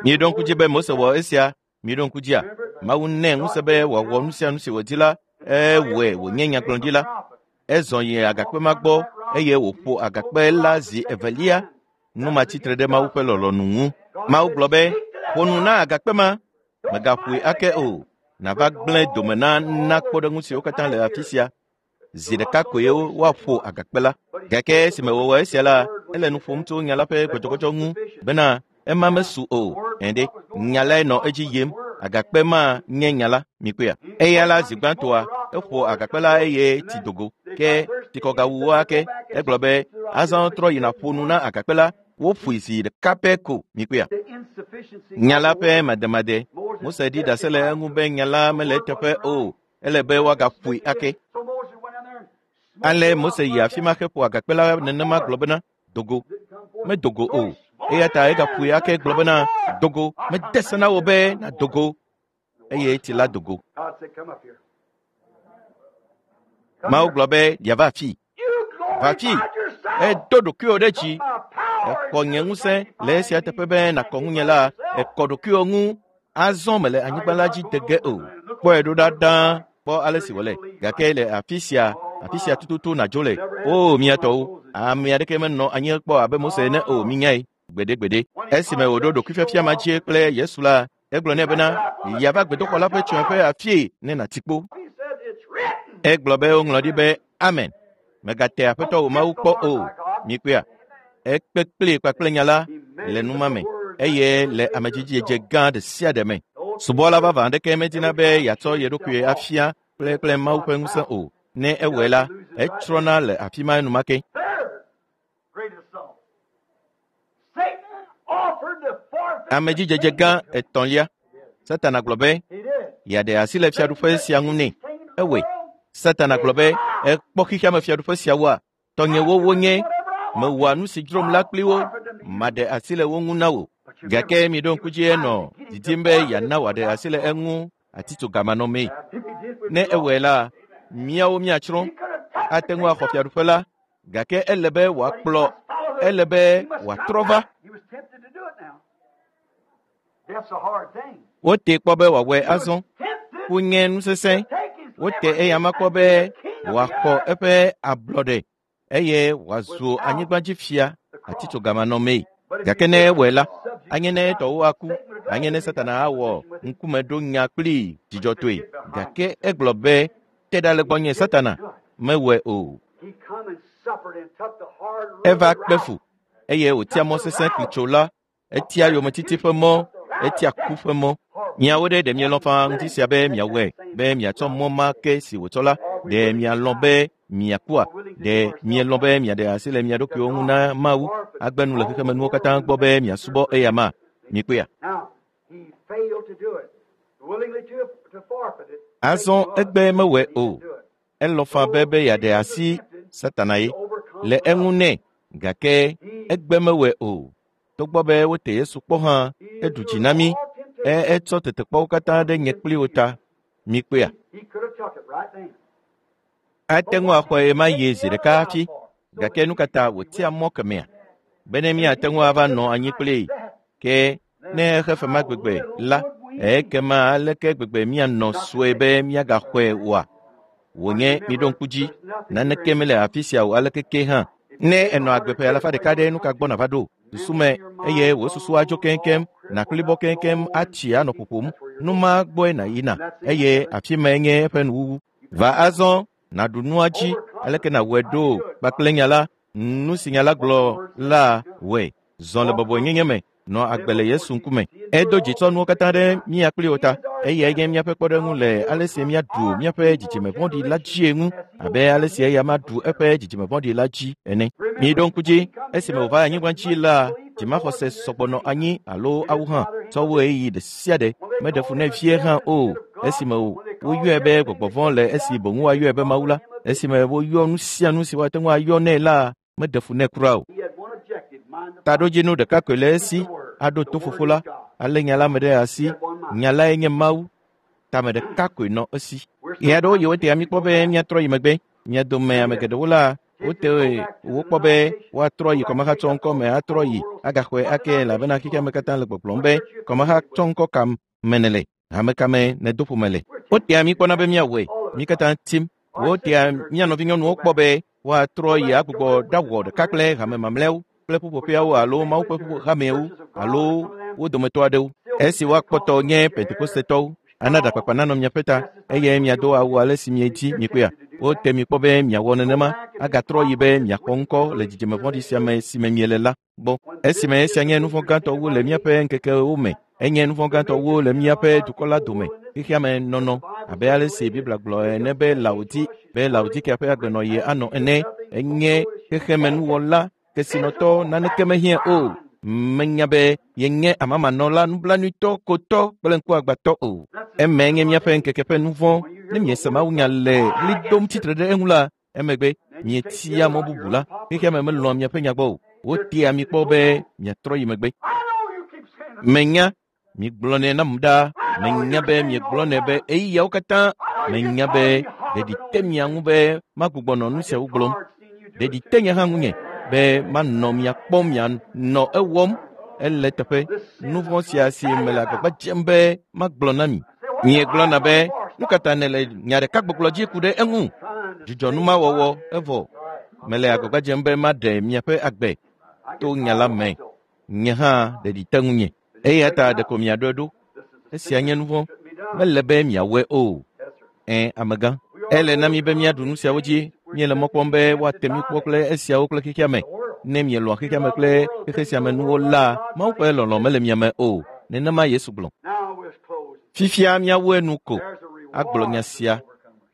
Mieɖo ŋku dzi be Mose wɔ esia. Mieɖo ŋku dzia? Mawu nɛ ŋusẽ be wòawɔ nu sia nu si wòdi la, ewɔe wònye nyagblɔɖila. Ezɔ yi agakpe ma gbɔ eye wòƒo agakpe la zi evelia. Nu ma tsitre ɖe Mawu ƒe lɔlɔ̃nu ŋu. Mawu gblɔ be, ƒo nu na agakpe ma, mègaƒoe ake o. Nàva gblẽ dome na na kpɔɖeŋu siwo katã le afi sia. Zi ɖeka koe woaƒo agakpe la. Gake esime wòwɔ esia la, ele nu ƒom tso nya la ƒe gbɔdzɔgbɔdzɔ ŋu bena ema mesu o. Ɛ̃ɖe, nya lae nɔ edzi yim. Agakpe ma nye nya la, mikpɔea. Eya la zi gbãtɔa, eƒo agakpe la eye tsi dogo. Ke tsikɔgawu wo ake. Egblɔ be azɔ trɔ yina ƒo nu na agakpe la. Woƒoe zi ɖeka pɛ ko, mikpɔea. Nya la ƒe mademade. Mose ɖi ɖase le eŋu be nya la mele eteƒe o. Ele be woagaƒoe ake. Ale Mose yi afi ma heƒo agakpe la nenema gblɔ bena, dogo. Medogo o. Eya ta egaƒoe ake gblɔ bena, dogo. Mede se na wò be nàdogo. Eye tsi la dogo. Mawu gblɔ be yeava afi. Va afi. Edo ɖokuiwò ɖe dzi. Exɔ nye ŋusẽ le esia teƒe be nàkɔ ŋunye la, ekɔ ɖokuiwò ŋu. Azɔ mele anyigba la dzi de ge o. Kpɔe ɖo ɖa ɖaa. Kpɔ ale si wòle. Gake le afi sia, afi sia tututu nàdzo le. O, mía tɔwo, ame aɖeke menɔ anyi kpɔ abe Mose ene o, minyae. Gbeɖegbeɖe. Esime wòɖo ɖokuifiafia ma dzi kple Yesu la, egblɔ nɛ bena, yeava gbedoxɔ la ƒe tsyɔ̃eƒe afie ne nàti kpo. Egblɔ be woŋlɔ ɖi be, Amen. Mègate Aƒetɔ wò Mawu kpɔ o. Mikpɔea? Ekpe kplii kpakple nya la le nu ma me eye le amedzidzedze gã ɖe sia ɖe me. Subɔla vavã aɖeke medina be yeatsɔ ye ɖokui afia kple kple Mawu ƒe ŋusẽ o. Ne ewɔe la, etsrɔ̃na le afi ma enumake. Amedzidzedze gã etɔ̃lia. Satana gblɔ be yeaɖe asi le fiaɖuƒe sia ŋu nɛ. Ewɔe. Satana gblɔ be ekpɔ xexeame fiaɖuƒe siawoa, tɔnyewo wonye, mewɔa nu si dzrom la kpli wo, maɖe asi le wo ŋu na wò. Gake miɖo ŋku dzi enɔ didim be yeana wòaɖe asi le eŋu atitsogamanɔmee. Ne ewɔe la, míawo míatsrɔ̃. Ate ŋu axɔ fiaɖuƒe la, gake ele be wòakplɔ, ele be wòatrɔ va. Wote kpɔ be wòawɔe azɔ. Ku nye nu sesẽ. Wote eya ma kpɔ be wòaxɔ eƒe ablɔɖe. eye wòazu anyigbadzifia atitsogamanɔmee. Gake ne ewɔe la, anye ne etɔwo aku, anye ne Satana awɔ ŋkumeɖonya kplii dzidzɔtɔe. Gake egblɔ be, te ɖa le gbɔnye Satana, mewɔe o. Eva kpe fu eye wòtia mɔ sesẽ klitso la, etia yometiti ƒe mɔ, etia ku ƒe mɔ. Miawo ɖe ɖe mielɔ̃ faa ŋuti sia be miawɔe, be miatsɔ mɔ ma ke si wòtsɔ la, ɖe mialɔ̃ be miakua, ɖe mielɔ̃ be miaɖe asi le mia ɖokuiwo ŋu na Mawu, agbe nu le xexemenuwo katã gbɔ be miasubɔ eya ma? Mikpɔea? Azɔ egbe mewɔe o. Elɔ̃ faa be yeaɖe asi Satana ye le eŋu nɛ, gake egbe mewɔe o. Togbɔ be wote Yesu kpɔ hã, eɖu dzi na mí. Etsɔ tetekpɔwo katã ɖe nye kpli wo ta. Mikpɔea? Ate ŋu axɔe ɣemaɣi zi ɖeka hafi, gake nu ka ta wòtia mɔ kemɛa? Bene míate ŋu ava nɔ anyi kplii. Ke ne exe fe ma gbegbe la, ekema aleke gbegbe míanɔ sue be míagaxɔe oa? Wònye miɖo ŋku dzi, naneke mele afi sia o aleke ke hã. Ne ènɔ agbe ƒe alafa ɖeka ɖe nu ka gbɔ nàva ɖo? Susu me eye wò susu adzo keŋkeŋ, nàklibɔ keŋkeŋ atsi anɔ ƒoƒom. Nu ma gbɔe nàyina eye afi mae nye eƒe nuwuwu. Va azɔ nàɖu nua dzi aleke nàwɔe ɖo kpakple nya la, nu si nya la gblɔ la wɔe. Zɔ le bɔbɔenyenye me, nɔ agbe le Yesu ŋkume. Edo dzi tsɔ nuwo katã ɖe mía kpli wo ta eye enye míaƒe kpɔɖeŋu le ale si míaɖu míaƒe dzidzime vɔ̃ɖi la dzie ŋu abe ale si eya maɖu eƒe dzidzime vɔ̃ɖi la dzi ene. Miɖo ŋku dzi, esime wòva anyigba dzi la, dzimaxɔse sɔgbɔ nɔ anyi alo awu hã tsɔ wu ɣeyiɣi ɖe sia ɖe meɖe fu nɛ vie hã o. Esime woyɔe be gbɔgbɔ vɔ̃ le esi boŋ woayɔe be Mawu la, esime woyɔ nu sia nu si woate ŋu ayɔ nɛ la, meɖe fu nɛ kura o. Taɖodzinu ɖeka koe le esi aɖo to fofo la, alé nya la me ɖe asi. Nya lae nye Mawu. Tame ɖeka koe nɔ esi. Ɣe aɖewo yi wotea mí kpɔ be míatrɔ yi megbe. Mia dome ame geɖewo la, wote wokpɔ be woatrɔ yi kɔmahatsɔŋkɔ me atrɔ yi agaxɔe ake elabena xexeame katã le gbɔgblɔm be kɔmahatsɔŋkɔ ka me nèle, hame ka me nèdo ƒome le. Wotea mí kpɔna be míawɔe, mí katã tim. Wotea mía nɔvinyɔnuwo kpɔ be woatrɔ yi agbugbɔ ɖawɔ ɖeka kple hame mamlɛawo kple ƒuƒoƒeawo alo Mawu ƒe hamewo alo wo dometɔ aɖewo. Esi woakpɔtɔ nye Pentekostetɔwo, ana ɖakpakpa nanɔ miaƒe ta eye miado awu ale si miedzi mikpɔea. Wote mi kpɔ be miawɔ nenema agatrɔ yi be miaxɔ ŋkɔ le dzidzime vɔ̃ɖi sia me si me miele la gbɔ. Esime esia nye nu vɔ̃ gãtɔ wu le míaƒe ŋkekewo me, enye nu vɔ̃ gãtɔ wu le míaƒe dukɔ la dome, xexeame nɔnɔ abe ale si Biblia gblɔ ene be Laodikea ƒe agbenɔɣi anɔ ene, enye xexemenuwɔla kesinɔtɔ naneke mehiã o. Menya be yenye amamanɔla nublanuitɔ, kotɔ kple ŋkuagbãtɔ o. Eme nye míaƒe ŋkeke ƒe nu vɔ̃. Ne miese mawunya le ɣli dom tsitre ɖe eŋu la, emegbe mietia mɔ bubu la, xexeame melɔ̃a miaƒe nya gbɔ o. Wotea mi kpɔ be miatrɔ yi megbe. Menya, migblɔnɛ nam ɖaa. Menya be miegblɔnɛ be ɣeyiɣiawo katã. Menya be ɖeɖi te mia ŋu be magbugbɔ nɔ nu siawo gblɔm. Ɖeɖi te nye hã ŋunye be manɔ mia kpɔm mianɔ ewɔm. Ele teƒe nu vɔ̃ sia si mele agbagba dzem be magblɔ na mi. Miegblɔna be nu ka ta nèle nya ɖeka gbɔgblɔ dzi ku ɖe eŋu? Dzudzɔ nu ma wɔwɔ evɔ. Mele agbagba dzem be maɖe miaƒe agbe to nya la me. Nye hã ɖeɖi te ŋunye. Eya ta ɖeko miaɖɔe ɖo. Esia nye nu vɔ̃. Mele be miawɔe o. Ẽ, amegã. Ele na mi be míaɖu nu siawo dzi. Míele mɔ kpɔm be woate mí kpɔ kple esiawo kple xexeame. Ne mielɔ̃a xexeame kple xexe sia me nuwo la, Mawu ƒe lɔlɔ̃ mele mia me o. Nenema Yesu gblɔ. Fifia míawu enu ko agblɔ nya sia.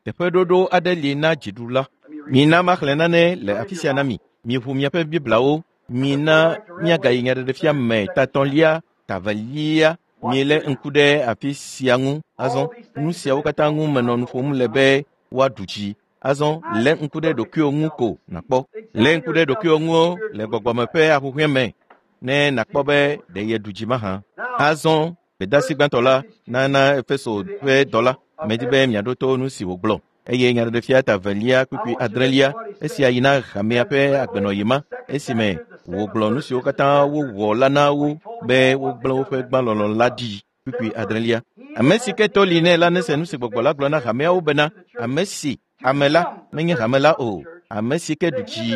Teƒeɖoɖo aɖe li na dziɖula. Mina maxlẽ nane le afi sia na mi. Miʋu miaƒe Bibliawo. Mina míagayi nyaɖeɖefia me tatɔ̃lia, tavelia. Mielé ŋku ɖe afi sia ŋu azɔ. Nu siawo katã ŋu menɔ nu ƒom le be woaɖu dzi. Azɔ lé ŋku ɖe ɖokuiwò ŋu ko nàkpɔ. Lé ŋku ɖe ɖokuiwò ŋu le gbɔgbɔme ƒe ahuhɔ̃e me ne nàkpɔ be ɖe yeɖu dzi mahã. Azɔ gbedeasi gbãtɔ la nana Efeso ƒe dɔla. Medi be miaɖo to nu si wògblɔ. Eye nyaɖeɖefia ta velia kpukpui adrelia, esia yi na hamea ƒe agbenɔɣi ma, esime wògblɔ nu siwo katã wowɔ la na wo be wogblẽ woƒe gbãlɔlɔ̃ la ɖi. Kpukpui adrelia. Ame si ke to li nɛ la nese nu si gbɔgbɔ la gblɔ na hameawo bena, ame si hame la menye hame la o. Ame si ke ɖu dzi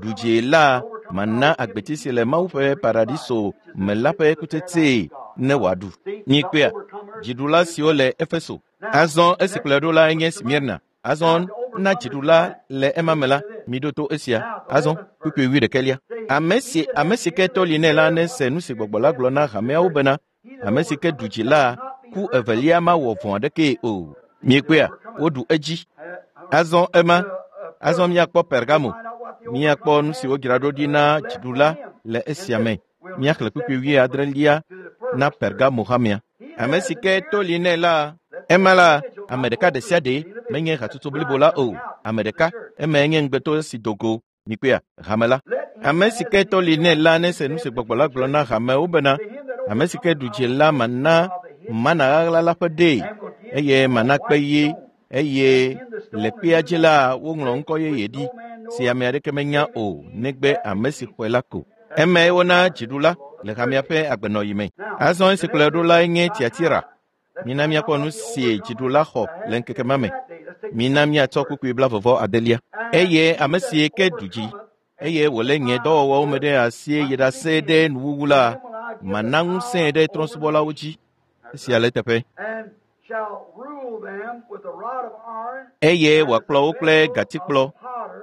ɖu dzi la mana agbeti si le Mawu ƒe paradiso me la ƒe kutsetsee ne wòaɖu. Mikpɔea, dziɖula siwo le Efeso. Azɔ esi kplɔe ɖo la nye Smirna. Azɔ na dziɖula le ema me la, miɖo to esia. Azɔ kpukpui 11. Ame si ke to li nɛ la nese nu si gbɔgbɔ la gblɔ na hameawo bena ame si ke ɖu dzi la ku evelia mawɔ vɔ̃ aɖekee o. Miekpɔea, woɖu edzi. Azɔ ema, azɔ míakpɔ Pergamo. Míakpɔ nu si wodzra ɖo ɖi na dziɖula le esia me. Míaxlẽ kpukpui 70 na Pergamo hamea. Ame si ke to li nɛ la, ema la, ame ɖeka ɖe sia ɖe menye hatsotso blibo la o. Ame ɖeka, emae nye ŋugbeto si do go. Mikpɔea, hame la. Ame si ke to li nɛ la nese nu si gbɔgbɔ la gblɔ na hamewo bena ame si ke ɖu dzi la mana mana ɣaɣla la ƒe ɖee eye mana kpe ɣi eye le kpea dzi la woŋlɔ ŋkɔ yeye ɖi si ame aɖeke menya o negbe ame si xɔe la ko. Emae wona dziɖula le hamea ƒe agbenɔɣi me. Azɔ esi kplɔe ɖo lae nye Tiatira. Mina míakpɔ nu si dziɖula xɔ le ŋkeke ma me. Mina míatsɔ kpukpui 49. Eye ame si ke ɖu dzi eye wòlé nye dɔwɔwɔwo me ɖe asi yi ɖase ɖe nuwuwu la, mana ŋusẽe ɖe trɔ̃subɔlawo dzi. Esia le eteƒe. Eye wòakplɔ wo kple gatikplɔ,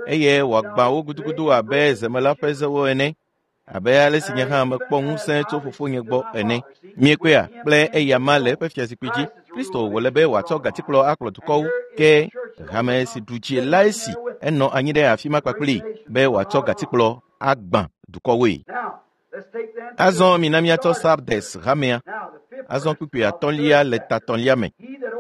eye wòagbã wo gudugudu abe zemela ƒe zewo ene, abe ale si nye hã mekpɔ ŋusẽ tso fofonye gbɔ ene. Miekpɔea, kple eyama le eƒe fiazikpui dzi. Kristo wòle be wòatsɔ gatikplɔ akplɔ dukɔwo, ke hame si ɖu dzi la esi enɔ anyi ɖe afi ma kpakpli be wòatsɔ gatikplɔ agbã dukɔwoe. Azɔ mina míatsɔ Sardes hamea. Azɔ kpukpui 5 le ta 3 me.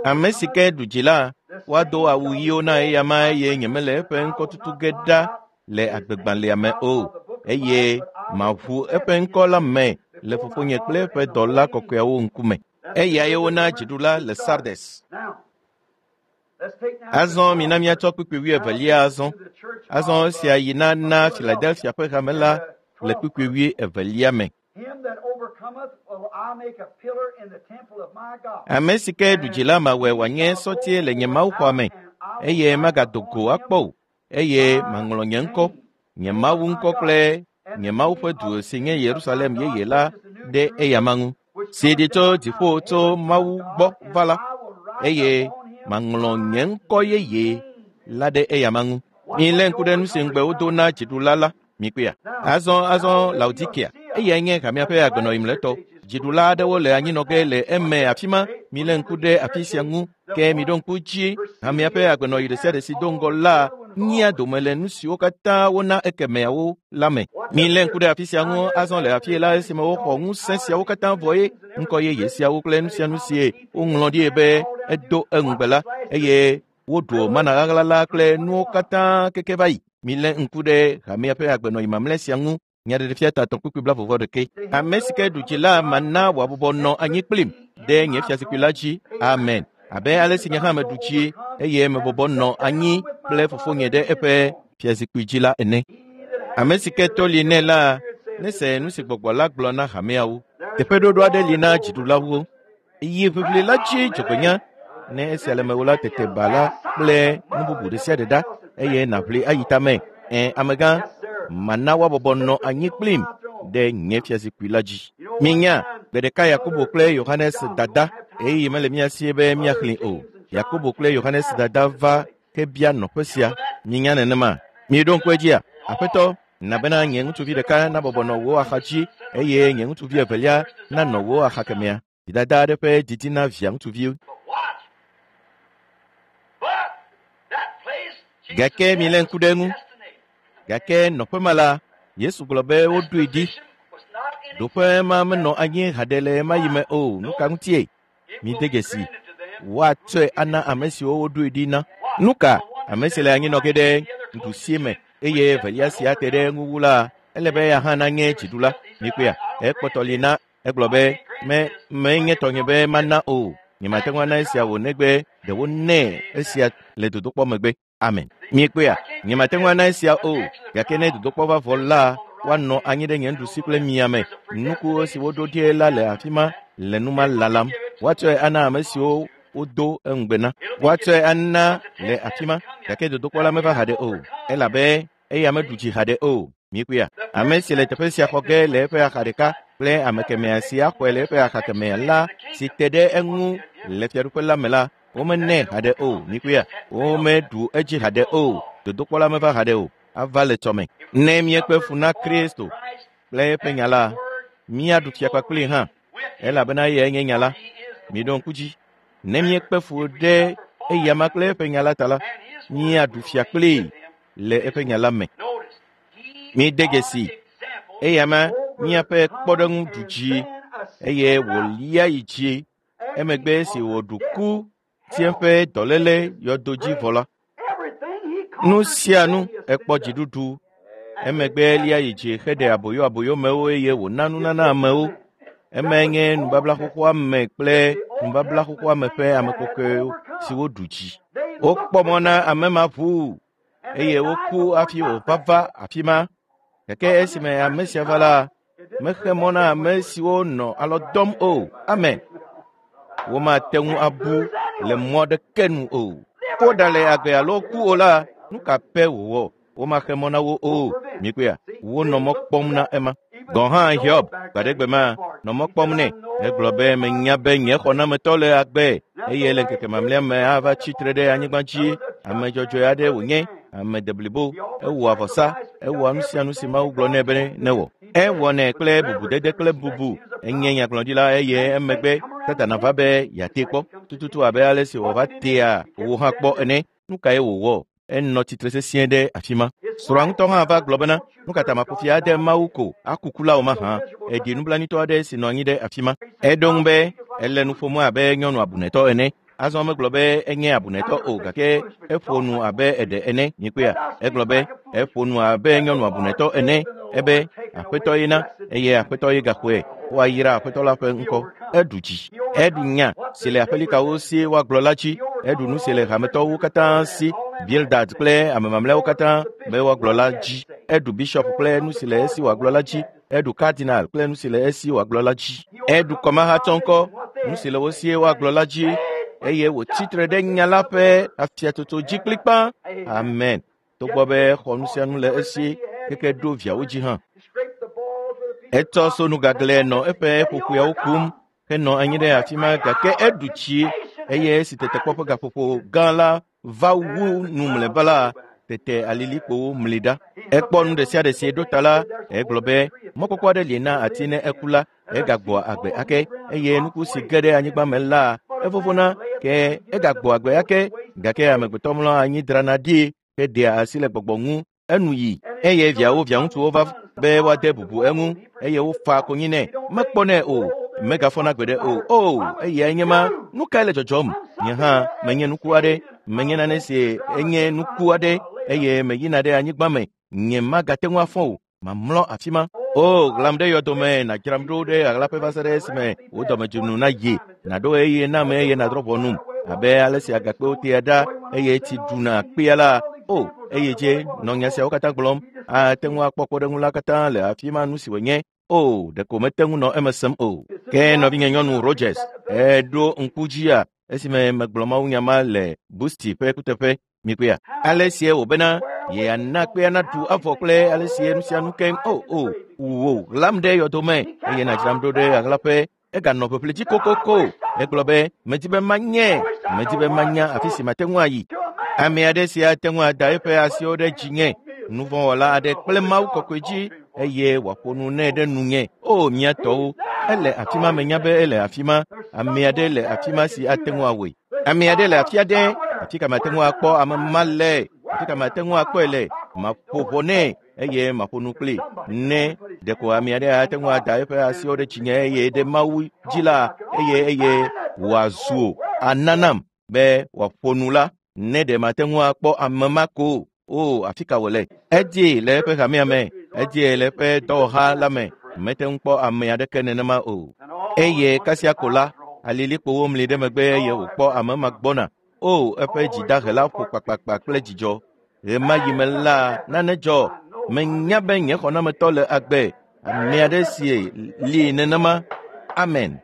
Ame si ke ɖu dzi la, woado awu ɣiwo na eyama eye nyemele eƒe ŋkɔ tutu ge ɖa le agbegbalẽa me o, eye maʋu eƒe ŋkɔ la me le fofonye kple eƒe dɔla kɔkɔeawo ŋkume. Eyae wona dziɖula le Sardes. Azɔ mina míatsɔ kpukpui 22 azɔ. Azɔ esia yi na Philadelphia ƒe hame la le kpukpui 22 me. Ame si ke ɖu dzi la mawɔe wòanye sɔtie le nye mawuxɔa me, eye magado go akpɔ o, eye maŋlɔ nye ŋkɔ, nye Mawu ŋkɔ kple nye Mawu ƒe du si nye Yerusalem yeye la ɖe eyama ŋu, si ɖi tso dziƒo tso Mawu gbɔ va la, eye maŋlɔ nye ŋkɔ yeye la ɖe eyama ŋu. Milé ŋku ɖe nu si ŋugbe wodo na dziɖula la. Mikpɔea. Azɔ Laodikea, eyae nye hamea ƒe agbenɔɣi mlɔetɔ. Dziɖula aɖewo le anyinɔ ge le eme afi ma. Milé ŋku ɖe afi sia ŋu, ke miɖo ŋku dzi hamea ƒe agbenɔɣi ɖe sia ɖe si do ŋgɔ la nyia dome le nu siwo katã wona ekemeawo la me. Milé ŋku ɖe afi sia ŋu azɔ le afie la esime woxɔ ŋusẽ siawo katã vɔ ye ŋkɔ yeye siawo kple nu sia nu si woŋlɔ ɖi be edo eŋugbe la, eye woɖu mana ɣaɣla la kple nuwo katã keke va yi. Milé ŋku ɖe hamea ƒe agbenɔɣi mamlɛ sia ŋu. Nyaɖeɖefia ta 3 kpukpui 41. Ame si ke ɖu dzi la mana wòabɔbɔ nɔ anyi kplim ɖe nye fiazikpui la dzi. Amen. Abe ale si nye hã meɖu dzi eye mebɔbɔ nɔ anyi kple fofonye ɖe eƒe fiazikpui dzi la ene. Ame si ke to li nɛ la nese nu si gbɔgbɔ la gblɔ na hameawo. Teƒeɖoɖo aɖe li na dziɖulawo. Yi ʋiʋli la dzi dzɔgbenya. Ne esia le mewò la, tete ba la kple nu bubu ɖe sia ɖe ɖa eye nàʋli ayi tame. Amegã, mana woabɔbɔ nɔ anyi kplim ɖe nye fiazikpui la dzi. Minya, gbe ɖeka Yakobo kple Yohanes dada, ɣeyiɣi mele mía sie be míaxlẽe o. Yakobo kple Yohanes dada va ke bia nɔƒe sia. Minya nenema. Miɖo ŋku edzia? Aƒetɔ, na bena nye ŋutsuvi ɖeka nabɔbɔ nɔ wò axa dzi eye nye ŋutsuvi evelia nanɔ wò axa kemɛa. Dada aɖe ƒe didi na via ŋutsuvi. Gake milé ŋku ɖe eŋu. Gake nɔƒe ma la, Yesu gblɔ be woɖoe ɖi. Ɖoƒe ma menɔ anyi haɖe le ɣemaɣi me o. Nu ka ŋutie? Mide dzesi. Woatsɔe ana ame siwo woɖoe ɖi na. Nu ka? Ame si le anyinɔ ge ɖe nuɖusie me eye evelia si ate ɖe eŋu wu la, ele be eya hã nanye dziɖula. Mikpɔea? Ekpɔtɔ li na egblɔ be menye tɔnye be mana o. Nyemate ŋu ana esia wò negbe ɖe wonɛ esia le dodokpɔ megbe. Amen. Miekpɔea? Nyemate ŋu ana esia o. Gake ne dodokpɔ va vɔ la, woanɔ anyi ɖe nye nuɖusi kple mia me. Nuku si woɖo ɖi la le afi ma le nu ma lalam. Woatsɔe ana ame siwo wodo eŋugbe na. Woatsɔe ana le afi ma, gake dodokpɔ la meva haɖe o, elabe eya meɖu dzi haɖe o. Míekpɔea? Ame si le teƒe sia xɔ ge le eƒe axa ɖeka kple ame kemɛa si axɔe le eƒe axa kemɛa la si te ɖe eŋu le fiaɖuƒe la me la, womenɛ haɖe o. Míekpɔea? Womeɖu edzi haɖe o. Dodokpɔ la meva haɖe o. Ava le tsɔme. Ne míekpe fu na Kristo kple eƒe nya la, míaɖu fia kpakplii hã, elabena eyae nye nya la. Miɖo ŋku dzi. Ne míekpe fu ɖe eyama kple eƒe nya la ta la, míaɖu fia kplii le eƒe nya la me. Mide dzesi eyama míaƒe kpɔɖeŋu ɖu dzi eye wòlia yi dzi emegbe esi wòɖu ku si eƒe dɔléle yɔdo dzi vɔ la. Nu sia nu ekpɔ dziɖuɖu emegbe lia yi dzi heɖe aboyo aboyomewo eye wòna nunana amewo. Emae nye nubabla xoxoa me kple nubabla xoxoa me ƒe ame kɔkɔewo siwo ɖu dzi. Wokpɔ mɔ na ame ma ʋuu eye woku hafi wòva va afi ma. Gake esime ame sia va la, mexe mɔ na ame siwo nɔ alɔ dɔm o. Amen. Womate ŋu abu le mɔ aɖeke nu o. Woɖale agbe alo ku o la, nu ka pɛ wòwɔ? Womaxe mɔ na wo o. Míekpɔea? Wonɔ mɔ kpɔm na ema. Gɔ̃ hã Hiob gbaɖegbe ma nɔ mɔ kpɔm nɛ. Egblɔ be menya be nye xɔnametɔ le agbe eye le ŋkeke mamlɛa me ava tsi tre ɖe anyigba dzi. Ame dzɔdzɔe aɖe wònye, ame deblibo, ewɔa vɔsa, ewɔa nu sia nu si Mawu gblɔ nɛ be newɔ. Ewɔnɛ kple bubudede kple bubu. Enye nyagblɔɖila eye emegbe Satana va be yeatee kpɔ tututu abe ale si wòva tea wò hã kpɔ ene. Nu kae wòwɔ? Enɔ tsitre sesĩe ɖe afi ma. Srɔ̃a ŋutɔ hã va gblɔ bena, nu ka ta maƒo fi ade Mawu ko aku kula o mahã? Eɖi nublanuitɔ aɖe si nɔ anyi ɖe afi ma. Eɖo ŋu be ele nu ƒom abe nyɔnu abunɛtɔ ene. Azɔ megblɔ be enye abunɛtɔ o gake eƒo nu abe eɖe ene. Míekpɔea? Egblɔ be eƒo nu abe nyɔnu abunɛtɔ ene. Ebe Aƒetɔ ye na eye Aƒetɔ ye gaxɔe. Woayra Aƒetɔ la ƒe ŋkɔ. Eɖu dzi. Eɖu nya si le aƒelikawo si woagblɔ la dzi. Eɖu nu si le hametɔwo katã si, Bildad kple ame mamlɛawo katã be woagblɔ la dzi. Eɖu bishɔp kple nu si le esi wòagblɔ la dzi. Eɖu kardinal kple nu si le esi wòagblɔ la dzi. Eɖu kɔmahatsɔŋkɔ, nu si le wo sie woagblɔ la dzi. Eye wòtsi tre ɖe nya la ƒe afiatsotso dzi kplikpaa. Amen. Togbɔ be exɔ nu sia nu le esi keke ɖo viawo dzi hã. Etsɔ sonu gaglɛ nɔ eƒe ƒoƒoeawo kum henɔ anyi ɖe afi ma gake eɖu tsi eye esi tetekpɔ ƒe gaƒoƒo gã la va wu nu mlɔeba la, tete alilikpowo mli ɖa. Ekpɔ nu ɖe sia ɖe si ɖo ta la, egblɔ be mɔkpɔkpɔ aɖe li na ati ne eku la, egagbɔ agbe ake eye nuku si ge ɖe anyigba me la, evovona ke egagbɔ agbe ake gake amegbetɔ mlɔa anyi drana ɖi heɖea asi le gbɔgbɔ ŋu enu yi eye viawo viaŋutsuwo va be woade bubu eŋu eye wofa konyi nɛ. Mekpɔnɛ o, megafɔna gbeɖe o. O, eyae nye ma. Nu kae le dzɔdzɔm? Nye hã menye nuku aɖe, menye nane si enye nuku aɖe eye meyina ɖe anyigba me. Nye magate ŋu afɔ o. Mamlɔ afi ma. O, ɣlam ɖe yɔdome, nàdzram ɖo ɖe ɣaɣlaƒe va se ɖe esime wò dɔmedzonu nayi. Nàɖo ɣeyiɣi nam eye nàdrɔ̃ ʋɔnum abe ale si agakpewo tea ɖa eye tsi ɖuna kpea la. O, eye dze nɔ nya siawo katã gblɔm. Ate ŋu akpɔ kpɔɖeŋu la katã le afi ma nu si wònye. O, ɖeko mete ŋu nɔ eme sem o. Ke nɔvinye nyɔnu Rogers, èɖo ŋku dzia esime megblɔ mawunya ma le Busti ƒe kuteƒe mikpɔea? Ale sie wòbena yeana kpea naɖu avɔ kple ale sie nu sia nu keŋ. O, o, wò ɣlam ɖe yɔdome eye nàdzram ɖo ɖe ɣaɣlaƒe. Eganɔ ƒeƒle dzi kokoko. Egblɔ be, medi be manye, medi be manya afi si mate ŋu ayi. Ame aɖe si ate ŋu ada eƒe asiwo ɖe dzinye, nuvɔ̃wɔla aɖe kple Mawu kɔkɔe dzi eye wòaƒo nu nɛ ɖe nunye. O, mía tɔwo, ele afi ma menya be ele afi ma. Ame aɖe le afi ma si ate ŋu awɔe. Ame aɖe le afi aɖe, afi ka mate ŋu akpɔ ame ma le, afi ka mate ŋu akpɔe le. Maƒo ʋɔ nɛ eye maƒo nu kpli. Ne ɖeko ame aɖe ate ŋu ada eƒe asiwo ɖe dzinye eye ɖe Mawu dzi la, eye eye wòazu ana nam be wòaƒo nu la, ne ɖe mate ŋu akpɔ ame ma ko o, afi ka wòle? Edie le eƒe hamea me, edie le eƒe dɔwɔha la me, mete ŋu kpɔ ame aɖeke nenema o. Eye kasia ko la, alilikpowo mli ɖe megbe eye wòkpɔ ame ma gbɔna. O, eƒe dzidahe la ƒo kpakpakpa kple dzidzɔ. Ɣemaɣi me la, nane dzɔ. Menya be nye xɔnametɔ le agbe. Ame aɖe si li nenema. Amen.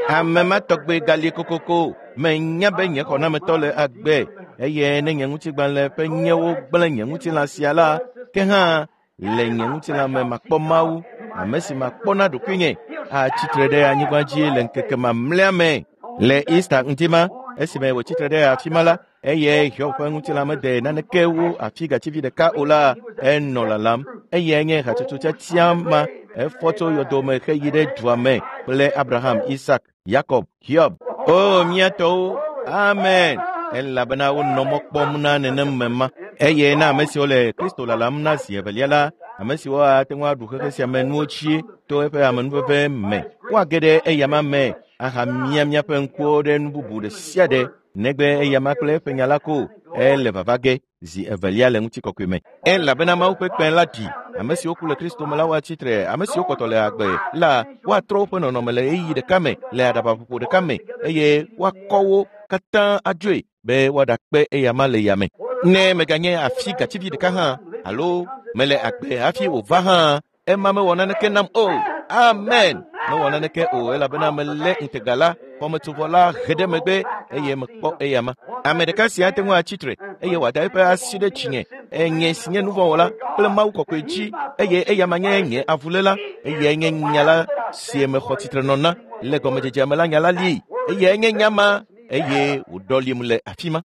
Ame ma tɔgbe gali kokoko. Menya be nye xɔnametɔ le agbe eye ne nye ŋutigbalẽ ƒe nyewo gblẽ nye ŋutilã sia la, ke hã le nye ŋutilã me makpɔ Mawu, ame si makpɔ na ɖokuinye, atsitre ɖe anyigba dzi le ŋkeke mamlɛa me. Le Easter ŋdi ma, esime wòtsitre ɖe afi ma la, eye Hiob ƒe ŋutilã mede naneke wu afi gativi ɖeka o la, enɔ lalam. Eyae nye hatsotso tiatia ma, efɔ tso yɔdo me heyi ɖe dua me kple Abraham, Isak, Yakob, Hiob. O mía tɔwo, amen. Elabena wonɔ mɔ kpɔm na nenem me ma. Eye na ame siwo le Kristo lalam na zi evelia la, ame siwo ate ŋu aɖu xexe sia me nuwo dzi to eƒe amenuveve me, woage ɖe eyama me ahamia míaƒe ŋkuwo ɖe nu bubu ɖe sia ɖe negbe eyama kple eƒe nya la ko ele vava ge zi evelia le ŋutikɔkɔe me. Elabena Mawu ƒe kpẽ la ɖi. Ame siwo ku le Kristo me la woatsi tre, ame siwo kpɔtɔ le agbe la woatrɔ woƒe nɔnɔme le ɣeyiɣi ɖeka me, le aɖabaƒoƒo ɖeka me, eye woakɔ wo katã adzoe be woaɖakpe eyama le yame. Ne meganye afi gativi ɖeka hã alo mele agbe hafi wòva hã, ema mewɔ naneke nam o. Amen. Mewɔ naneke o elabena melé ŋutega la, xɔmetsovɔ la he ɖe megbe eye mekpɔ eyama. Ame ɖeka si ate ŋu atsi tre eye wòada eƒe asi ɖe dzinye, enye si nye nuvɔ̃wɔla kple Mawu kɔkɔe dzi eye eyama nye nye avuléla, eyae nye nya la si mexɔ tsitrenɔ na le gɔmedzedzea me la nya la li. Eyae nye nya ma eye wòɖɔlim le afi ma.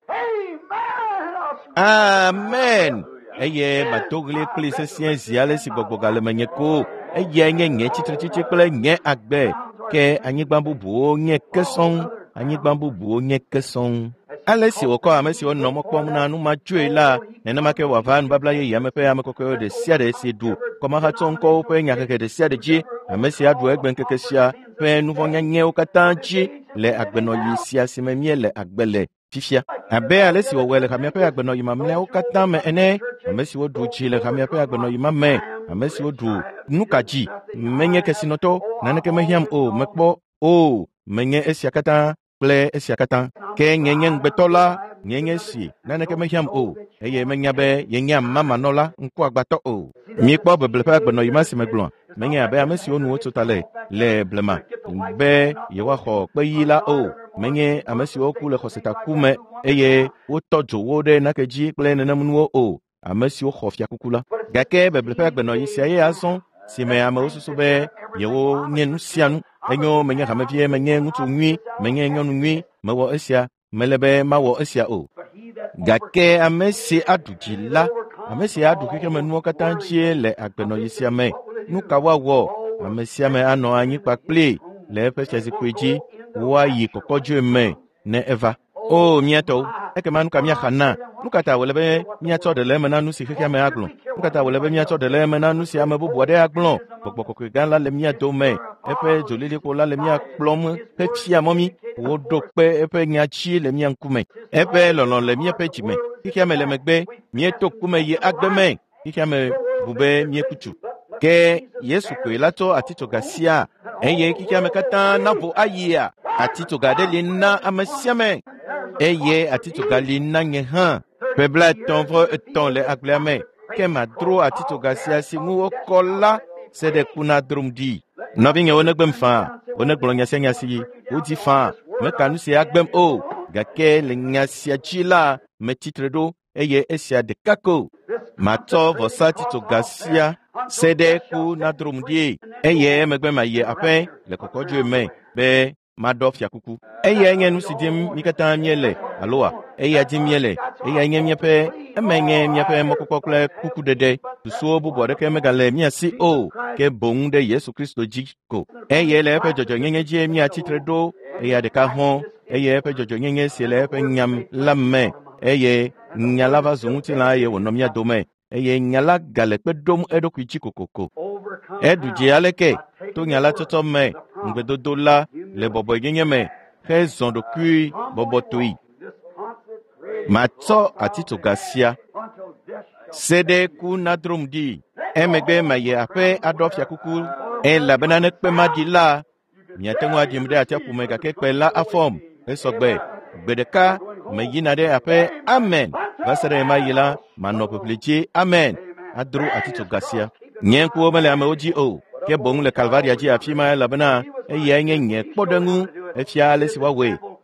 Amen. Eye mado ɣli kpli sesĩe zi ale si gbɔgbɔ gale menye ko. Eyae nye nye tsitretsitsi kple nye agbe. Ke anyigba bubuwo nye ke sɔŋ. Anyigba bubuwo nye ke sɔŋ. Ale si wòkɔ ame siwo nɔ mɔ kpɔm na nu ma tsoe la, nenema ke wòava nubabla yeyea me ƒe ame kɔkɔewo ɖe sia ɖe si ɖu kɔmahatsɔŋkɔwo ƒe nyahehe ɖe sia ɖe dzi, ame si aɖu egbeŋkeke sia ƒe nuvɔ̃nyanyɛwo katã dzi le agbenɔɣi sia si me míele agbe le fifia. Abe ale si wòwɔe le hamea ƒe agbenɔɣi mamlɛawo katã me ene, ame siwo ɖu dzi le hamea ƒe agbenɔɣi ma me, ame siwo ɖu nu ka dzi, menye kesinɔtɔ, naneke mehiãm o, mekpɔ o, menye esia katã kple esia katã. Ke nye nye ŋugbetɔ la, nye nye si, naneke mehiãm o, eye menya be yenye amamanɔla ŋkuagbãtɔ o. Míekpɔ beble ƒe agbenɔɣi ma si megblɔa, menye abe ame siwo nu wotso ta le le blema be yewoaxɔ kpeɣi la o. Menye ame siwo ku le xɔsetaku me eye wotɔ dzo wo ɖe nake dzi kple nenem nuwo o, ame siwo xɔ fiakuku la. Gake beble ƒe agbenɔɣi sia ye azɔ si me amewo susu be yewo nye nu sia nu. Enyo menye hamevie, menye ŋutsu nyui, menye nyɔnu nyui, mewɔ esia, mele be mawɔ esia o. Gake ame si aɖu dzi la, ame si aɖu xexemenuwo katã dzie le agbenɔɣi sia me, nu ka woawɔ? Ame sia ame anɔ anyi kpakpli le eƒe fiazikpui dzi, woayi kɔkɔdzoe me ne eva. O mía tɔwo, ekema nu ka míaxa na? Nu ka ta wòle be míatsɔ ɖe le eme na nu si xexea me agblɔ? Nu ka ta wòle be míatsɔ ɖe le eme na nu si ame bubu aɖe agblɔ? Gbɔgbɔ kɔkɔe gã la le mía dome, eƒe dzolilikpo la le mía kplɔm hefia mɔ mí. Woɖo kpe eƒe nya dzi le mía ŋkume. Eƒe lɔlɔ̃ le míaƒe dzime. Xexea me le megbe, míeto ku me yi agbe me. Xexea me bu be míeku tsu. Ke Yesu koe la tsɔ atitsoga sia eye xexea me katã navo ayia. Atitsoga ɖe li na ame sia ame eye atitsoga li na nye hã. Ƒe 33 le agblea me, ke madro atitsoga sia si ŋu wokɔ la se ɖe ku na drom ɖi. Nɔvinyewo negbem faa, wonegblɔ nya sia nya si wodi faa, meka nu sia agbem o, gake le nya sia dzi la metsitre ɖo eye esia ɖeka ko. Matsɔ vɔsa titsoga sia se ɖe ku na drom ɖi eye emegbe mayi aƒe le kɔkɔdzoe me be maɖɔ fiakuku. Eyae nye nu si dim mí katã míele aloa? Eya dim míele. Eyae nye míaƒe eme nye míaƒe mɔkpɔkpɔ kple kukuɖeɖe. Susuwo bubu aɖeke megale mía si o, ke boŋ ɖe Yesu Kristo dzi ko. Eye le eƒe dzɔdzɔenyenye dzie míatsi tre ɖo, eya ɖeka hɔ̃, eye eƒe dzɔdzɔenyenye si le eƒe nya la me, eye nya la va zu ŋutilã eye wònɔ mía dome, eye nya la gale kpe ɖom eɖokui dzi kokoko. Eɖu dzi aleke to nya la tsɔtsɔ me, ŋugbedodo la le bɔbɔenyenye me hezɔ ɖokui bɔbɔtoe. Matsɔ atitsoga sia se ɖe ku na drom ɖi. Emegbe mayi aƒe aɖɔ fiakuku elabena ne kpe ma ɖi la, miate ŋu aɖim ɖe atsiaƒu me gake kpe la afɔm. Esɔgbe. Gbe ɖeka meyina ɖe aƒe. Amen. Va se ɖe ɣemaɣi la, manɔ ʋiʋli dzi. Amen. Adro atitsoga sia. Nye ŋkuwo mele amewo dzi o, ke boŋ le Kalvaria dzi afi ma elabena eyae nye nye kpɔɖeŋu. Efia ale si woawɔe.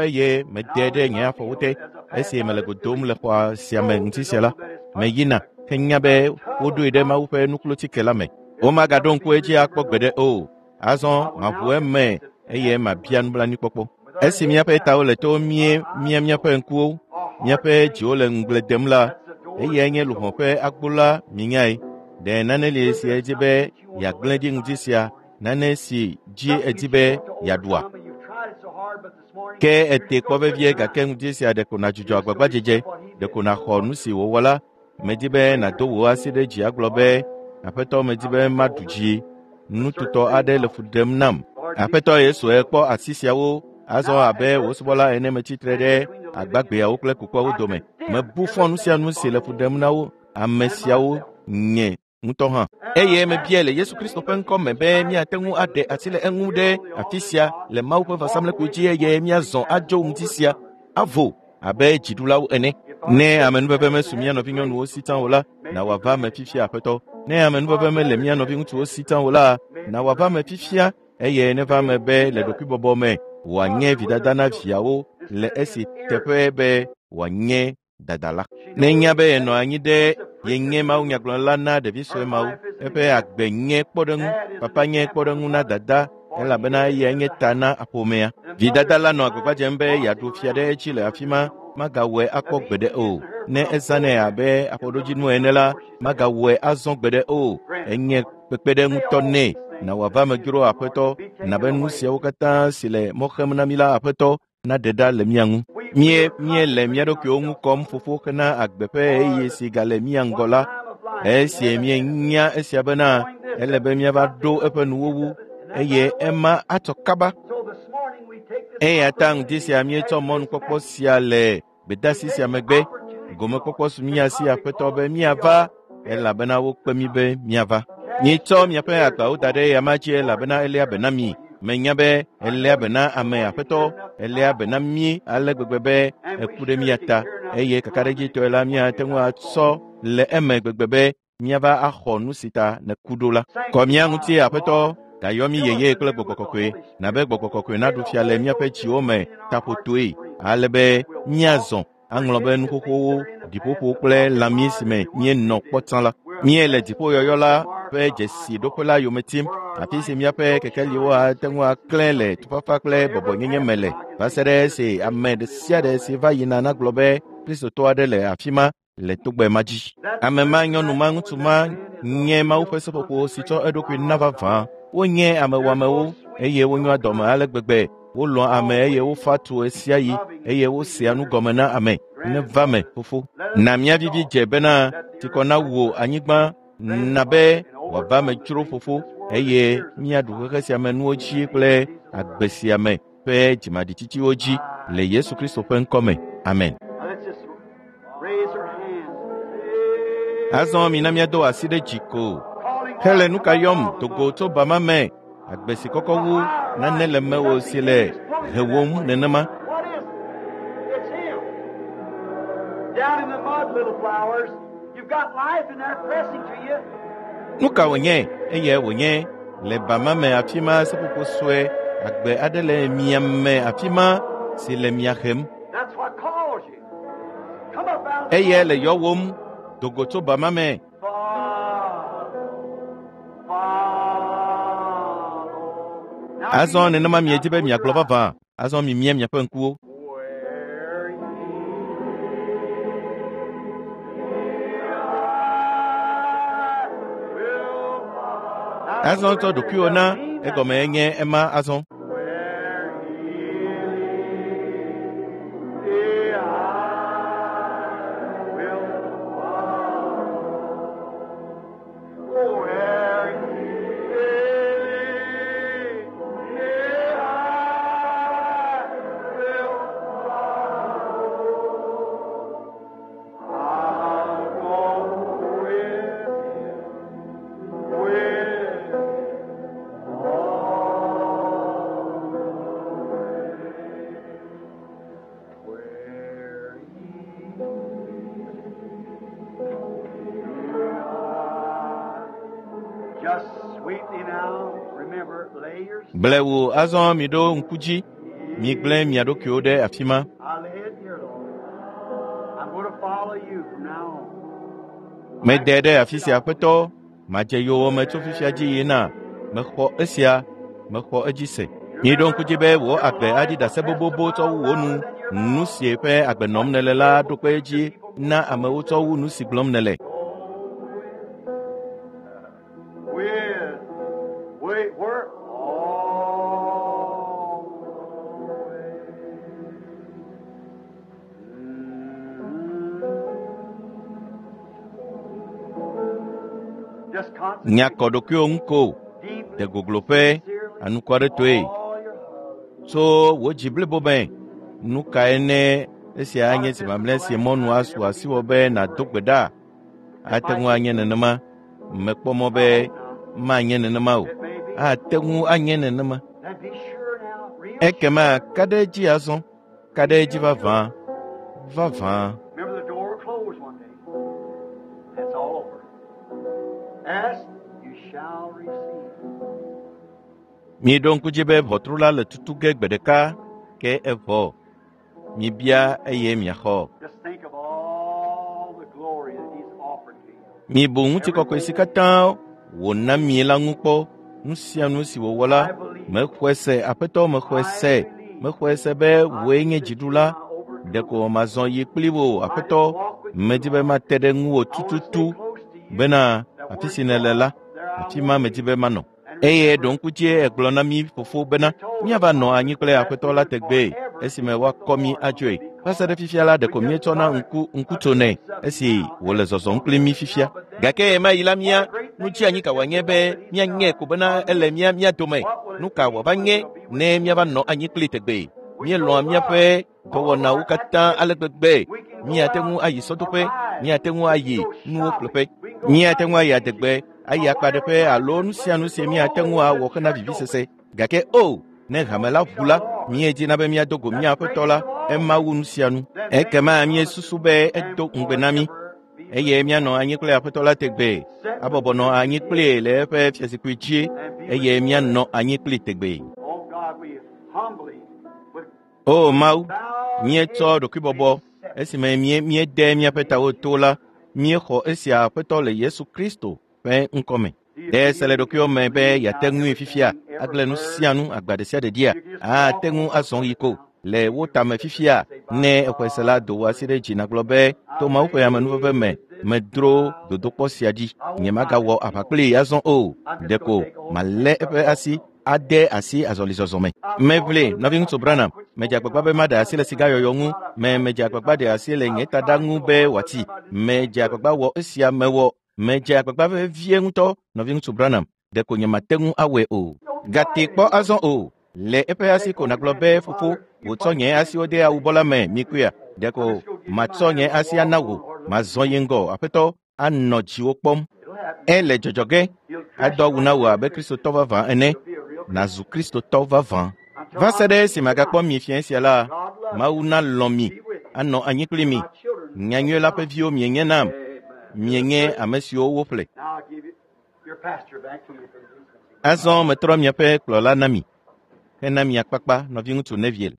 eye mede ɖe nye afɔwo te esi mele go dom le xɔa sia me ŋuti sia la, meyina henya be woɖoe ɖe Mawu ƒe nuklotike la me. Womagaɖo ŋku edzi akpɔ gbeɖe o. Azɔ maʋu eme eye mabia nublanuikpɔkpɔ. Esi míaƒe tawo le to mie mía míaƒe ŋkuwo, míaƒe dziwo le ŋugble dem la, eyae nye luʋɔ ƒe agbo la minyae. Ɖe nane li si edzi be yeagblẽ ɖi ŋdi sia, nane si dzi edi be yeaɖua? Ke ete kpɔ vevie gake ŋdi sia ɖeko nàdzudzɔ agbagbadzedze, ɖeko nàxɔ nu si wòwɔ la. Medi be nàdo wò asi ɖe dzi agblɔ be, Aƒetɔ medi be maɖu dzi. Nututɔ aɖe le fu ɖem nam. Aƒetɔ Yesu ekpɔ asi siawo azɔ abe wò subɔla ene metsitre ɖe agbagbeawo kple kukuawo dome. Mebu fɔ nu sia nu si le fu ɖem na wo ame siawo nye ŋutɔ hã. Eye mebiae le Yesu Kristo ƒe ŋkɔ me be míate ŋu aɖe asi le eŋu ɖe afi sia le Mawu ƒe vɔsamlekpui dzi eye míazɔ adzo ŋdi sia avo abe dziɖulawo ene. Ne amenuveve mesu mía nɔvinyɔnuwo si tsã o la, na wòava eme fifia Aƒetɔ. Ne amenuveve mele mía nɔviŋutsuwo si tsã o la, na wòava eme fifia eye neva eme be le ɖokuibɔbɔ me wòanye vidada na viawo le esi teƒe be wòanye dadala. Nenya be yenɔ anyi ɖe yenye mawunyagblɔla na ɖevi sue mawo. Eƒe agbe nye kpɔɖeŋu, papa nye kpɔɖeŋu na dada elabena eyae nye ta na ƒomea. Vidada la nɔ agbagba dzem be yeaɖu fia ɖe edzi le afi ma, magawɔe akpɔ gbeɖe o. Ne ezãnɛ abe aƒoɖodzinu ene la, magawɔe azɔ gbeɖe o. Enye kpekpeɖeŋutɔ nɛ. Na wòava me dzro Aƒetɔ, na be nu siawo katã si le mɔ xem na mí la Aƒetɔ naɖe ɖa le mía ŋu. Míe míele mía ɖokuiwo ŋu kɔm fofo hena agbe ƒe ɣeyiɣi si gale mía ŋgɔ la. Esi míenya esia bena ele be míava ɖo eƒe nuwuwu eye ema atsɔ kaba. Eya ta ŋdi sia míetsɔ mɔnukpɔkpɔ sia le gbedeasi sia megbe. Gomekpɔkpɔ su mía si Aƒetɔ be míava elabena wokpe mí be míava. Míetsɔ miaƒe agbawo da ɖe eyama dzi elabena eléa be na mi. Menya be eléa be na ame Aƒetɔ, eléa be na mí ale gbegbe be eku ɖe mía ta eye kakaɖedzitɔe la míate ŋu atsɔ le eme gbegbe be míava axɔ nu si ta nèku ɖo la. Kɔ mía ŋuti Aƒetɔ, gayɔ mí yeye kple Gbɔgbɔ Kɔkɔe, na be Gbɔgbɔ Kɔkɔe naɖu fia le míaƒe dziwo me taƒotoe, ale be míazɔ aŋlɔ be nu xoxowo, ɖiƒoƒo kple lãmi si me míenɔ kpɔ tsã la. Míele dziƒoyɔyɔ la ƒe dzesiɖoƒe la yome tim, afi si míaƒe kekeliwo ate ŋu aklẽ le tufafa kple bɔbɔnyenye me le, va se ɖe esi ame ɖe sia ɖe si va yina nagblɔ be Kristotɔ aɖe le afi ma le togbɛ ma dzi. Ame ma, nyɔnu ma, ŋutsu ma nye Mawu ƒe seƒoƒo si tsɔ eɖokui na vavã. Wonye ame wɔamewo eye wonyoa dɔme ale gbegbe. Wolɔ̃a ame eye wofa tu ɣesiaɣi eye wosea nu gɔme na ame. Neva me, fofo. Na mía vivi dze bena tsikɔ nawu anyigba na be wòava me dzro fofo eye míaɖu xexe sia me nuwo dzi kple agbe sia me ƒe dzimaɖitsitsiwo dzi le Yesu Kristo ƒe ŋkɔ me. Amen. Now let's just raise our hands. Azɔ mina míado asi ɖe dzi ko. Calling Hele nu ka yɔm dogo tso bama me. Agbe si kɔkɔ wu nane le mewò si le hewòm nenema. What is it? It's him. Down in the mud, little flowers. You've got life in there pressing to you. Nu ka wònye? Eyae wònye le bama me afi ma seƒoƒo sue agbe aɖe le mia me afi ma si le mia hem. That's what calls you. Come up out of the Eyae mud. le yɔwòm dogo tso bama me. Follow. Follow. Now Azɔ you- nenema miedi be now miagblɔ close your vavã. Azɔ mimia miaƒe ŋkuwo. Where ye will follow. Azɔ tsɔ ɖokuiwò na egɔme enye ema azɔ. Where he leads, I will follow. Where he leads, I will follow. I'll go with him, with him all the way. Where ye are. Just sweetly now, remember, lay your Blewu azɔ miɖo ŋku dzi. Migblẽ mia ɖokuiwo ɖe afi ma. I lay it here, Lord. I'm going to follow you from now on. Mede ɖe afi sia Aƒetɔ. Madze yowòme tso fifia dzi yina. Mexɔ esia, mexɔ edzi se. Miɖo ŋku dzi be wò agbe aɖi ɖase bobobo tsɔ wu wò nu. Nu si ƒe agbe nɔm nèle la ɖo kpe edzi na amewo tsɔ wu nu si gblɔm nèle. With, wait, we're all Just Nya concentrate kɔ ɖokuiwò ŋu ko deeply, de gogloƒe sincerely, anukwaretɔe all your heart. tso wò dzi blibo me. Nu kae ne esia anye zi mamlɛ si mɔnu asu asiwò be nàdo gbe ɖa? Ate ŋu anye nenema. Mekpɔ mɔ be manye nenema o. It may be. Ate ŋu anye nenema. Then be sure now, real Ekema sure. ka ɖe edzi azɔ. Ka ɖe edzi vavã. Vavã. Remember the door will close one day. That's all over. Ask, you shall receive. Miɖo ŋku dzi be ʋɔtru la le tutu ge gbe ɖeka ke evɔ. Mibia eye miaxɔ. Just think of all the glory that He's offered to you. Mibu ŋutikɔkɔe si katã wòna mi la ŋu kpɔ. Nu sia nu si wòwɔ la, I believe. mexɔe se, Aƒetɔ mexɔe I se. believe. Mexɔe se be I wòe nye believe that you're dziɖula. my Ɖeko overcomer. mazɔ yi kpli wò, I just Aƒetɔ. walk with Medi you, be Lord. mate ɖe ŋuwò I want to stay tututu close to you. bena That afi where si you nèle are, la, there I afi want ma to medi be. be manɔ. And Eye remember, ɖo ŋku dzie egblɔ na mí fofo bena you told us, míava nɔ Father, anyi kple that Aƒetɔ we la would tegbee forever be esime with the woakɔ mí Lord when we adzoe. be Va se caught ɖe up. fifia la We ɖeko just míetsɔna got ŋku ŋku a tsonɛ glimpse of it esi now wòle as zɔzɔm we kpli mí walk fifia. now, but then Gake ɣemaɣi la mía what a great nu thing tsi it anyi is ka just wòanye to be know that He's míaŋe ko bena our ele midst. mía mía dome. What will Nu it ka be wòava when nye we'll be with ne Him? míava nɔ anyi kpli tegbee? We Míelɔ̃a so míaƒe love all of dɔwɔnawo our katã ale activities. gbegbe. We can go Míate ŋu out ayi or sɔdoƒe, ride. míate ŋu We can ayi go nuwo shopping. ƒleƒe, We can go míate ŋu hunting, ayi fishing, adegbe, ayi or whatever akpaɖeƒe kind alo of nu sia nu pleasure. si But míate oh, ŋu when awɔ the hena church vivisese. opens, Gake o, ne hame we'll la meet ʋu our la, Lord. míedina be míado go That's mía the Aƒetɔ la, greatest of all. ema wu nu sia nu. Then make Ekema promises míesusu be and edo ŋugbe na mí forever be with eye the míanɔ Lord. anyi kple Aƒetɔ la tegbee, Sit with abɔbɔ nɔ him anyi in kplii his le eƒe fiazikpui dzi and be with eye him míanɔ forever. anyi kplii tegbee. Oh God, we humbly, with O Mawu, bowed míetsɔ heads, ɖokuibɔbɔ accept esime mí míede míaƒe tawo to la, míexɔ esia Aƒetɔ le Yesu Kristo ƒe ŋkɔme. Do you Ɖe se le feel you ɖokuiwò can me be leave yeate out ŋui fifia, everything, every agblẽ nu sia burden? nu, agba ɖe sia ɖe dzia, You can just ate walk ŋu on azɔ with yi it ko now. le If wò you tame accept it, fifia. say, by Ne exɔe se la, God's do wò asi ɖe grace, dzi nàgblɔ be, to I Mawu ƒe amenuveve made me, it this medro far. dodokpɔ sia dzi. I won't Nye fight magawɔ it aʋa anymore. kplii azɔ o. I'm just going Ɖeko to take a hold of his malé hand eƒe up asi also. ade asi azɔlizɔzɔ me. I've fought Meʋli, for the best. nɔviŋutsu I've tried to Branham, quit medze smoking. agbagba I've be maɖe tried asi le this and sigayɔyɔ I've ŋu, tried. I've me tried medze this. agbagba I've ɖe asi le nye I've taɖa tried ŋu so be hard, but wòatsi. I just can't Medze do it. agbagba wɔ esia mewɔ. Medze agbagba vevie ŋutɔ, nɔviŋutsu Branham, ɖeko nyemate ŋu awɔe o. Don't try Gate it kpɔ anymore. azɔ o. Le eƒe asi Take ko hold of nàgblɔ his hand be, and say, fofo, Father, you wòtsɔ put nye my asiwo hands de in awubɔ la me, mikuia. I'm Ɖeko just going to give you my matsɔ hand nye and asi walk ana on, wò. Lord, looking Mazɔ at ye you. ŋgɔ, Aƒetɔ anɔ dziwò kpɔm. It'll happen. Ele dzɔdzɔ ge, He'll dress ado you awu like na a wò real abe Christian. Kristotɔ vavã ene, You'll be a real Christian. nàzu Kristotɔ vavã. Until Va I se ɖe meet you esime agakpɔ tonight, mi fiẽ sia la, God love Mawu you. nalɔ̃ mi, Be with you. anɔ anyi kpli mi. My children of Nyanyui la ƒe God. viwo mienye nam, Amen. To the mienye praise. ame siwo woƒle. Now I'll give you your pastor back to you. Azɔ metrɔ miaƒe kplɔla na mi, hena mia kpakpa nɔviŋutsu Neville.